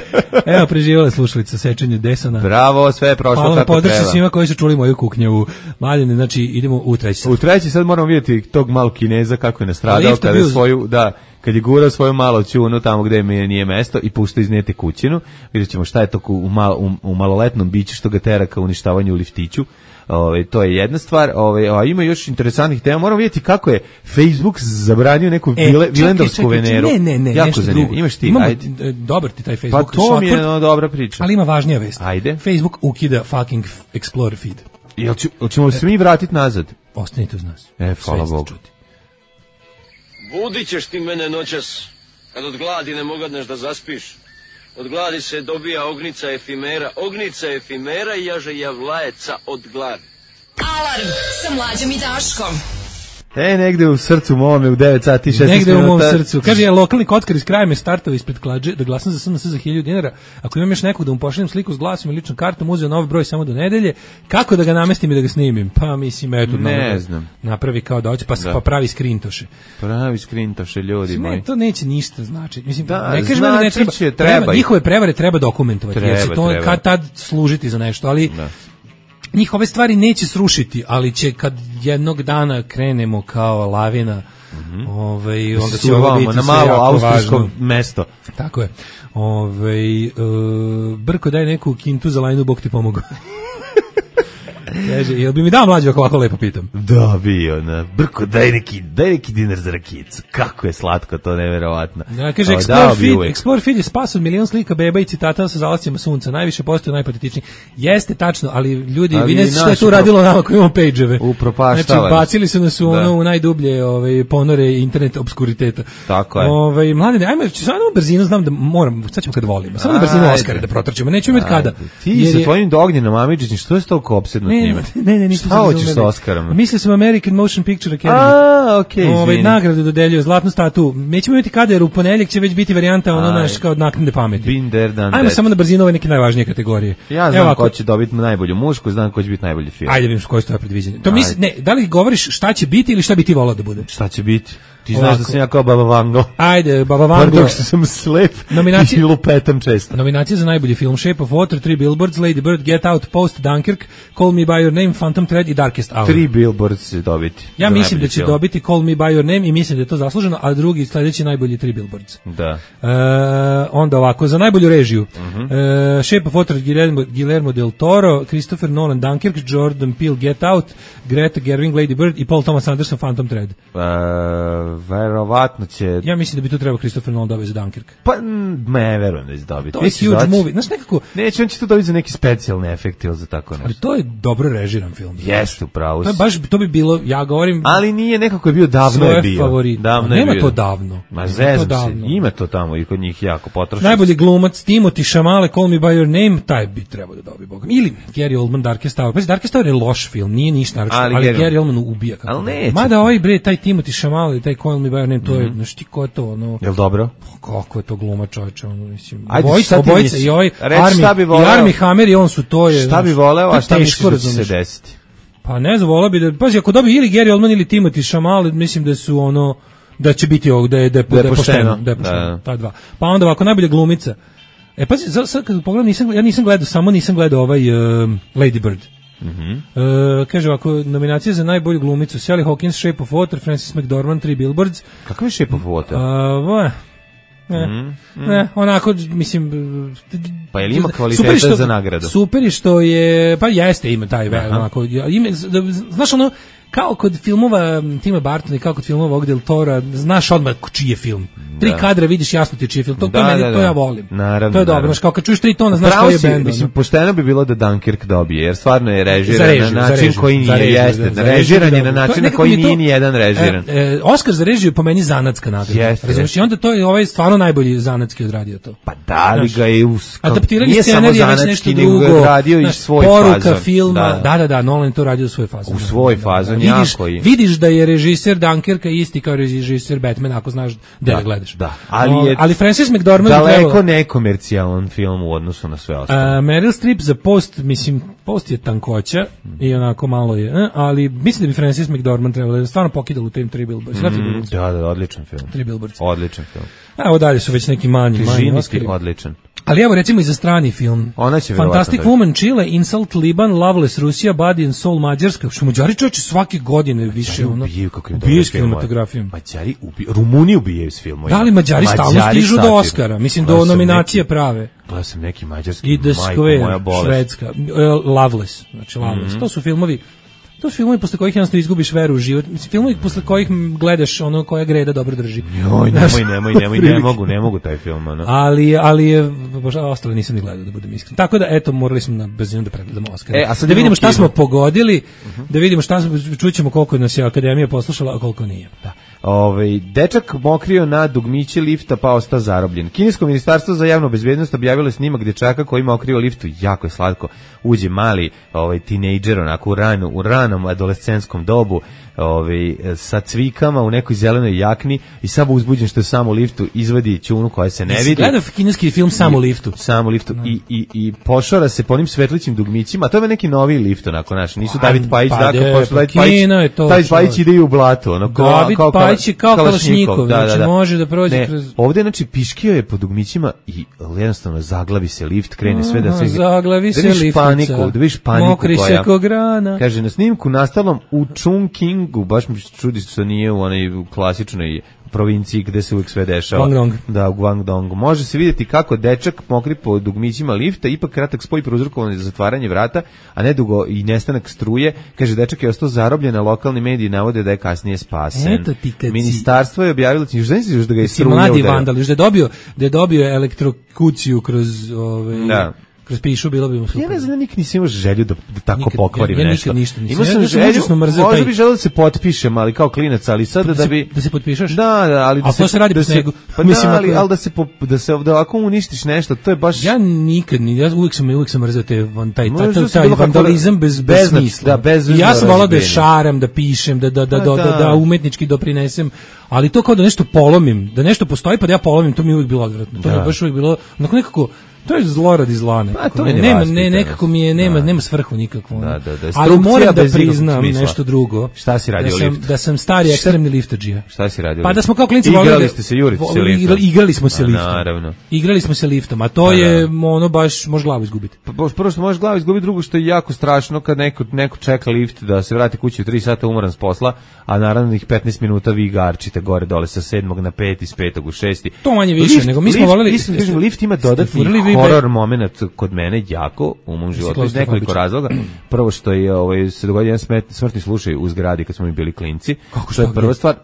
Speaker 6: Evo, preživala slušalica sečenje desana.
Speaker 5: Bravo, sve je prošlo
Speaker 6: Hvala
Speaker 5: kako treba.
Speaker 6: Hvala svima koji su čuli moju kuknjavu. Mladine, znači, idemo u treći sad.
Speaker 5: U treći sad moramo vidjeti tog malog Kineza kako je nastradao kada je svoju, da, kad je gurao svoju malo ćunu tamo gde mi nije mesto i puštao iz njete kućinu. Vidjet ćemo šta je to u, mal, u, u maloletnom biću što ga tera ka uništavanju u liftiću. Ove, to je jedna stvar, ove, a ima još interesantnih tema. Moramo vidjeti kako je Facebook zabranio neku e, vile, vilendovsku veneru.
Speaker 6: Ne, ne, ne,
Speaker 5: jako
Speaker 6: nešto
Speaker 5: zanimljivo.
Speaker 6: drugo.
Speaker 5: Imaš ti,
Speaker 6: Imamo,
Speaker 5: ajde.
Speaker 6: Dobar ti taj Facebook.
Speaker 5: Pa to mi je no, dobra priča.
Speaker 6: Ali ima važnija vest.
Speaker 5: Ajde.
Speaker 6: Facebook ukida fucking Explorer feed.
Speaker 5: Jel ću, ćemo se mi vratiti nazad?
Speaker 6: Ostanite uz nas.
Speaker 5: E, hvala Bogu.
Speaker 13: Budit ćeš ti mene noćas, kad od gladi ne mogadneš da zaspiš. Od gladi se dobija ognica efimera, ognica efimera i jaže javlajeca od gladi.
Speaker 3: Alarm sa Mlađom i Daškom.
Speaker 5: E, negde u srcu mome u devet sati i šesnaest
Speaker 6: negde
Speaker 5: minuta.
Speaker 6: Negde u mom srcu. Kaže, ja lokalni kockar iz kraja me startao ispred klađe da glasam za S N S za hiljadu dinara. Ako imam još nekog da mu pošaljem sliku s glasom i ličnom kartom, uzeo novi broj samo do nedelje. Kako da ga namestim i da ga snimim? Pa mislim, eto,
Speaker 5: ne da znam.
Speaker 6: Napravi kao da hoće, pa, da. pa pravi skrintoše.
Speaker 5: Pravi skrintoše, ljudi moji.
Speaker 6: Ne, to neće ništa značiti. Mislim,
Speaker 5: da,
Speaker 6: ne kažem da ne treba.
Speaker 5: Će,
Speaker 6: treba.
Speaker 5: treba
Speaker 6: njihove prevare treba dokumentovati,
Speaker 5: treba,
Speaker 6: jer će to
Speaker 5: treba.
Speaker 6: kad tad služiti za nešto, ali da. Njih ove stvari neće srušiti, ali će kad jednog dana krenemo kao lavina
Speaker 5: Mm-hmm.
Speaker 6: Ovaj onda će ovo biti
Speaker 5: na malo austrijsko mesto.
Speaker 6: Tako je. Ovaj uh, Brko daj neku kintu za lajnu, Bog ti pomogao. Kaže, jel bi mi dao mlađe ako ovako lepo pitam?
Speaker 5: Da, bio, na. Brko, daj neki, daj neki dinar za rakicu. Kako je slatko, to neverovatno.
Speaker 6: Ja, kaže, o, Explore, feed, Explore Feed je spas od milion slika beba i citata sa zalascima sunca. Najviše postoje najpatetičniji. Jeste tačno, ali ljudi, ali vi ne znate što je tu radilo nama koji imamo page-eve.
Speaker 5: Upropaštavali.
Speaker 6: Znači, bacili su nas u ono u najdublje ovaj, ponore internet obskuriteta.
Speaker 5: Tako je.
Speaker 6: Ovaj, mladine, ajmo, samo na brzinu, znam da moram, sad ćemo kad volimo. Samo na brzinu Oskara da protrčimo, nećemo imati kada.
Speaker 5: Ti sa tvojim Ognjenom Amidžićem, što je toliko opsedno njime?
Speaker 6: Ne, ne, nisam
Speaker 5: šta hoćeš sa Oskarom?
Speaker 6: Mislio sam American Motion Picture Academy.
Speaker 5: A, okej, okay,
Speaker 6: ovaj nagradu dodeljuje zlatnu statu. Nećemo imati kada, jer u ponedeljak će već biti varijanta ono naš kao naknadne pameti.
Speaker 5: Been there, done
Speaker 6: Ajmo
Speaker 5: that.
Speaker 6: samo na brzinu ove neke najvažnije kategorije.
Speaker 5: Ja znam ko će dobiti najbolju mušku, znam ko će biti najbolji film.
Speaker 6: Ajde vidimo koje su tvoje predviđanje. To misli, ne, da li govoriš šta će biti ili šta bi ti volao da bude?
Speaker 5: Šta će biti? Ti znaš ovako. Da sam ja kao Baba Vango.
Speaker 6: Ajde, Baba Vango.
Speaker 5: Pardon što sam slep i lupetam često.
Speaker 6: Nominacije za najbolji film: Shape of Water, Three Billboards, Lady Bird, Get Out, Post, Dunkirk, Call Me By Your Name, Phantom Thread i Darkest Hour.
Speaker 5: Three Billboards će dobiti.
Speaker 6: Ja mislim da će film. dobiti Call Me By Your Name i mislim da je to zasluženo, a drugi sledeći najbolji Three Billboards.
Speaker 5: Da.
Speaker 6: E, onda ovako, za najbolju režiju.
Speaker 5: Uh-huh.
Speaker 6: e, Shape of Water, Guillermo, Guillermo del Toro, Christopher Nolan, Dunkirk, Jordan Peele, Get Out, Greta Gerwig, Lady Bird i Paul Thomas Anderson, Phantom Thread.
Speaker 5: Uh, verovatno će...
Speaker 6: Ja mislim da bi tu trebao Christopher Nolan dobiti za Dunkirk.
Speaker 5: Pa, ne, verujem da će dobiti.
Speaker 6: To je huge doći? movie. Znaš, nekako...
Speaker 5: Neće, on će to dobiti za neki specijalni efekt ili za tako nešto.
Speaker 6: Ali to je dobro režiran film.
Speaker 5: Jeste, upravo.
Speaker 6: To, baš, to bi bilo, ja govorim...
Speaker 5: Ali nije, nekako je bio, davno je bio.
Speaker 6: Favorit.
Speaker 5: Davno
Speaker 6: nema
Speaker 5: je bio.
Speaker 6: to davno.
Speaker 5: Ma zezam se, ima to tamo i kod njih jako potrošeno.
Speaker 6: Najbolji glumac Timothy Chalamet, Call Me By Your Name, taj bi trebao da dobije, Boga. Ili Gary Oldman, Darkest Hour. Pa Darkest Hour je loš film, nije ništa naročito, ali, ali Gary, Gary Oldman ubija.
Speaker 5: Ali neće.
Speaker 6: Mada ovaj bre, taj Timothy Chalamet, taj Call Me By Your Name, to je, znaš ti ko je to, ono...
Speaker 5: Jel dobro?
Speaker 6: Kako je to gluma, čoveče, ono, mislim.
Speaker 5: Ajde,
Speaker 6: obojica, obojica i ovaj Army, i Army Hammer i on su to je...
Speaker 5: Šta bi voleo, a šta misliš da će se desiti?
Speaker 6: Pa ne znam, voleo bi da... Pazi, ako dobije ili Gary Oldman ili Timothy Chalamet, mislim da su ono... Da će biti ovog, da je, da je, da je pošteno. Da je pošteno, ta dva. Pa onda ovako, najbolja glumica. E, pazi, sad kad pogledam, nisam, ja nisam gledao, samo nisam gledao ovaj uh, Lady Bird.
Speaker 5: Mm-hmm.
Speaker 6: Uh, kaže ovako, nominacije za najbolju glumicu: Sally Hawkins, Shape of Water, Frances McDormand, Three Billboards.
Speaker 5: Kakav je Shape of Water?
Speaker 6: Uh, ne, mm-hmm. ne, onako, mislim...
Speaker 5: Pa je li ima kvaliteta što, za nagradu?
Speaker 6: Super je što je, pa jeste, ima taj, onako, ima, znaš ono, kao kod filmova Tima Bartona i kao kod filmova ovog Del Tora, znaš odmah čiji je film. Tri da. kadra vidiš jasno ti čiji je film. To, da, to, meni, da, da. to ja volim.
Speaker 5: Naravno,
Speaker 6: to je dobro. Znaš, kao kad čuješ tri tona, znaš koji je bend.
Speaker 5: Mislim, pošteno bi bilo da Dunkirk dobije, jer stvarno je režiran
Speaker 6: režiju,
Speaker 5: na način
Speaker 6: režiju,
Speaker 5: koji nije jeste. Režiran je na način na koji nije ni jedan režiran.
Speaker 6: E, e, Oskar za režiju po meni zanatska nagrada. Razumiješ, i onda to je ovaj stvarno najbolji zanatski odradio to.
Speaker 5: Pa da li ga je us...
Speaker 6: Adaptirali scenarij je već nešto drugo.
Speaker 5: Radio i svoj
Speaker 6: poruka
Speaker 5: fazon.
Speaker 6: filma. Da, da, da, Nolan to radio u svoj fazon.
Speaker 5: U svoj fazon, jako je.
Speaker 6: Vidiš da je režiser Dunkirka isti kao režiser Batmana, ako znaš da ga gledaš.
Speaker 5: Da, ali je
Speaker 6: ali Frances McDormand
Speaker 5: daleko trebalo... nekomercijalan film u odnosu na sve ostalo.
Speaker 6: Uh, Meryl Streep za Post, mislim, Post je tankoća mm. i onako malo je, eh, ali mislim da bi Frances McDormand trebalo da stvarno pokidalo u tim Three Billboards.
Speaker 5: Mm, da, da, odličan film.
Speaker 6: Three Billboards.
Speaker 5: Odličan film.
Speaker 6: Evo dalje su već neki manji, manji Oscari.
Speaker 5: Odličan.
Speaker 6: Ali evo recimo i za strani film.
Speaker 5: Ona će
Speaker 6: Fantastic Woman Chile, Insult Liban, Loveless Rusija, Body and Soul Mađarska. Što Mađari čovječe svake godine više ono.
Speaker 5: Ubijaju kako im
Speaker 6: ubijaju s kinematografijom.
Speaker 5: Mađari ubijaju, Rumuni ubijaju s filmom.
Speaker 6: Da li Mađari, Mađari stalno stižu do Oscara? Mislim do nominacije neki, prave.
Speaker 5: Gledao sam neki mađarski.
Speaker 6: I The Square, Švedska, uh, Loveless, znači Loveless. Mm-hmm. To su filmovi To su filmovi posle kojih jednostavno izgubiš veru u život. Mislim, filmovi posle kojih gledaš ono koja greda dobro drži.
Speaker 5: Joj, nemoj, nemoj, nemoj, ne mogu, ne mogu taj film. Ono.
Speaker 6: Ali, ali je, bože, ostale nisam ni gledao da budem iskren. Tako da, eto, morali smo na brzinu da pregledamo Oscar.
Speaker 5: E, a sad
Speaker 6: da vidimo šta smo pogodili, uh-huh. da vidimo šta smo, čućemo koliko nas je Akademija poslušala, a koliko nije.
Speaker 5: Da. Ove, dečak mokrio na dugmiće lifta pa ostao zarobljen. Kinesko ministarstvo za javnu bezbednost objavilo snimak dečaka koji mokrio liftu, jako je slatko. Uđe mali ovaj tinejdžer onako u ranu, u ranom adolescentskom dobu, ovaj sa cvikama u nekoj zelenoj jakni i samo uzbuđen što je samo u liftu izvadi ćunu koja se ne vidi.
Speaker 6: Gledao kineski film Samo u liftu.
Speaker 5: Samo u liftu no. i i i pošora se po onim svetlićim dugmićima. To je neki novi lift onako naš. Nisu David Pajić,
Speaker 6: pa
Speaker 5: dakle, pošto David Pajić, David Pajić ide u blato, ono kao kao
Speaker 6: Ljajić je kao Kalašnjikov,
Speaker 5: da, da,
Speaker 6: znači
Speaker 5: da.
Speaker 6: može da prođe
Speaker 5: ne,
Speaker 6: kroz...
Speaker 5: Ovde, znači, piškio je po dugmićima i jednostavno zaglavi se lift, krene sve da sve...
Speaker 6: Zaglavi se liftica,
Speaker 5: paniku, da vidiš paniku
Speaker 6: mokri
Speaker 5: koja...
Speaker 6: se ko grana.
Speaker 5: Kaže, na snimku nastalom u Chungkingu, baš mi čudi što nije u onoj klasičnoj provinciji gde se uvijek sve dešava.
Speaker 6: Guangdong.
Speaker 5: Da, u Guangdongu. Može se vidjeti kako dečak mokri po dugmićima lifta, ipak kratak spoj prouzrokovan za zatvaranje vrata, a nedugo i nestanak struje. Kaže, dečak je ostao zarobljen, a lokalni mediji navode da je kasnije spasen.
Speaker 6: Eto ti kad
Speaker 5: Ministarstvo je objavilo, ti još znaš da ga je struje
Speaker 6: mladi
Speaker 5: udarilo.
Speaker 6: vandal, još da je dobio, da je dobio elektrokuciju kroz... Ove,
Speaker 5: da.
Speaker 6: kroz pišu, bilo bi mu super.
Speaker 5: Ja ne znam, nikad nisam imao želju da, da tako
Speaker 6: nikad,
Speaker 5: pokvarim
Speaker 6: ja, ja
Speaker 5: nešto.
Speaker 6: Nikad ništa nisam.
Speaker 5: Imao sam
Speaker 6: ja,
Speaker 5: želju,
Speaker 6: ja
Speaker 5: možda
Speaker 6: taj...
Speaker 5: bi želeo da se potpišem, ali kao klinac, ali sada da, da bi...
Speaker 6: Da se potpišeš?
Speaker 5: Da, da, ali da
Speaker 6: a
Speaker 5: se...
Speaker 6: to se radi
Speaker 5: da
Speaker 6: po
Speaker 5: se,
Speaker 6: snegu.
Speaker 5: Pa
Speaker 6: Mislim,
Speaker 5: da, ali,
Speaker 6: ako...
Speaker 5: ali da se, po, da se da ako uništiš nešto, to je baš...
Speaker 6: Ja nikad, ja uvijek sam, uvijek sam mrzeo te, taj, taj, taj,
Speaker 5: taj
Speaker 6: vandalizam bez, bez smisla.
Speaker 5: Da, bez
Speaker 6: ja sam volao da šaram, da pišem, da, da, da, da, da, da umetnički doprinesem, ali to kao da nešto polomim, da nešto postoji pa da ja polomim, to mi je uvijek bilo odvratno. To mi je baš uvijek bilo, onako nekako, to je zlo radi zla nekako.
Speaker 5: Pa, to je
Speaker 6: nema, ne, nekako mi je, nema, da. nema svrhu nikakvu.
Speaker 5: Da, da, da.
Speaker 6: Ali moram da priznam nešto drugo.
Speaker 5: Šta si radio
Speaker 6: da sam,
Speaker 5: lift?
Speaker 6: Da sam stari ekstremni liftadžija.
Speaker 5: Šta si radio?
Speaker 6: Pa da smo kao klinci
Speaker 5: volili... Igrali
Speaker 6: da,
Speaker 5: ste se, jurite se liftom.
Speaker 6: Igrali smo se liftom.
Speaker 5: Naravno.
Speaker 6: Igrali smo se liftom, a to
Speaker 5: da,
Speaker 6: je ono baš, može glavu izgubiti.
Speaker 5: Pa, prvo što možeš glavu izgubiti, drugo što je jako strašno kad neko, neko čeka lift da se vrati kući u tri sata umoran s posla, a naravno ih petnaest minuta vi garčite gore dole sa sedmog na peti, s petog u šesti.
Speaker 6: To manje više, lift, nego mi smo voleli...
Speaker 5: Lift, lift ima dodatni horor moment kod mene jako u mom životu iz nekoliko razloga. Prvo što je ovaj se dogodio jedan smet, smrtni slučaj u zgradi kad smo mi bili klinci.
Speaker 6: Kako
Speaker 5: što je prva stvar,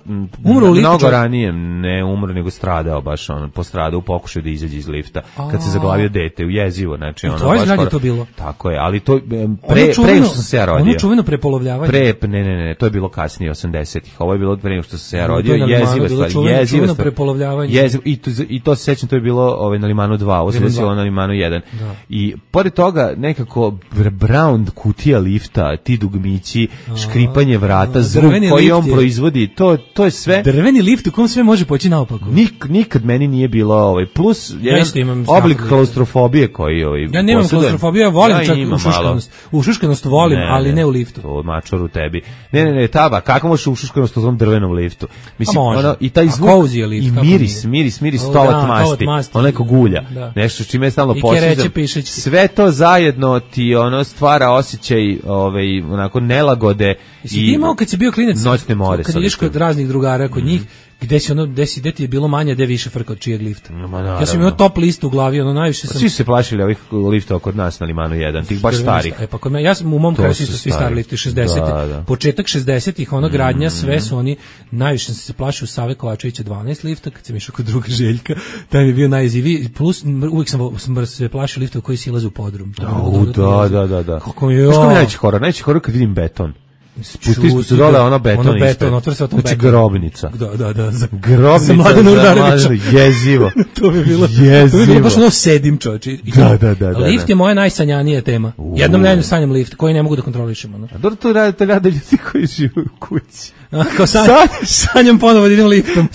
Speaker 6: umro u
Speaker 5: mnogo ranije, ne umro nego stradao baš on postradao u pokušaju da izađe iz lifta kad se zaglavio dete, ujezivo, znači ono
Speaker 6: baš skoro, to bilo.
Speaker 5: Tako je, ali to pre pre što sam se ja rodio.
Speaker 6: Ono čuveno prepolovljavanje.
Speaker 5: Pre ne ne ne, to je bilo kasnije osamdesetih. Ovo je bilo pre nego što sam se ja rodio, jezivo stvar, jezivo
Speaker 6: prepolovljavanje.
Speaker 5: Jezivo i to i to se sećam, to je bilo ovaj na Limanu dva, ovo se desilo na Limanu jedan. I pored toga nekako brown kutija lifta, ti dugmići, škripanje vrata, zvuk koji on proizvodi, to to je sve.
Speaker 6: Drveni lift u kom sve može poći naopako.
Speaker 5: Nik, nikad meni nije bilo ovaj plus jedan ja oblik klaustrofobije koji ovaj.
Speaker 6: Ja nemam klaustrofobiju, ja volim ja čak ušuškanost. Ušuškanost volim, ne, ali ne u liftu.
Speaker 5: To mačoru tebi. Ne, ne, ne, taba, kako možeš ušuškanost u tom drvenom liftu? Mislim, ono i taj zvuk
Speaker 6: lift,
Speaker 5: i miris, miris, miris stolat masti, ono neko gulja. Nešto čime je stalno posjećam. Sve to zajedno ti ono stvara osjećaj ovaj onako nelagode
Speaker 6: i ti imao kad si bio klinac
Speaker 5: noćne more
Speaker 6: kad ideš kod raznih drugara kod mm. njih gde si ono gde si gde ti je bilo manje gde više frka od čijeg lifta.
Speaker 5: No,
Speaker 6: ja sam imao top listu u glavi, ono najviše sam.
Speaker 5: Svi se plašili ovih liftova kod nas na Limanu jedan, tih baš starih.
Speaker 6: E pa kod mene ja sam u mom kraju su svi stari lifti šezdesetih. Da, da. Početak šezdesetih, ono gradnja, sve su oni najviše sam se plašio Save Kovačevića dvanaest lifta kad sam išao kod druga Željka. Taj mi je bio najjeziviji, plus uvijek sam, sam se plašio liftova koji silaze u podrum.
Speaker 5: Da, da, da, da.
Speaker 6: Kako je?
Speaker 5: Što mi najveći horor? Najveći horor kad vidim beton. Spustiš se dole, ono beton,
Speaker 6: ono beton, otvori se o tom
Speaker 5: znači grobnica.
Speaker 6: Da, da, da. Za,
Speaker 5: grobnica
Speaker 6: za Mladena Urdarevića.
Speaker 5: Jezivo.
Speaker 6: to bi bilo,
Speaker 5: jezivo.
Speaker 6: To bi bilo baš ono sedim čovječe.
Speaker 5: Da, da, da.
Speaker 6: Lift je moja najsanjanija tema. Uh. Jednom nedeljno sanjam lift, koji ne mogu da kontrolišem. Ono.
Speaker 5: A dobro to rade, to rade ljudi koji žive u kući.
Speaker 6: A, kao sanj, sanjam ponovo da idem liftom,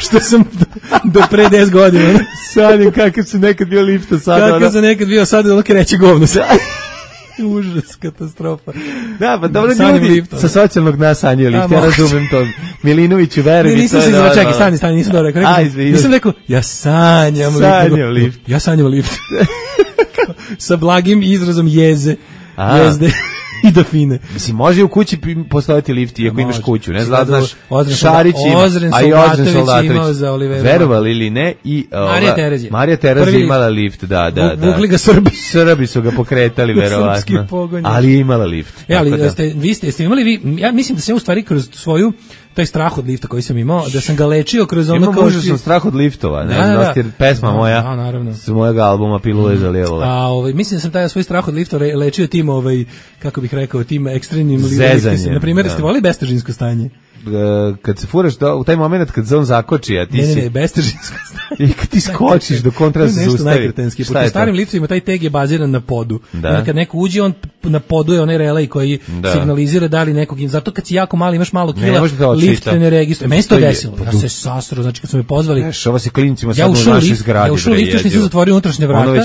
Speaker 6: što sam do, do pre deset godina.
Speaker 5: Sanjam kakav sam nekad bio lifta sada.
Speaker 6: Kakav ono... sam nekad bio sada, ono kreće govno. Užas, katastrofa.
Speaker 5: Da, pa dobro ljudi lift, sa socijalnog dna sanjaju lift, ja razumem to. Milinoviću, veruj mi.
Speaker 6: Nisam se izvora, čekaj, stani, stani, nisam dobro rekao. Nisam rekao, ja sanjam lift.
Speaker 5: Sanjam lift.
Speaker 6: Ja sanjam lift. Sa blagim izrazom jeze, jezde. I do fine.
Speaker 5: Mislim, može u kući postaviti lift iako
Speaker 6: može.
Speaker 5: Imaš kuću, ne znaš, znaš,
Speaker 6: Ozren
Speaker 5: Šarić ima,
Speaker 6: Ozren
Speaker 5: a i Ozren
Speaker 6: Soldatović imao za Olivera.
Speaker 5: Verovali ili ne, i
Speaker 6: Marija Terezija.
Speaker 5: Marija Terezija imala lift, da, da, da.
Speaker 6: Vukli ga Srbi.
Speaker 5: Srbi su ga pokretali, verovatno. Ali je imala lift.
Speaker 6: E, ali ste, vi ste, ste imali vi, ja mislim da sam u stvari kroz svoju taj strah od lifta koji sam imao, da sam ga lečio kroz ono
Speaker 5: kao što sam strah od liftova, ne znam da, da, da pesma moja.
Speaker 6: A naravno.
Speaker 5: S mojeg albuma Pilule za lijevole.
Speaker 6: A ovaj mislim da sam taj svoj strah od lifta lečio tim ovaj kako bih rekao tim ekstremnim liftima. Na primjer, ste voleli bestežinsko stanje?
Speaker 5: Kad se furaš do, u taj moment kad se on zakoči, a ti
Speaker 6: ne,
Speaker 5: si...
Speaker 6: Ne, ne, bestežinsko stanje.
Speaker 5: I kad ti skočiš do kontra se
Speaker 6: zaustavi. Nešto
Speaker 5: najkretenski.
Speaker 6: Po starim liftovima taj teg je baziran na podu. Da. Kad neko uđe, on na podu je onaj relej koji da. signalizira da li nekog... Zato kad si jako mali, imaš malo kila, lift te ne registruje. Meni se to desilo. Ja se sasro, znači kad su me pozvali...
Speaker 5: Neš, ova se klincima sad u našoj zgradi.
Speaker 6: Ja ušao u lift, još nisam zatvorio unutrašnje vrata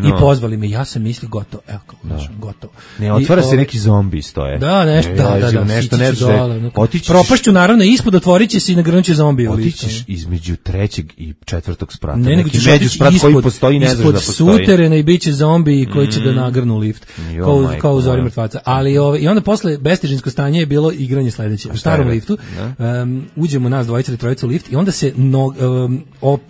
Speaker 6: i pozvali me. Ja sam mislio gotovo. Evo kako, gotovo.
Speaker 5: Ne, otvara se neki zombi stoje.
Speaker 6: Da, nešto, da, da,
Speaker 5: nešto, nešto,
Speaker 6: ću naravno ispod, otvorit će se i nagrnuće zombije.
Speaker 5: Otićeš između trećeg i četvrtog sprata.
Speaker 6: Ne, nego ćeš otići ispod, postoji, ne ispod da suterena i bit će zombiji koji će mm. da nagrnu lift. Jo, kao, majko, kao u Zori mrtvaca. Ali, ove, i onda posle bestežinsko stanje je bilo igranje sledeće. U starom liftu um, uđemo nas dvojica ili trojica u lift i onda se no, um, op,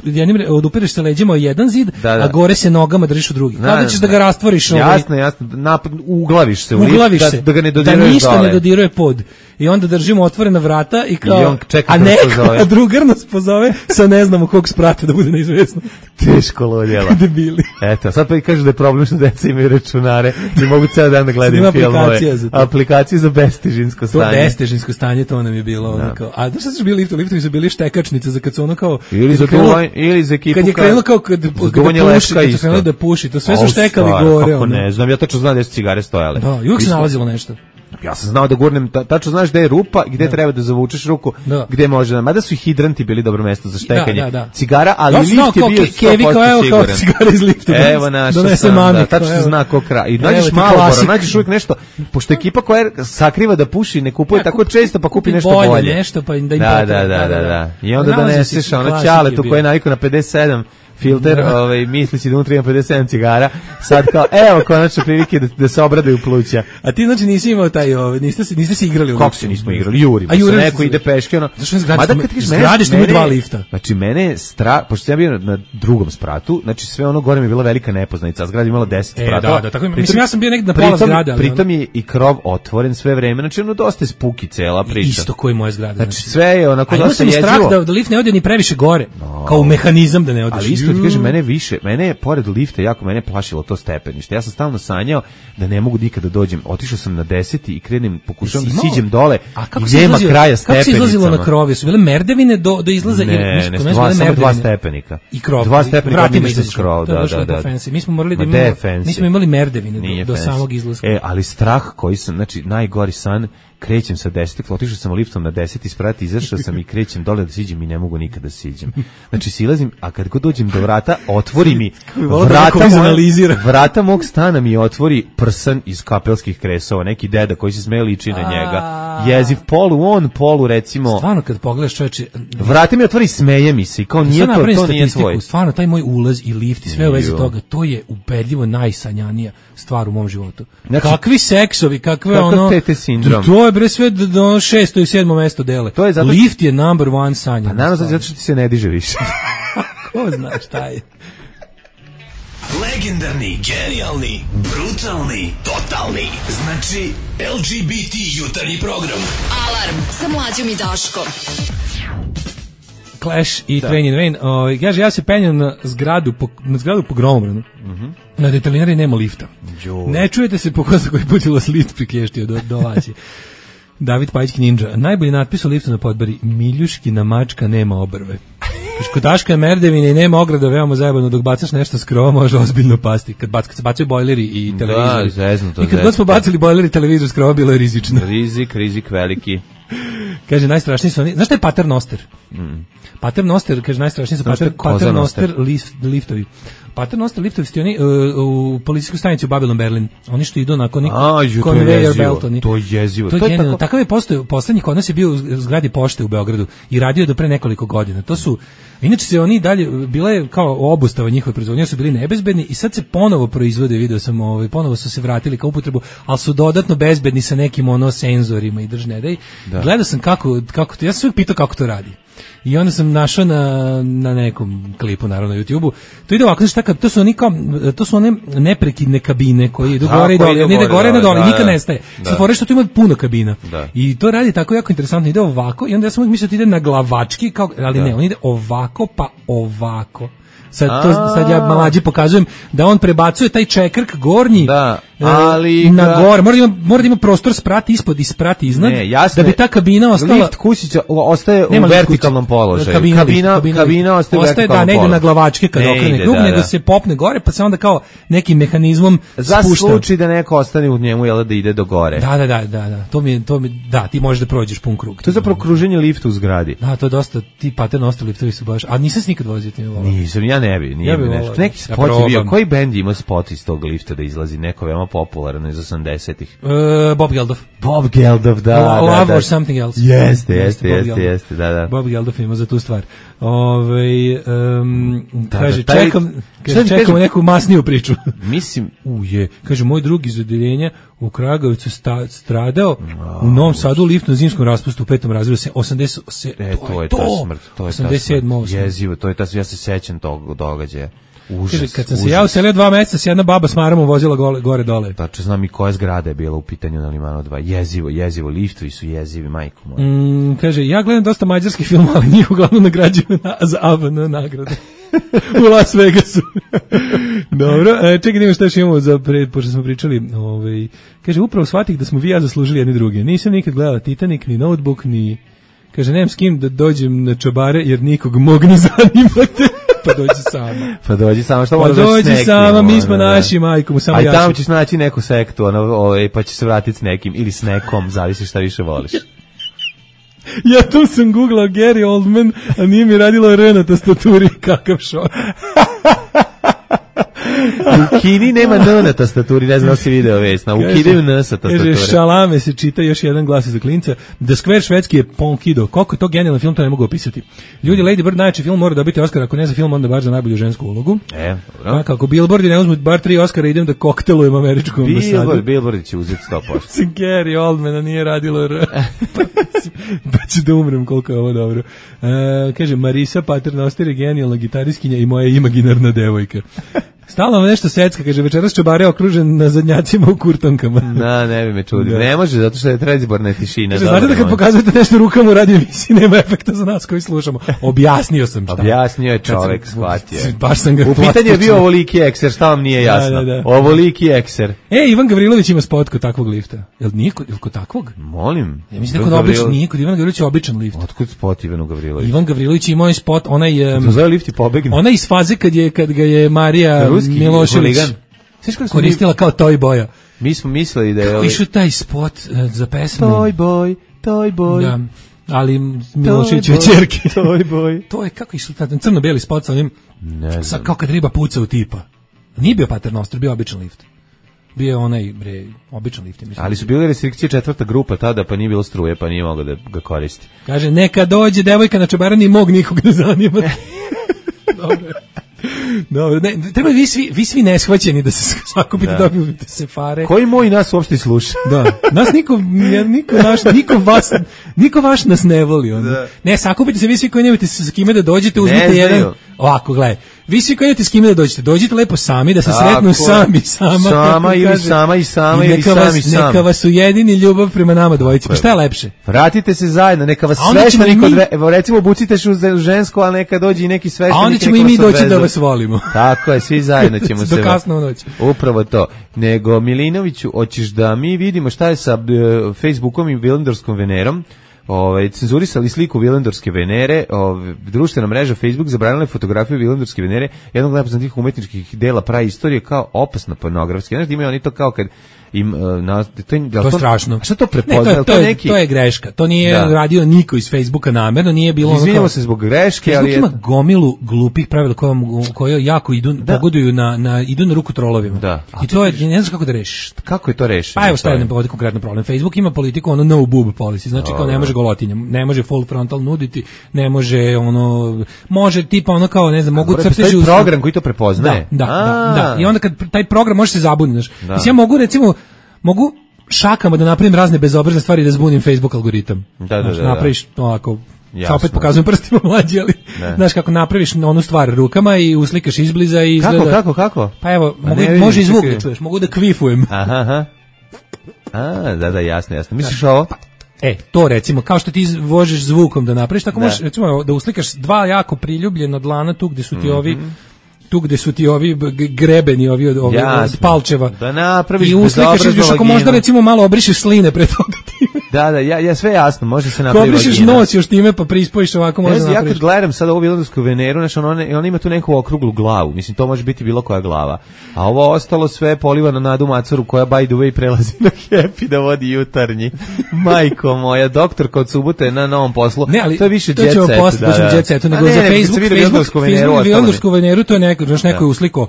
Speaker 6: odupireš se leđima o jedan zid, da, da. a gore se nogama držiš u drugi. Kao da ćeš da ga rastvoriš.
Speaker 5: Jasno, jasno. Napad, uglaviš se u
Speaker 6: uglaviš
Speaker 5: lift,
Speaker 6: se,
Speaker 5: da, da ga ne dodiruješ
Speaker 6: da ništa
Speaker 5: dole.
Speaker 6: ne dodiruje pod. I onda držimo otvorena vrata i kao,
Speaker 5: I on čeka
Speaker 6: a neko, a drugar nas pozove sa ne znamo kog sprata da bude neizvesno.
Speaker 5: Teško lodjela.
Speaker 6: Debili.
Speaker 5: Eto, sad pa i kažu da je problem što deca imaju računare i mogu ceo dan da gledaju filmove.
Speaker 6: Za
Speaker 5: aplikacije za bestežinsko stanje.
Speaker 6: To bestežinsko stanje, to nam je bilo ono kao. A znaš šta su bili liftovi? Liftovi su bili štekačnice za kad su ono kao...
Speaker 5: Ili za duvanj, ili za ekipu...
Speaker 6: Kad je krenulo kao kad, kad da puši, kad su krenuli da puši, to sve su štekali gore.
Speaker 5: Kako ne znam, ja tačno znam gde su cigare stojale.
Speaker 6: Da, i uvijek se nalazilo nešto.
Speaker 5: Ja sam znao da gurnem, tačno znaš gde je rupa, gde da. treba da zavučeš ruku, da. gde može da... Mada su i hidranti bili dobro mesto za štekanje
Speaker 6: da, da, da.
Speaker 5: cigara, ali ja lift je bio sto posto siguran.
Speaker 6: Cigara iz lifta.
Speaker 5: Evo naša sam, mami, da, tačno se zna ko kraj. I nađeš Marlboro, nađeš uvijek nešto, pošto ekipa koja sakriva da puši, ne kupuje ja, tako često, pa kupi nešto bolje.
Speaker 6: Bolje nešto, pa da im
Speaker 5: da, da, da, da, da. I onda doneseš ono ćaletu koje je navikao na pedeset sedam filter, ovaj, misli si da unutra ima pedeset sedam cigara, sad kao, evo, konačno prilike da, da se obradaju pluća.
Speaker 6: A ti znači nisi imao taj, ovaj, niste, niste se igrali u
Speaker 5: Kako se nismo igrali? Jurimo.
Speaker 6: A jurimo
Speaker 5: se, neko ide peške, ono.
Speaker 6: Zašto ne zgradiš? Zgradiš ti dva lifta.
Speaker 5: Znači, mene je strah, pošto sam ja bio na drugom spratu, znači sve ono gore mi je bila velika nepoznanica, a zgrada imala deset
Speaker 6: e,
Speaker 5: spratova.
Speaker 6: Da, da, tako, mislim, ja sam bio negdje na pola zgrade.
Speaker 5: Pritom je i krov otvoren sve vreme, znači ono dosta je spuki cela priča.
Speaker 6: Isto koji moje zgrade.
Speaker 5: Znači, sve je onako dosta jezivo.
Speaker 6: Strah da, da lift ne ode ni previše gore, kao mehanizam da ne odeš.
Speaker 5: Ali isto ti kažem, mene više mene je pored lifta jako mene plašilo to stepenište. Ja sam stalno sanjao da ne mogu nikada da dođem. Otišao sam na deseti i krenem, pokušavam da siđem dole i nema kraja stepenicama.
Speaker 6: Kako se izlazilo na krov? Su bile merdevine do, do izlaza?
Speaker 5: Ne,
Speaker 6: ili,
Speaker 5: ne, ne dva, samo dva stepenika.
Speaker 6: I krov.
Speaker 5: Dva stepenika mi se skrov, da, da, da.
Speaker 6: Mi smo morali da imamo, mi smo imali merdevine do, do samog izlaska.
Speaker 5: E, ali strah koji sam, znači, najgori san, krećem sa desetog, otišao sam liftom na deseti sprat, izašao sam i krećem dole da siđem i ne mogu nikada da siđem. Znači silazim, a kad god dođem do vrata, otvori mi vrata, moj, vrata mog stana mi otvori prsan iz kapelskih kresova, neki deda koji se smeje liči na njega. Jeziv, polu on, polu recimo.
Speaker 6: Stvarno kad pogledaš čoveče,
Speaker 5: vrata mi otvori, smeje mi se i kao nije to, to nije tvoj.
Speaker 6: Stvarno taj moj ulaz i lift i sve u vezi toga, to je ubedljivo najsanjanija stvar u mom životu. Znači, kakvi seksovi, kakve ono
Speaker 5: tete sindrom.
Speaker 6: To je bre sve do šesto i sedmo mesto dele.
Speaker 5: To je zato
Speaker 6: lift je number one sanja.
Speaker 5: Pa naravno zato što ti se ne diže više.
Speaker 6: Ko zna šta je.
Speaker 8: Legendarni, genijalni, brutalni, totalni. Znači L G B T jutarnji program.
Speaker 3: Alarm sa Mlađom i Daškom.
Speaker 6: Clash i da. Train in Rain. O, kaže, ja se penjam na zgradu po, na zgradu po Gromobranu. Mm-hmm. Na detalinari nema lifta. Jo. Ne čujete se po koza koji put je vas lift prikještio do, do vaći. David Pajićki Ninja. Najbolji natpis u liftu na Podbari. Miljuškina mačka nema obrve. Kod Daška je merdevine i nema ograda, veoma zajebano, dok bacaš nešto s krova može ozbiljno pasti. Kad, bac, kad se bacaju bojleri i televizori.
Speaker 5: Da, zezno to.
Speaker 6: I kad god smo bacili bojleri i televizor s krova, bilo je rizično.
Speaker 5: Rizik, rizik veliki.
Speaker 6: Kaže, najstrašniji su oni. Znaš šta je Paternoster? Mm. Paternoster, kaže, najstrašniji su pater, Paternoster lift, liftovi. Paternoster liftovi su oni uh, u policijskoj stanici u Babylon Berlin. Oni što idu nakon neki conveyor belt. Oni.
Speaker 5: To je jezivo.
Speaker 6: To je, to je tako... Takav je postao, poslednji kod nas je bio u zgradi pošte u Beogradu i radio do pre nekoliko godina. To su, inače se oni dalje, bila je kao obustava njihove proizvodnje, su bili nebezbedni i sad se ponovo proizvode, video sam, ovaj, ponovo su se vratili kao upotrebu, ali su dodatno bezbedni sa nekim ono senzorima i držne. Dej. Gledao sam kako, kako to, ja sam uvijek pitao kako to radi. I onda sam našao na, na nekom klipu, naravno na YouTubeu. To ide ovako, znači, to su oni kao, to su one neprekidne kabine koje idu gore i dole, ne ide gore i dole, nikad nestaje. Sad fore što tu ima puno kabina. Da. I to radi tako jako interesantno, ide ovako i onda ja sam uvijek mislio da ide na glavački, kao, ali da. Ne, on ide ovako pa ovako. Sad, to, sad ja mlađi pokazujem da on prebacuje taj čekrk gornji
Speaker 5: da, ali
Speaker 6: na ga... gore. Mora da, ima, mora da ima prostor sprati ispod i sprati iznad. Ne, jasne, da bi ta kabina ostala...
Speaker 5: Lift kućića ostaje u vertikalnom položaju.
Speaker 6: Kabina, kabina,
Speaker 5: kabina, kabina ostaje u vertikalnom
Speaker 6: položaju. Da, ne ide na glavačke kad ne okrene krug, da, nego da. Se popne gore, pa se onda kao nekim mehanizmom
Speaker 5: za
Speaker 6: spušta.
Speaker 5: Za slučaj da neko ostane u njemu, jel da ide do gore.
Speaker 6: Da, da, da, da, da. To mi, to mi, da, ti možeš da prođeš pun krug.
Speaker 5: To je zapravo kruženje lifta u zgradi.
Speaker 6: Da, to je dosta, ti Paternoster liftovi su baš, a nisam se nikad vozio tim volao.
Speaker 5: Nisam liftom, ja ne bi, nije
Speaker 6: Ja
Speaker 5: bi
Speaker 6: bi
Speaker 5: nešto.
Speaker 6: volao.
Speaker 5: Neki
Speaker 6: Ja
Speaker 5: spot je bio,
Speaker 6: probam.
Speaker 5: koji bend ima spot iz tog lifta da izlazi, neko veoma popularan iz osamdesetih.
Speaker 6: Uh, Bob Geldof.
Speaker 5: Bob Geldof, da, da,
Speaker 6: Love
Speaker 5: da.
Speaker 6: or Something Else.
Speaker 5: Jeste, jeste,
Speaker 6: Bob
Speaker 5: jeste,
Speaker 6: Geldof.
Speaker 5: jeste, da, da.
Speaker 6: Bob Geldof ima za tu stvar. Ove, um,
Speaker 5: Da,
Speaker 6: kaže,
Speaker 5: da, taj-
Speaker 6: čekam,
Speaker 5: Šta
Speaker 6: kaže,
Speaker 5: ti
Speaker 6: čekamo
Speaker 5: kažem?
Speaker 6: neku masniju priču.
Speaker 5: Mislim,
Speaker 6: Uje, kaže, moj drug iz odeljenja u Kragujevcu sta, stradao u Novom Sadu u liftnom zimskom raspustu u petom razredu se osamdeset se
Speaker 5: e, to je ta smrt, to je ta
Speaker 6: osamdeset sedam
Speaker 5: smrt. Jezivo, to je ta, ja se sećam tog događaja. Užas,
Speaker 6: Kaže, kad sam
Speaker 5: užas.
Speaker 6: se ja uselio dva meseca s jedna baba s maramom vozila gole, gore dole.
Speaker 5: Tačno znam i koja zgrada je bila u pitanju na Limanu dva. Jezivo, jezivo, liftovi su jezivi, majko moja.
Speaker 6: Mm, kaže, ja gledam dosta mađarskih filmova, ali njih uglavnom nagrađuju na, za A V N nagrade. U Las Vegasu. Dobro, e, čekaj, nima šta još imamo za pred, pošto smo pričali. Ovaj, kaže, upravo shvatih da smo vi i ja zaslužili jedni druge. Nisam nikad gledala Titanic, ni Notebook, ni... Kaže, nemam s kim da dođem na čobare, jer nikog mog ne zanimate. Pa dođi sama.
Speaker 5: Pa dođi sama, što
Speaker 6: Pa
Speaker 5: moraš da
Speaker 6: dođi
Speaker 5: s nekim,
Speaker 6: sama, mi
Speaker 5: ono,
Speaker 6: smo
Speaker 5: da.
Speaker 6: naši, majko mu, samo
Speaker 5: Aj
Speaker 6: ja
Speaker 5: tamo
Speaker 6: sam-
Speaker 5: ćeš naći neku sektu, ono, ovaj, pa će se vratiti s nekim, ili s nekom, zavisi šta više voliš.
Speaker 6: Ja tu sam googlao Gary Oldman, a nije mi radilo R na tastaturi, kakav šok.
Speaker 5: U Kini nema N na tastaturi, ne znam da si video već, na ukidaju N sa
Speaker 6: Kaže,
Speaker 5: tastature.
Speaker 6: Šalame se čita, još jedan glas za klinca. The Square švedski je Ponkido. Koliko je to genijalan film, to ne mogu opisati. Ljudi, Lady Bird najjači film mora dobiti Oscar, ako ne za film, onda bar za najbolju žensku ulogu.
Speaker 5: E, dobro.
Speaker 6: A, kako Billboardi ne uzmu bar tri Oscara, idem da koktelujem američku ambasadu.
Speaker 5: Billboard, Billboard će uzeti sto posto.
Speaker 6: Sam Gary Oldmana nije radilo R. pa, pa ću da umrem koliko je ovo dobro. E, kaže, Marisa Paternoster je genijalna gitariskinja i moja imaginarna devojka. Stalno vam nešto secka, kaže, večeras čobare okružen na zadnjacima u kurtonkama.
Speaker 5: Na, ne bi me čudio.
Speaker 6: Da.
Speaker 5: Ne može, zato što je predizborna tišina.
Speaker 6: Kaže,
Speaker 5: dobro,
Speaker 6: znate da kad
Speaker 5: može.
Speaker 6: pokazujete nešto rukama u radio emisiji, nema efekta za nas koji slušamo. Objasnio sam šta.
Speaker 5: Objasnio je
Speaker 6: Kad sam-
Speaker 5: čovek, shvatio je.
Speaker 6: Baš sam ga
Speaker 5: U pitanju je
Speaker 6: plastično-
Speaker 5: bio ovoliki ekser, šta vam nije
Speaker 6: Da,
Speaker 5: jasno?
Speaker 6: da, da.
Speaker 5: Ovoliki ekser.
Speaker 6: E, Ivan Gavrilović ima spot kod takvog lifta. Jel nije kod, jel kod takvog?
Speaker 5: Molim.
Speaker 6: Ja mislim da kod običan, nije kod Ivan Gavrilović je običan lift.
Speaker 5: Otkud spot Ivanu Gavrilović?
Speaker 6: Ivan Gavrilović ima ovaj spot, onaj... Um,
Speaker 5: To zove lift i pobegne.
Speaker 6: ona iz faze kad, je, kad ga je Marija
Speaker 5: Ruski
Speaker 6: Milošević
Speaker 5: huligan. Znaš kako smo mi-
Speaker 6: koristila kao toy boja.
Speaker 5: Mi smo mislili da je...
Speaker 6: Kako
Speaker 5: ovaj-
Speaker 6: išao taj spot uh, za pesmu?
Speaker 5: Toy boy, toy boy.
Speaker 6: Da, ali Miloševićeve
Speaker 5: Toy boy,
Speaker 6: ćerke.
Speaker 5: toy boy.
Speaker 6: To je kako išao taj crno-beli spot sa onim,
Speaker 5: Ne
Speaker 6: sa,
Speaker 5: znam.
Speaker 6: kao kad riba puca u tipa. Nije bio Paternoster, bio običan lift. Bio je onaj, bre, običan lift. Mislim.
Speaker 5: Ali su bile restrikcije četvrta grupa tada, pa nije bilo struje, pa nije mogao da ga koristi.
Speaker 6: Kaže, neka dođe devojka na čebarani, mog nikog ne zanima. Dobro. Dobro, ne, treba vi svi, vi svi neshvaćeni da se sakupite,
Speaker 5: Da.
Speaker 6: dobijete se fare.
Speaker 5: Koji moj nas uopšte sluša?
Speaker 6: Da, nas niko, ja, niko, naš, niko, vas, niko vaš nas ne voli. Ono.
Speaker 5: Da.
Speaker 6: Ne, sakupite se vi svi koji nemate s kime da dođete, uzmite
Speaker 5: znaju.
Speaker 6: jedan, ovako, gledaj, vi svi koji nemate s kime da dođete, dođite lepo sami, da se
Speaker 5: Tako
Speaker 6: sretnu
Speaker 5: je.
Speaker 6: sami, sama.
Speaker 5: Sama
Speaker 6: kako
Speaker 5: ili
Speaker 6: kaže.
Speaker 5: sama i sama
Speaker 6: I
Speaker 5: ili
Speaker 6: neka
Speaker 5: sam
Speaker 6: vas,
Speaker 5: i sam.
Speaker 6: Neka vas ujedini ljubav prema nama dvojici. Pa šta je lepše?
Speaker 5: Vratite se zajedno, neka vas
Speaker 6: A onda ćemo
Speaker 5: sveštenik
Speaker 6: i mi-
Speaker 5: odve... Evo, recimo, obucite se u žensko, ali neka dođe i neki sveštenik.
Speaker 6: A onda ćemo i
Speaker 5: neka
Speaker 6: mi
Speaker 5: vas
Speaker 6: doći da
Speaker 5: odveze.
Speaker 6: vas volimo.
Speaker 5: Tako je, svi zajedno ćemo se...
Speaker 6: Do kasno u noć.
Speaker 5: Upravo to. Nego, Milinoviću, hoćeš da mi vidimo šta je sa e, Facebookom i Vilendorskom Venerom. Ovaj cenzurisali sliku Vilendorske Venere, ovaj društvena mreža Facebook zabranila je fotografiju Vilendorske Venere, jednog od najpoznatijih umetničkih dela praistorije, kao opasna pornografska. Znači imaju oni to kao kad im uh, na to, je,
Speaker 6: To je strašno.
Speaker 5: A šta to
Speaker 6: Ne,
Speaker 5: prepoznaje?
Speaker 6: to, je,
Speaker 5: To
Speaker 6: to, je,
Speaker 5: neki
Speaker 6: to je greška. To nije
Speaker 5: Da.
Speaker 6: radio niko iz Facebooka namerno, nije bilo ono
Speaker 5: Izvinjamo
Speaker 6: kao-
Speaker 5: se zbog greške,
Speaker 6: Facebook
Speaker 5: ali
Speaker 6: ima
Speaker 5: eto.
Speaker 6: gomilu glupih pravila koje, koje jako idu,
Speaker 5: Da.
Speaker 6: pogoduju na, na, idu na ruku trolovima.
Speaker 5: Da. A
Speaker 6: I to je, ne znaš kako da rešiš.
Speaker 5: Kako je to rešeno?
Speaker 6: Pa evo šta je ovdje konkretno problem. Facebook ima politiku ono no boob policy, znači kao ne može golotinja, ne može full frontal nuditi, ne može ono, može tipa ono kao ne znam, mogu
Speaker 5: Mora
Speaker 6: crteži
Speaker 5: postoji
Speaker 6: u-
Speaker 5: program koji to prepoznaje.
Speaker 6: Da, da,
Speaker 5: A.
Speaker 6: da, da. I onda kad taj program može se zabuniti, znaš.
Speaker 5: Da.
Speaker 6: Mislim, ja mogu recimo, mogu šakama da napravim razne bezobrazne stvari da zbunim Facebook algoritam.
Speaker 5: Da, da,
Speaker 6: Znaš,
Speaker 5: da, da.
Speaker 6: napraviš ovako,
Speaker 5: Jasno.
Speaker 6: sad opet pokazujem prstima mlađi, ali
Speaker 5: Ne.
Speaker 6: znaš kako napraviš onu stvar rukama i uslikaš izbliza i izgleda...
Speaker 5: Kako, kako, kako?
Speaker 6: Pa evo,
Speaker 5: Pa
Speaker 6: mogu,
Speaker 5: ne vidim,
Speaker 6: može i zvuk
Speaker 5: čekaj.
Speaker 6: da čuješ, mogu da kvifujem.
Speaker 5: Aha, aha. A, da, da, jasno, jasno. Misliš ovo?
Speaker 6: E, to recimo, kao što ti možeš zvukom da napraviš, tako
Speaker 5: Da.
Speaker 6: možeš recimo da uslikaš dva jako priljubljena dlana tu gde su ti ovi tu gde su ti ovi g- grebeni ovi od, ovi
Speaker 5: Jasno.
Speaker 6: od palčeva.
Speaker 5: Da napraviš
Speaker 6: I uslikaš
Speaker 5: bezobraznu
Speaker 6: izviš, ako
Speaker 5: vaginu.
Speaker 6: možda recimo malo obrišeš sline pre toga time.
Speaker 5: Da, da, ja, ja sve jasno, može se napraviti.
Speaker 6: Komplišeš nos još time pa prispojiš ovako može
Speaker 5: ja,
Speaker 6: napraviš.
Speaker 5: Ja kad gledam sad ovu Vilundarsku Veneru, znači ona, ona ima tu neku okruglu glavu, mislim to može biti bilo koja glava, a ovo ostalo sve poliva na Nadu Macuru koja by the way prelazi na Happy da vodi jutarnji. Majko moja, doktorka od subote na novom poslu,
Speaker 6: ne, ali,
Speaker 5: to je više
Speaker 6: to
Speaker 5: jet set.
Speaker 6: Post, da, da. Jet set, nego ne, za
Speaker 5: ne,
Speaker 6: Facebook,
Speaker 5: Facebook,
Speaker 6: Facebook, Facebook Vilundarsku Veneru, to je neko, znaš, neko je usliko.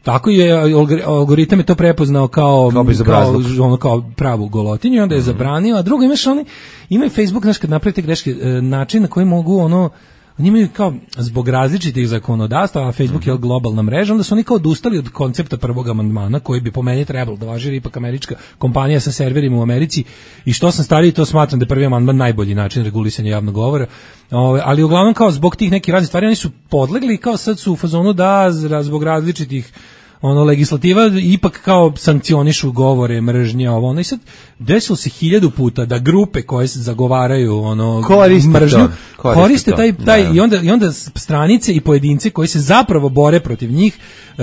Speaker 6: Tako je, algoritam je to prepoznao kao, kao, kao, ono, kao pravu golotinju i onda je mm-hmm. zabranio, a drugo imaš oni, imaju Facebook, znaš, kad napravite greške, način na koji mogu ono, oni imaju kao, zbog različitih zakonodavstva, a Facebook mm-hmm. je globalna mreža, onda su oni kao odustali od koncepta prvog amandmana, koji bi po meni trebalo da važi, jer ipak američka kompanija sa serverima u Americi, i što sam stariji, to smatram da je prvi amandman najbolji način regulisanja javnog govora. Ove, ali uglavnom kao zbog tih nekih raznih stvari oni su podlegli, kao sad su u fazonu da zbog različitih ono legislativa ipak kao sankcionišu govore, mržnje, ovo ono, i sad desilo se hiljadu puta da grupe koje se zagovaraju ono
Speaker 5: koriste
Speaker 6: mržnju
Speaker 5: to, koriste,
Speaker 6: koriste
Speaker 5: to.
Speaker 6: taj, taj
Speaker 5: da.
Speaker 6: i onda i onda stranice i pojedinci koji se zapravo bore protiv njih e,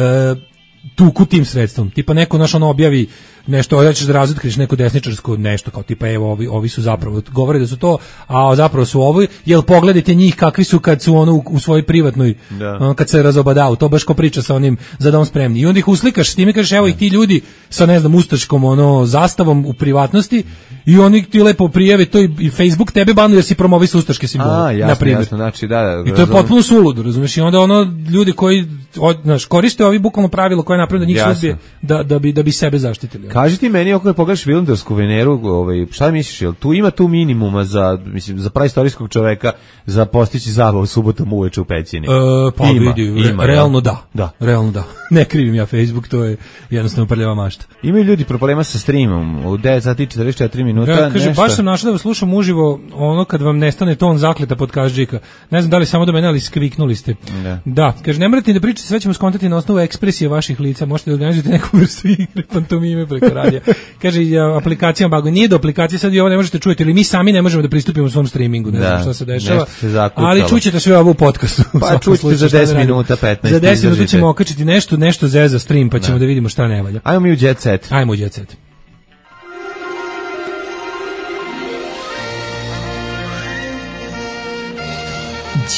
Speaker 6: tuku tim sredstvom. Tipa neko naš ono objavi nešto, hoćeš da razotkriješ neko desničarsko nešto, kao tipa evo ovi, ovi su zapravo, govore da su to, a zapravo su ovi, jel pogledajte njih kakvi su kad su ono u, u svojoj privatnoj, ono, kad se razobadao, to baš ko priča sa onim za dom spremni. I onda ih uslikaš s time, kažeš evo ih ti ljudi sa ne znam ustaškom ono zastavom u privatnosti i oni ti lepo prijave to i, i Facebook tebe banuje jer si promovisao ustaške simbole, na primjer.
Speaker 5: Jasno, znači, da, da,
Speaker 6: i to je potpuno suludo, razumiješ, i onda ono ljudi koji od, znaš, koriste ovi bukvalno pravilo koje je napravio da njih sudbije da, da, bi, da bi sebe zaštitili.
Speaker 5: Kaži ti meni, ako pogledaš Vilundarsku Veneru, ovaj, šta misliš, jel tu ima tu minimuma za, mislim, za praistorijskog čoveka za postići zabavu subotom uveče u pećini?
Speaker 6: E, pa
Speaker 5: ima,
Speaker 6: vidi,
Speaker 5: ima,
Speaker 6: realno da.
Speaker 5: da.
Speaker 6: Realno da. Ne krivim ja Facebook, to je jednostavno prljava mašta.
Speaker 5: Imaju ljudi problema sa streamom u devet sati i četrdeset četiri minuta.
Speaker 6: Ja, kaže,
Speaker 5: nešto.
Speaker 6: Baš sam našla da vas slušam uživo ono kad vam nestane ton zakleta pod každžika. Ne znam da li samo do mene, ali skviknuli ste.
Speaker 5: Da.
Speaker 6: Da, kaže, ne morate da pričate, sve ćemo skontati na osnovu ekspresije vaših lica, možete da organizujete neku vrstu igre, pantomime preko radija. Kaže, aplikacijama bago, nije do aplikacije, sad vi ovo ne možete čujeti, ili mi sami ne možemo da pristupimo u svom streamingu, ne da, znam šta se dešava,
Speaker 5: se
Speaker 6: ali čućete sve ovo u podcastu.
Speaker 5: Pa čućete za deset minuta, petnaest.
Speaker 6: Za deset minuta ćemo okačiti nešto, nešto zeza stream, pa ćemo da, da vidimo šta ne valja.
Speaker 5: Ajmo mi u Jet Set.
Speaker 6: Ajmo u Jet Set.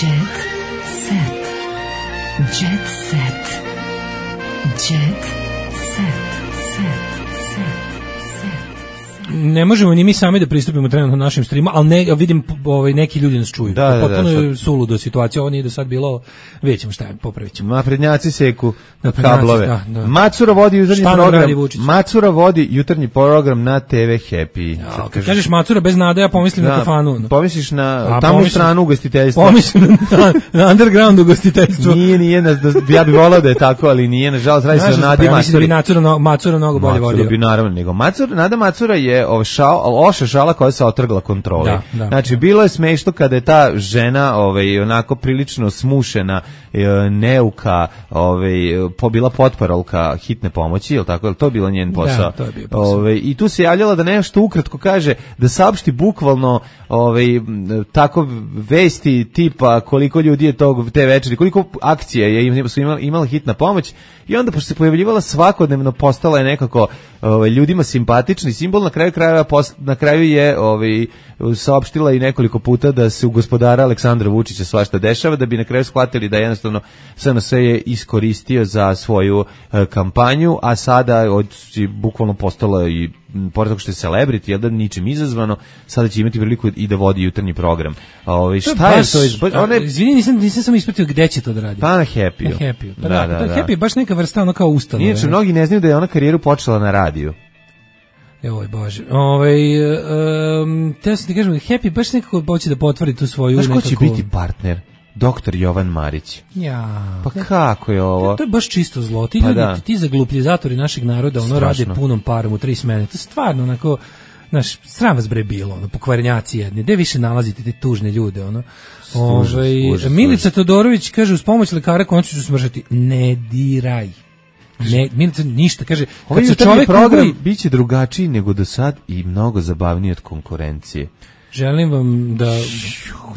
Speaker 3: Jet Set. Jet Set. Jet Set.
Speaker 6: Ne možemo ni mi sami da pristupimo trenutno našim streamu, ali ne, vidim ovaj, neki ljudi nas čuju.
Speaker 5: Da, da,
Speaker 6: potpuno
Speaker 5: da,
Speaker 6: je suludo situacija, ovo nije do sad bilo, vidjet ćemo šta je, popravit ćemo.
Speaker 5: Naprednjaci seku
Speaker 6: Naprednjaci,
Speaker 5: kablove.
Speaker 6: Da, da.
Speaker 5: Macura vodi jutarnji program. Macura vodi jutarnji program na te ve Happy.
Speaker 6: Ja, kad kažeš, kažeš Macura bez nade, ja pomislim da, na kafanu. No.
Speaker 5: Pomisliš na
Speaker 6: A,
Speaker 5: tamu
Speaker 6: pomislim,
Speaker 5: stranu ugostiteljstva.
Speaker 6: Pomislim na, na underground ugostiteljstvo.
Speaker 5: Nije, nije, na, ja bih volao da je tako, ali nije, nažalost, radi se o Nadi
Speaker 6: pa,
Speaker 5: Macuri.
Speaker 6: Ja mislim da bi Macura, no, Macura mnogo bolje vodio.
Speaker 5: Macura bi naravno, nego Macura, Nada Macura je ovaj šao, loša šala koja se otrgla kontroli.
Speaker 6: Da, da,
Speaker 5: znači,
Speaker 6: da.
Speaker 5: bilo je smešno kada je ta žena ovaj, onako prilično smušena, neuka, ovaj, pobila potparolka hitne pomoći, je li tako? Je li to bilo njen posao?
Speaker 6: Da, to je bio posao.
Speaker 5: Ovaj, i tu se javljala da nešto ukratko kaže, da saopšti bukvalno ovaj, tako vesti tipa koliko ljudi je tog te večeri, koliko akcija je su imala, imala hitna pomoć, i onda pošto se pojavljivala svakodnevno, postala je nekako ovaj, ljudima simpatični simbol, na kraju krajeva post, na kraju je ovaj, saopštila i nekoliko puta da se u gospodara Aleksandra Vučića svašta dešava, da bi na kraju shvatili da jednostavno S N S je iskoristio za svoju e, kampanju, a sada od, bukvalno postala i pored toga što je celebrity, jel da ničim izazvano, sada će imati priliku i da vodi jutarnji program. Ove, šta je
Speaker 6: baš,
Speaker 5: to? Iz,
Speaker 6: one... Izvini, nisam, nisam sam ispratio gde će to da radi.
Speaker 5: Pa na Happy-u.
Speaker 6: Na Happy-u. Pa
Speaker 5: da,
Speaker 6: da,
Speaker 5: da,
Speaker 6: da,
Speaker 5: da.
Speaker 6: Happy je baš neka vrsta, ono kao ustanove.
Speaker 5: Inače, mnogi ne znaju da je ona karijeru počela na radiju.
Speaker 6: Joj Bože. Ovaj um, te sam ti kažem, Happy baš nekako hoće da potvrdi tu svoju
Speaker 5: nekako. Znaš ko
Speaker 6: nekako...
Speaker 5: će biti partner? Doktor Jovan Marić.
Speaker 6: Ja.
Speaker 5: Pa kako je ovo?
Speaker 6: To je baš čisto zlo. Ti
Speaker 5: pa
Speaker 6: ljudi,
Speaker 5: da.
Speaker 6: ti zaglupljizatori našeg naroda, ono
Speaker 5: Strašno.
Speaker 6: rade punom parom u tri smene. To je stvarno onako, znaš, sram vas bre bilo, ono, pokvarenjaci jedni. Gde više nalazite te tužne ljude, ono? Ove, Milica Todorović kaže, uz pomoć lekara konačno ću smržati. Ne diraj. Ne, Milica ništa, kaže, kad
Speaker 5: ovaj
Speaker 6: se čovjek
Speaker 5: program
Speaker 6: ugli...
Speaker 5: biće drugačiji nego do sad i mnogo zabavniji od konkurencije.
Speaker 6: želim vam da...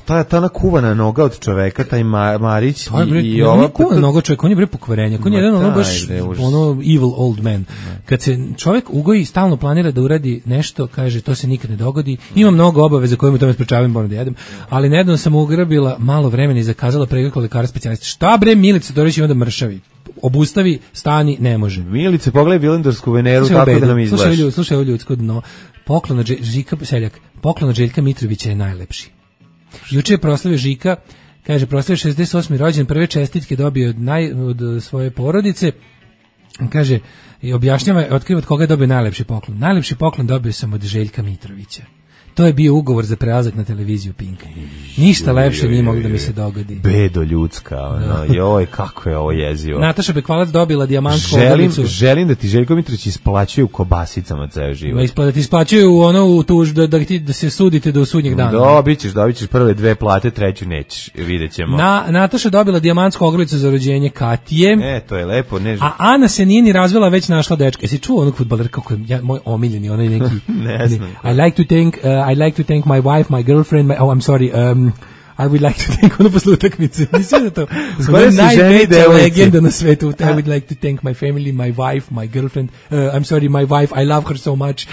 Speaker 5: Ta, ta ona kuvana noga od čoveka, taj Ma, Marić
Speaker 6: to je bre,
Speaker 5: i, i
Speaker 6: ova...
Speaker 5: ova...
Speaker 6: kuvana noga od čoveka, on je bre pokvarenja, on je jedan ono baš ono evil old man. Kad se čovjek ugoji i stalno planira da uradi nešto, kaže to se nikad ne dogodi, ima mnogo obaveza koje mu tome sprečavaju, moram da jedem, ali nedavno sam ugrabila malo vremena i zakazala pregled kod lekara specijalista. Šta bre Milica Dorić ima da mršavi? Obustavi, stani, ne može.
Speaker 5: Milice, pogledaj Vilendarsku Veneru, tako da nam izgledaš.
Speaker 6: Slušaj, slušaj ovo ljudsko dno. Poklon od Žika Seljak, poklon od Željka Mitrovića je najlepši. Juče je proslavio Žika, kaže proslavio šezdeset osmi rođendan, prve čestitke dobio od, naj, od svoje porodice. Kaže, i objašnjava, otkriva od koga je dobio najlepši poklon. Najlepši poklon dobio sam od Željka Mitrovića. To je bio ugovor za prelazak na televiziju Pinka. Ništa lepše nije moglo da mi se dogodi.
Speaker 5: Bedo ljudska, ono, joj, kako je ovo jezivo.
Speaker 6: Nataša Bekvalac dobila dijamantsku
Speaker 5: želim,
Speaker 6: ogrlicu.
Speaker 5: Želim da ti Željko Mitrović isplaćuje u kobasicama ceo život.
Speaker 6: Da ti isplaćuje u ono, u tuž, da, da, ti, da se sudite do sudnjeg dana.
Speaker 5: Dobit ćeš, dobit ćeš prve dve plate, treću nećeš, vidjet ćemo.
Speaker 6: Na, Nataša dobila dijamantsku ogrlicu za rođenje Katije.
Speaker 5: E, to je lepo. Ne...
Speaker 6: A Ana se nije ni razvela, već našla dečka. Jesi čuo onog fudbalera kako je ja, moj omiljeni, onaj neki...
Speaker 5: ne znam.
Speaker 6: I like to thank, uh, I like to thank my wife, my girlfriend, my, oh, I'm sorry, um, I would like to thank ono posle utakmice. Nisi da to?
Speaker 5: Skoro si ženi devojci.
Speaker 6: Legenda na svetu. I would like to thank my family, my wife, my girlfriend. Uh, I'm sorry, my wife, I love her so much.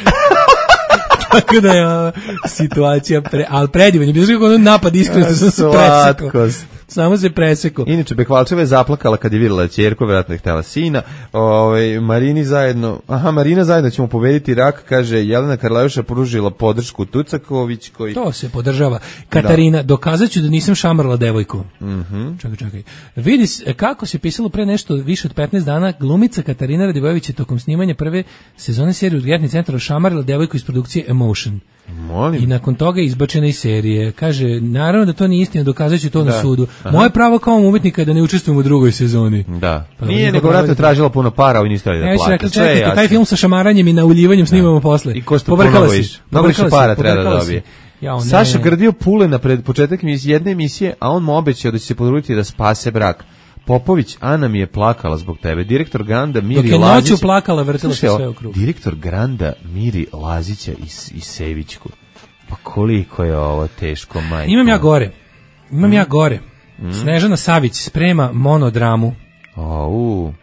Speaker 6: Tako da je uh, situacija, pre, ali predivan je. Bilo kako ono napad iskreno, sam se presekao. Samo se presekao.
Speaker 5: Inače, Bekvalčeva je zaplakala kad je vidjela ćerku, vjerojatno je htjela sina. Ove, Marini zajedno, aha, Marina zajedno ćemo pobediti rak, kaže Jelena Karleuša pružila podršku Tucaković koji...
Speaker 6: To se podržava. Katarina, da. Dokazat ću da nisam šamarala devojku.
Speaker 5: Mm-hmm.
Speaker 6: Čekaj, čekaj. Vidi kako se pisalo pre nešto više od petnaest dana, glumica Katarina Radivojević je tokom snimanja prve sezone serije Urgentni centar šamarila devojku iz produkcije Emotion.
Speaker 5: Molim.
Speaker 6: I nakon toga je izbačena iz serije. Kaže, naravno da to nije istina, dokazat ću to
Speaker 5: da.
Speaker 6: na sudu.
Speaker 5: Aha.
Speaker 6: Moje pravo kao umetnika da ne učestvujem u drugoj sezoni.
Speaker 5: Da. Pa nije, nego vratno tražila puno para, ovi niste da plate.
Speaker 6: Rekla, čekajte, taj film sa šamaranjem i nauljivanjem snimamo da. Posle.
Speaker 5: I ko što puno bojiš. Mnogo više para treba da dobije. Ja, Saša grdio pule na pred početak jedne emisije, a on mu obećao da će se potruditi da spase brak. Popović, Ana mi je plakala zbog tebe. Direktor Granda Miri Lazić.
Speaker 6: Dok je noću plakala, vrtila se sve u krug.
Speaker 5: Direktor Granda Miri Lazića i, i Sevićku. Pa koliko je ovo teško, majko.
Speaker 6: Imam ja gore. Imam mm. ja gore. Mm. Snežana Savić sprema monodramu.
Speaker 5: Au.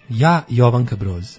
Speaker 6: Ja, Jovanka Broz.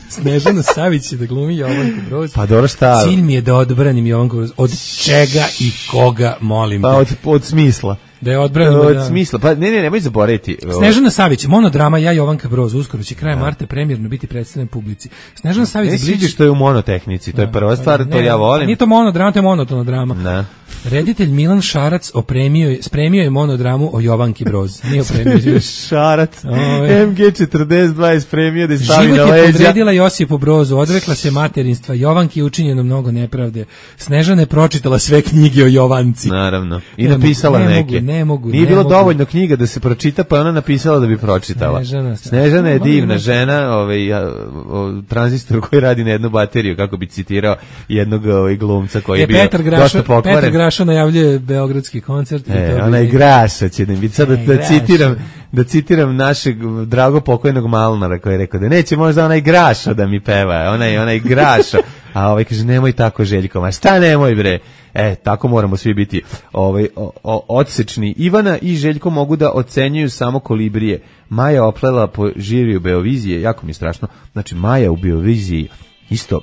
Speaker 6: Snežana Savić je da glumi Jovanku Broz.
Speaker 5: Pa dobro šta?
Speaker 6: Cilj mi je da odbranim Jovanku Broz. Od čega i koga, molim
Speaker 5: pa,
Speaker 6: te?
Speaker 5: Pa od, od smisla.
Speaker 6: Da je odbranimo,
Speaker 5: od
Speaker 6: da.
Speaker 5: smisla. Pa ne, ne, nemoj zaboraviti.
Speaker 6: Snežana Savić, monodrama Ja, Jovanka Broz, uskoro će krajem marta premijerno biti predstavljen publici. Snežana Savić...
Speaker 5: Ne sviđa što je u monotehnici, to je prva stvar,
Speaker 6: ne,
Speaker 5: to ja volim.
Speaker 6: Nije to monodrama, to je monotona drama.
Speaker 5: Ne.
Speaker 6: Reditelj Milan Šarac opremio je, spremio je monodramu o Jovanki Broz. Nije opremio.
Speaker 5: Šarac. M G četrdeset dva je spremio da je stavi
Speaker 6: Život
Speaker 5: na leđa.
Speaker 6: Život je podredila Josipu Brozu, odrekla se materinstva. Jovanki je učinjeno mnogo nepravde. Snežana je pročitala sve knjige o Jovanci.
Speaker 5: Naravno. I ne napisala
Speaker 6: mogu,
Speaker 5: neke.
Speaker 6: Ne mogu, ne mogu.
Speaker 5: Nije bilo dovoljno knjiga da se pročita, pa je ona napisala da bi pročitala.
Speaker 6: Snežana,
Speaker 5: Snežana je divna žena, ovaj, o, tranzistor koji radi na jednu bateriju, kako bi citirao jednog ovaj, glumca koji je, je bio
Speaker 6: Petar Grašo,
Speaker 5: dosta pokvaren.
Speaker 6: Petar Grašo najavljuje beogradski koncert.
Speaker 5: E, ona je Graša će da biti. Sad da, da citiram, da citiram našeg drago pokojnog Malnara koji je rekao da neće možda onaj Graša da mi peva, onaj, onaj Graša. A ovaj kaže, nemoj tako Željko, ma šta nemoj bre. E, tako moramo svi biti ovaj, o, o, odsečni. Ivana i Željko mogu da ocenjuju samo kolibrije. Maja oplela po žiriju Beovizije, jako mi je strašno. Znači, Maja u Beoviziji isto,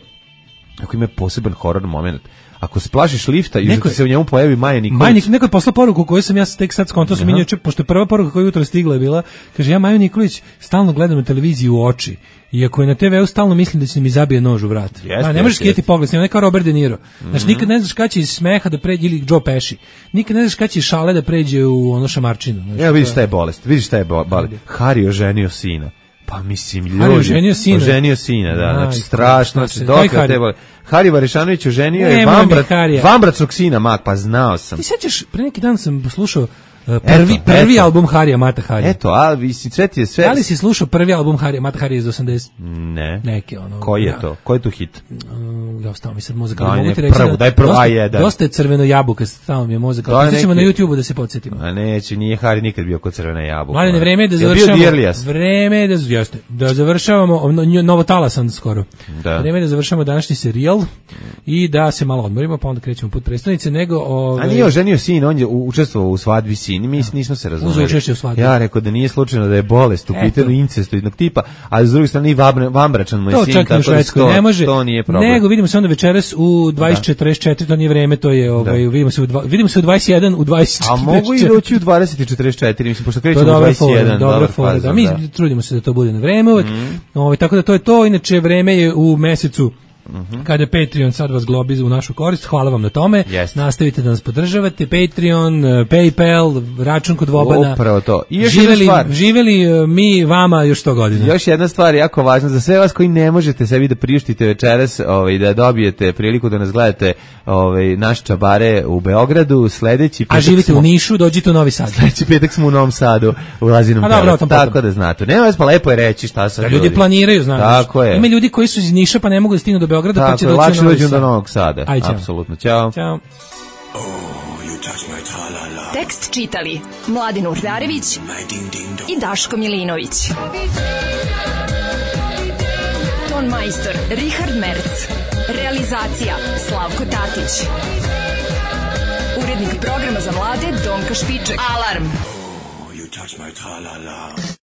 Speaker 5: ako ima poseban horor moment. Ako se plašiš lifta i neko se u njemu pojavi Maja Nikolić.
Speaker 6: Maja Nikolić, neko je poslao poruku koju sam ja tek sad skonto sam minio, pošto je prva poruka koja jutro stigla je bila, kaže, ja Maju Nikolić stalno gledam na televiziji u oči. Iako je na te veu stalno mislim da će mi zabije nož u vrat.
Speaker 5: Yes,
Speaker 6: a, ne možeš
Speaker 5: yes,
Speaker 6: skijeti
Speaker 5: yes.
Speaker 6: pogled, snima neka Robert De Niro. Znači,
Speaker 5: mm-hmm.
Speaker 6: nikad ne znaš kada će iz smeha da pređe, ili Joe Pesci. Nikad ne znaš kada će iz šale da pređe u ono šamarčinu. Znači,
Speaker 5: ja, vidiš šta je bolest, vidiš šta je bolest. Hari oženio sina. Pa mislim, ljudi.
Speaker 6: Hari oženio sina.
Speaker 5: Oženio sina, da. Znači,
Speaker 6: Aj,
Speaker 5: strašno. Znači, dok je te bolest. Hari Varišanović oženio je vambrat, vambračnog sina, mak, pa znao sam.
Speaker 6: Ti sećaš, pre neki dan sam slušao Uh, prvi, eto, prvi eto. album Harija Mata Harija.
Speaker 5: Eto, a vi si sve ti je sve.
Speaker 6: Da li si slušao prvi album Harija Mata Harija iz osamdeset?
Speaker 5: Ne.
Speaker 6: Neke ono.
Speaker 5: Koji je
Speaker 6: ja.
Speaker 5: to? Koji je to hit?
Speaker 6: Uh, ja stao mi sad mozak,
Speaker 5: da,
Speaker 6: mogu ti reći.
Speaker 5: Prvu,
Speaker 6: da,
Speaker 5: daj prvo
Speaker 6: dosta,
Speaker 5: A jedan.
Speaker 6: Dosta je crveno jabuka, stao mi je mozak. Pustit na YouTubeu da se podsjetimo.
Speaker 5: A neće, nije Hari nikad bio kod crvena jabuka.
Speaker 6: Mladine, vreme je da završavamo. Vreme je da jeste. Da završavamo Novo Talasan skoro.
Speaker 5: Da.
Speaker 6: Vreme je da završavamo današnji serijal. odjel i da se malo odmorimo, pa onda krećemo put prestonice, nego... Ove...
Speaker 5: A nije oženio sin, on je učestvovao u svadbi sin, mi nismo se razumeli.
Speaker 6: Uzeo učešće u svadbi.
Speaker 5: Ja rekao da nije slučajno da je bolest u pitanju incestoidnog tipa, a s druge strane i vambračan mu je
Speaker 6: to
Speaker 5: sin,
Speaker 6: čak
Speaker 5: tako da
Speaker 6: to, ne može,
Speaker 5: to nije problem.
Speaker 6: Nego vidimo se onda večeras u dvadeset četrdeset četiri, to nije vreme, to je, ovaj, vidimo se u, dva, vidimo se u dvadeset jedan, u dvadeset četrdeset četiri.
Speaker 5: A mogu i doći u dvadeset četrdeset četiri, mislim, pošto krećemo u dvadeset jedan.
Speaker 6: Dobra fora, da, mi da. trudimo se da to bude na vreme uvek, mm. ovaj, tako da to je to, inače vreme je u mesecu Mm-hmm. kada Patreon sad vas globi u našu korist, hvala vam na tome.
Speaker 5: Yes.
Speaker 6: Nastavite da nas podržavate, Patreon, PayPal, račun kod Vobana.
Speaker 5: Upravo to. I još
Speaker 6: živeli,
Speaker 5: jedna stvar.
Speaker 6: živeli mi vama još sto godina.
Speaker 5: Još jedna stvar jako važna za sve vas koji ne možete sebi da priuštite večeras, ovaj, da dobijete priliku da nas gledate, ovaj, naš čabare u Beogradu, sledeći petak.
Speaker 6: A živite
Speaker 5: smo,
Speaker 6: u Nišu, dođite u Novi Sad.
Speaker 5: Sledeći petak smo u Novom Sadu, u Lazinom Pelet, tako da znate. Nema vas pa lepo je reći šta sad.
Speaker 6: Da ljudi
Speaker 5: ljudi
Speaker 6: planiraju, znaš.
Speaker 5: Tako je.
Speaker 6: Ima ljudi koji su iz Niša pa ne mogu da stignu do Beograda,
Speaker 5: tako,
Speaker 6: pa će doći
Speaker 5: u Novi Sad. Do Novog Sada.
Speaker 6: Aj, čao.
Speaker 5: Apsolutno. Ćao.
Speaker 6: Ćao.
Speaker 3: Tekst čitali Mladin Urdarević i Daško Milinović. Ton majstor Richard Merc. Realizacija Slavko Tatić. Urednik programa za mlade Donka Špiček. Alarm!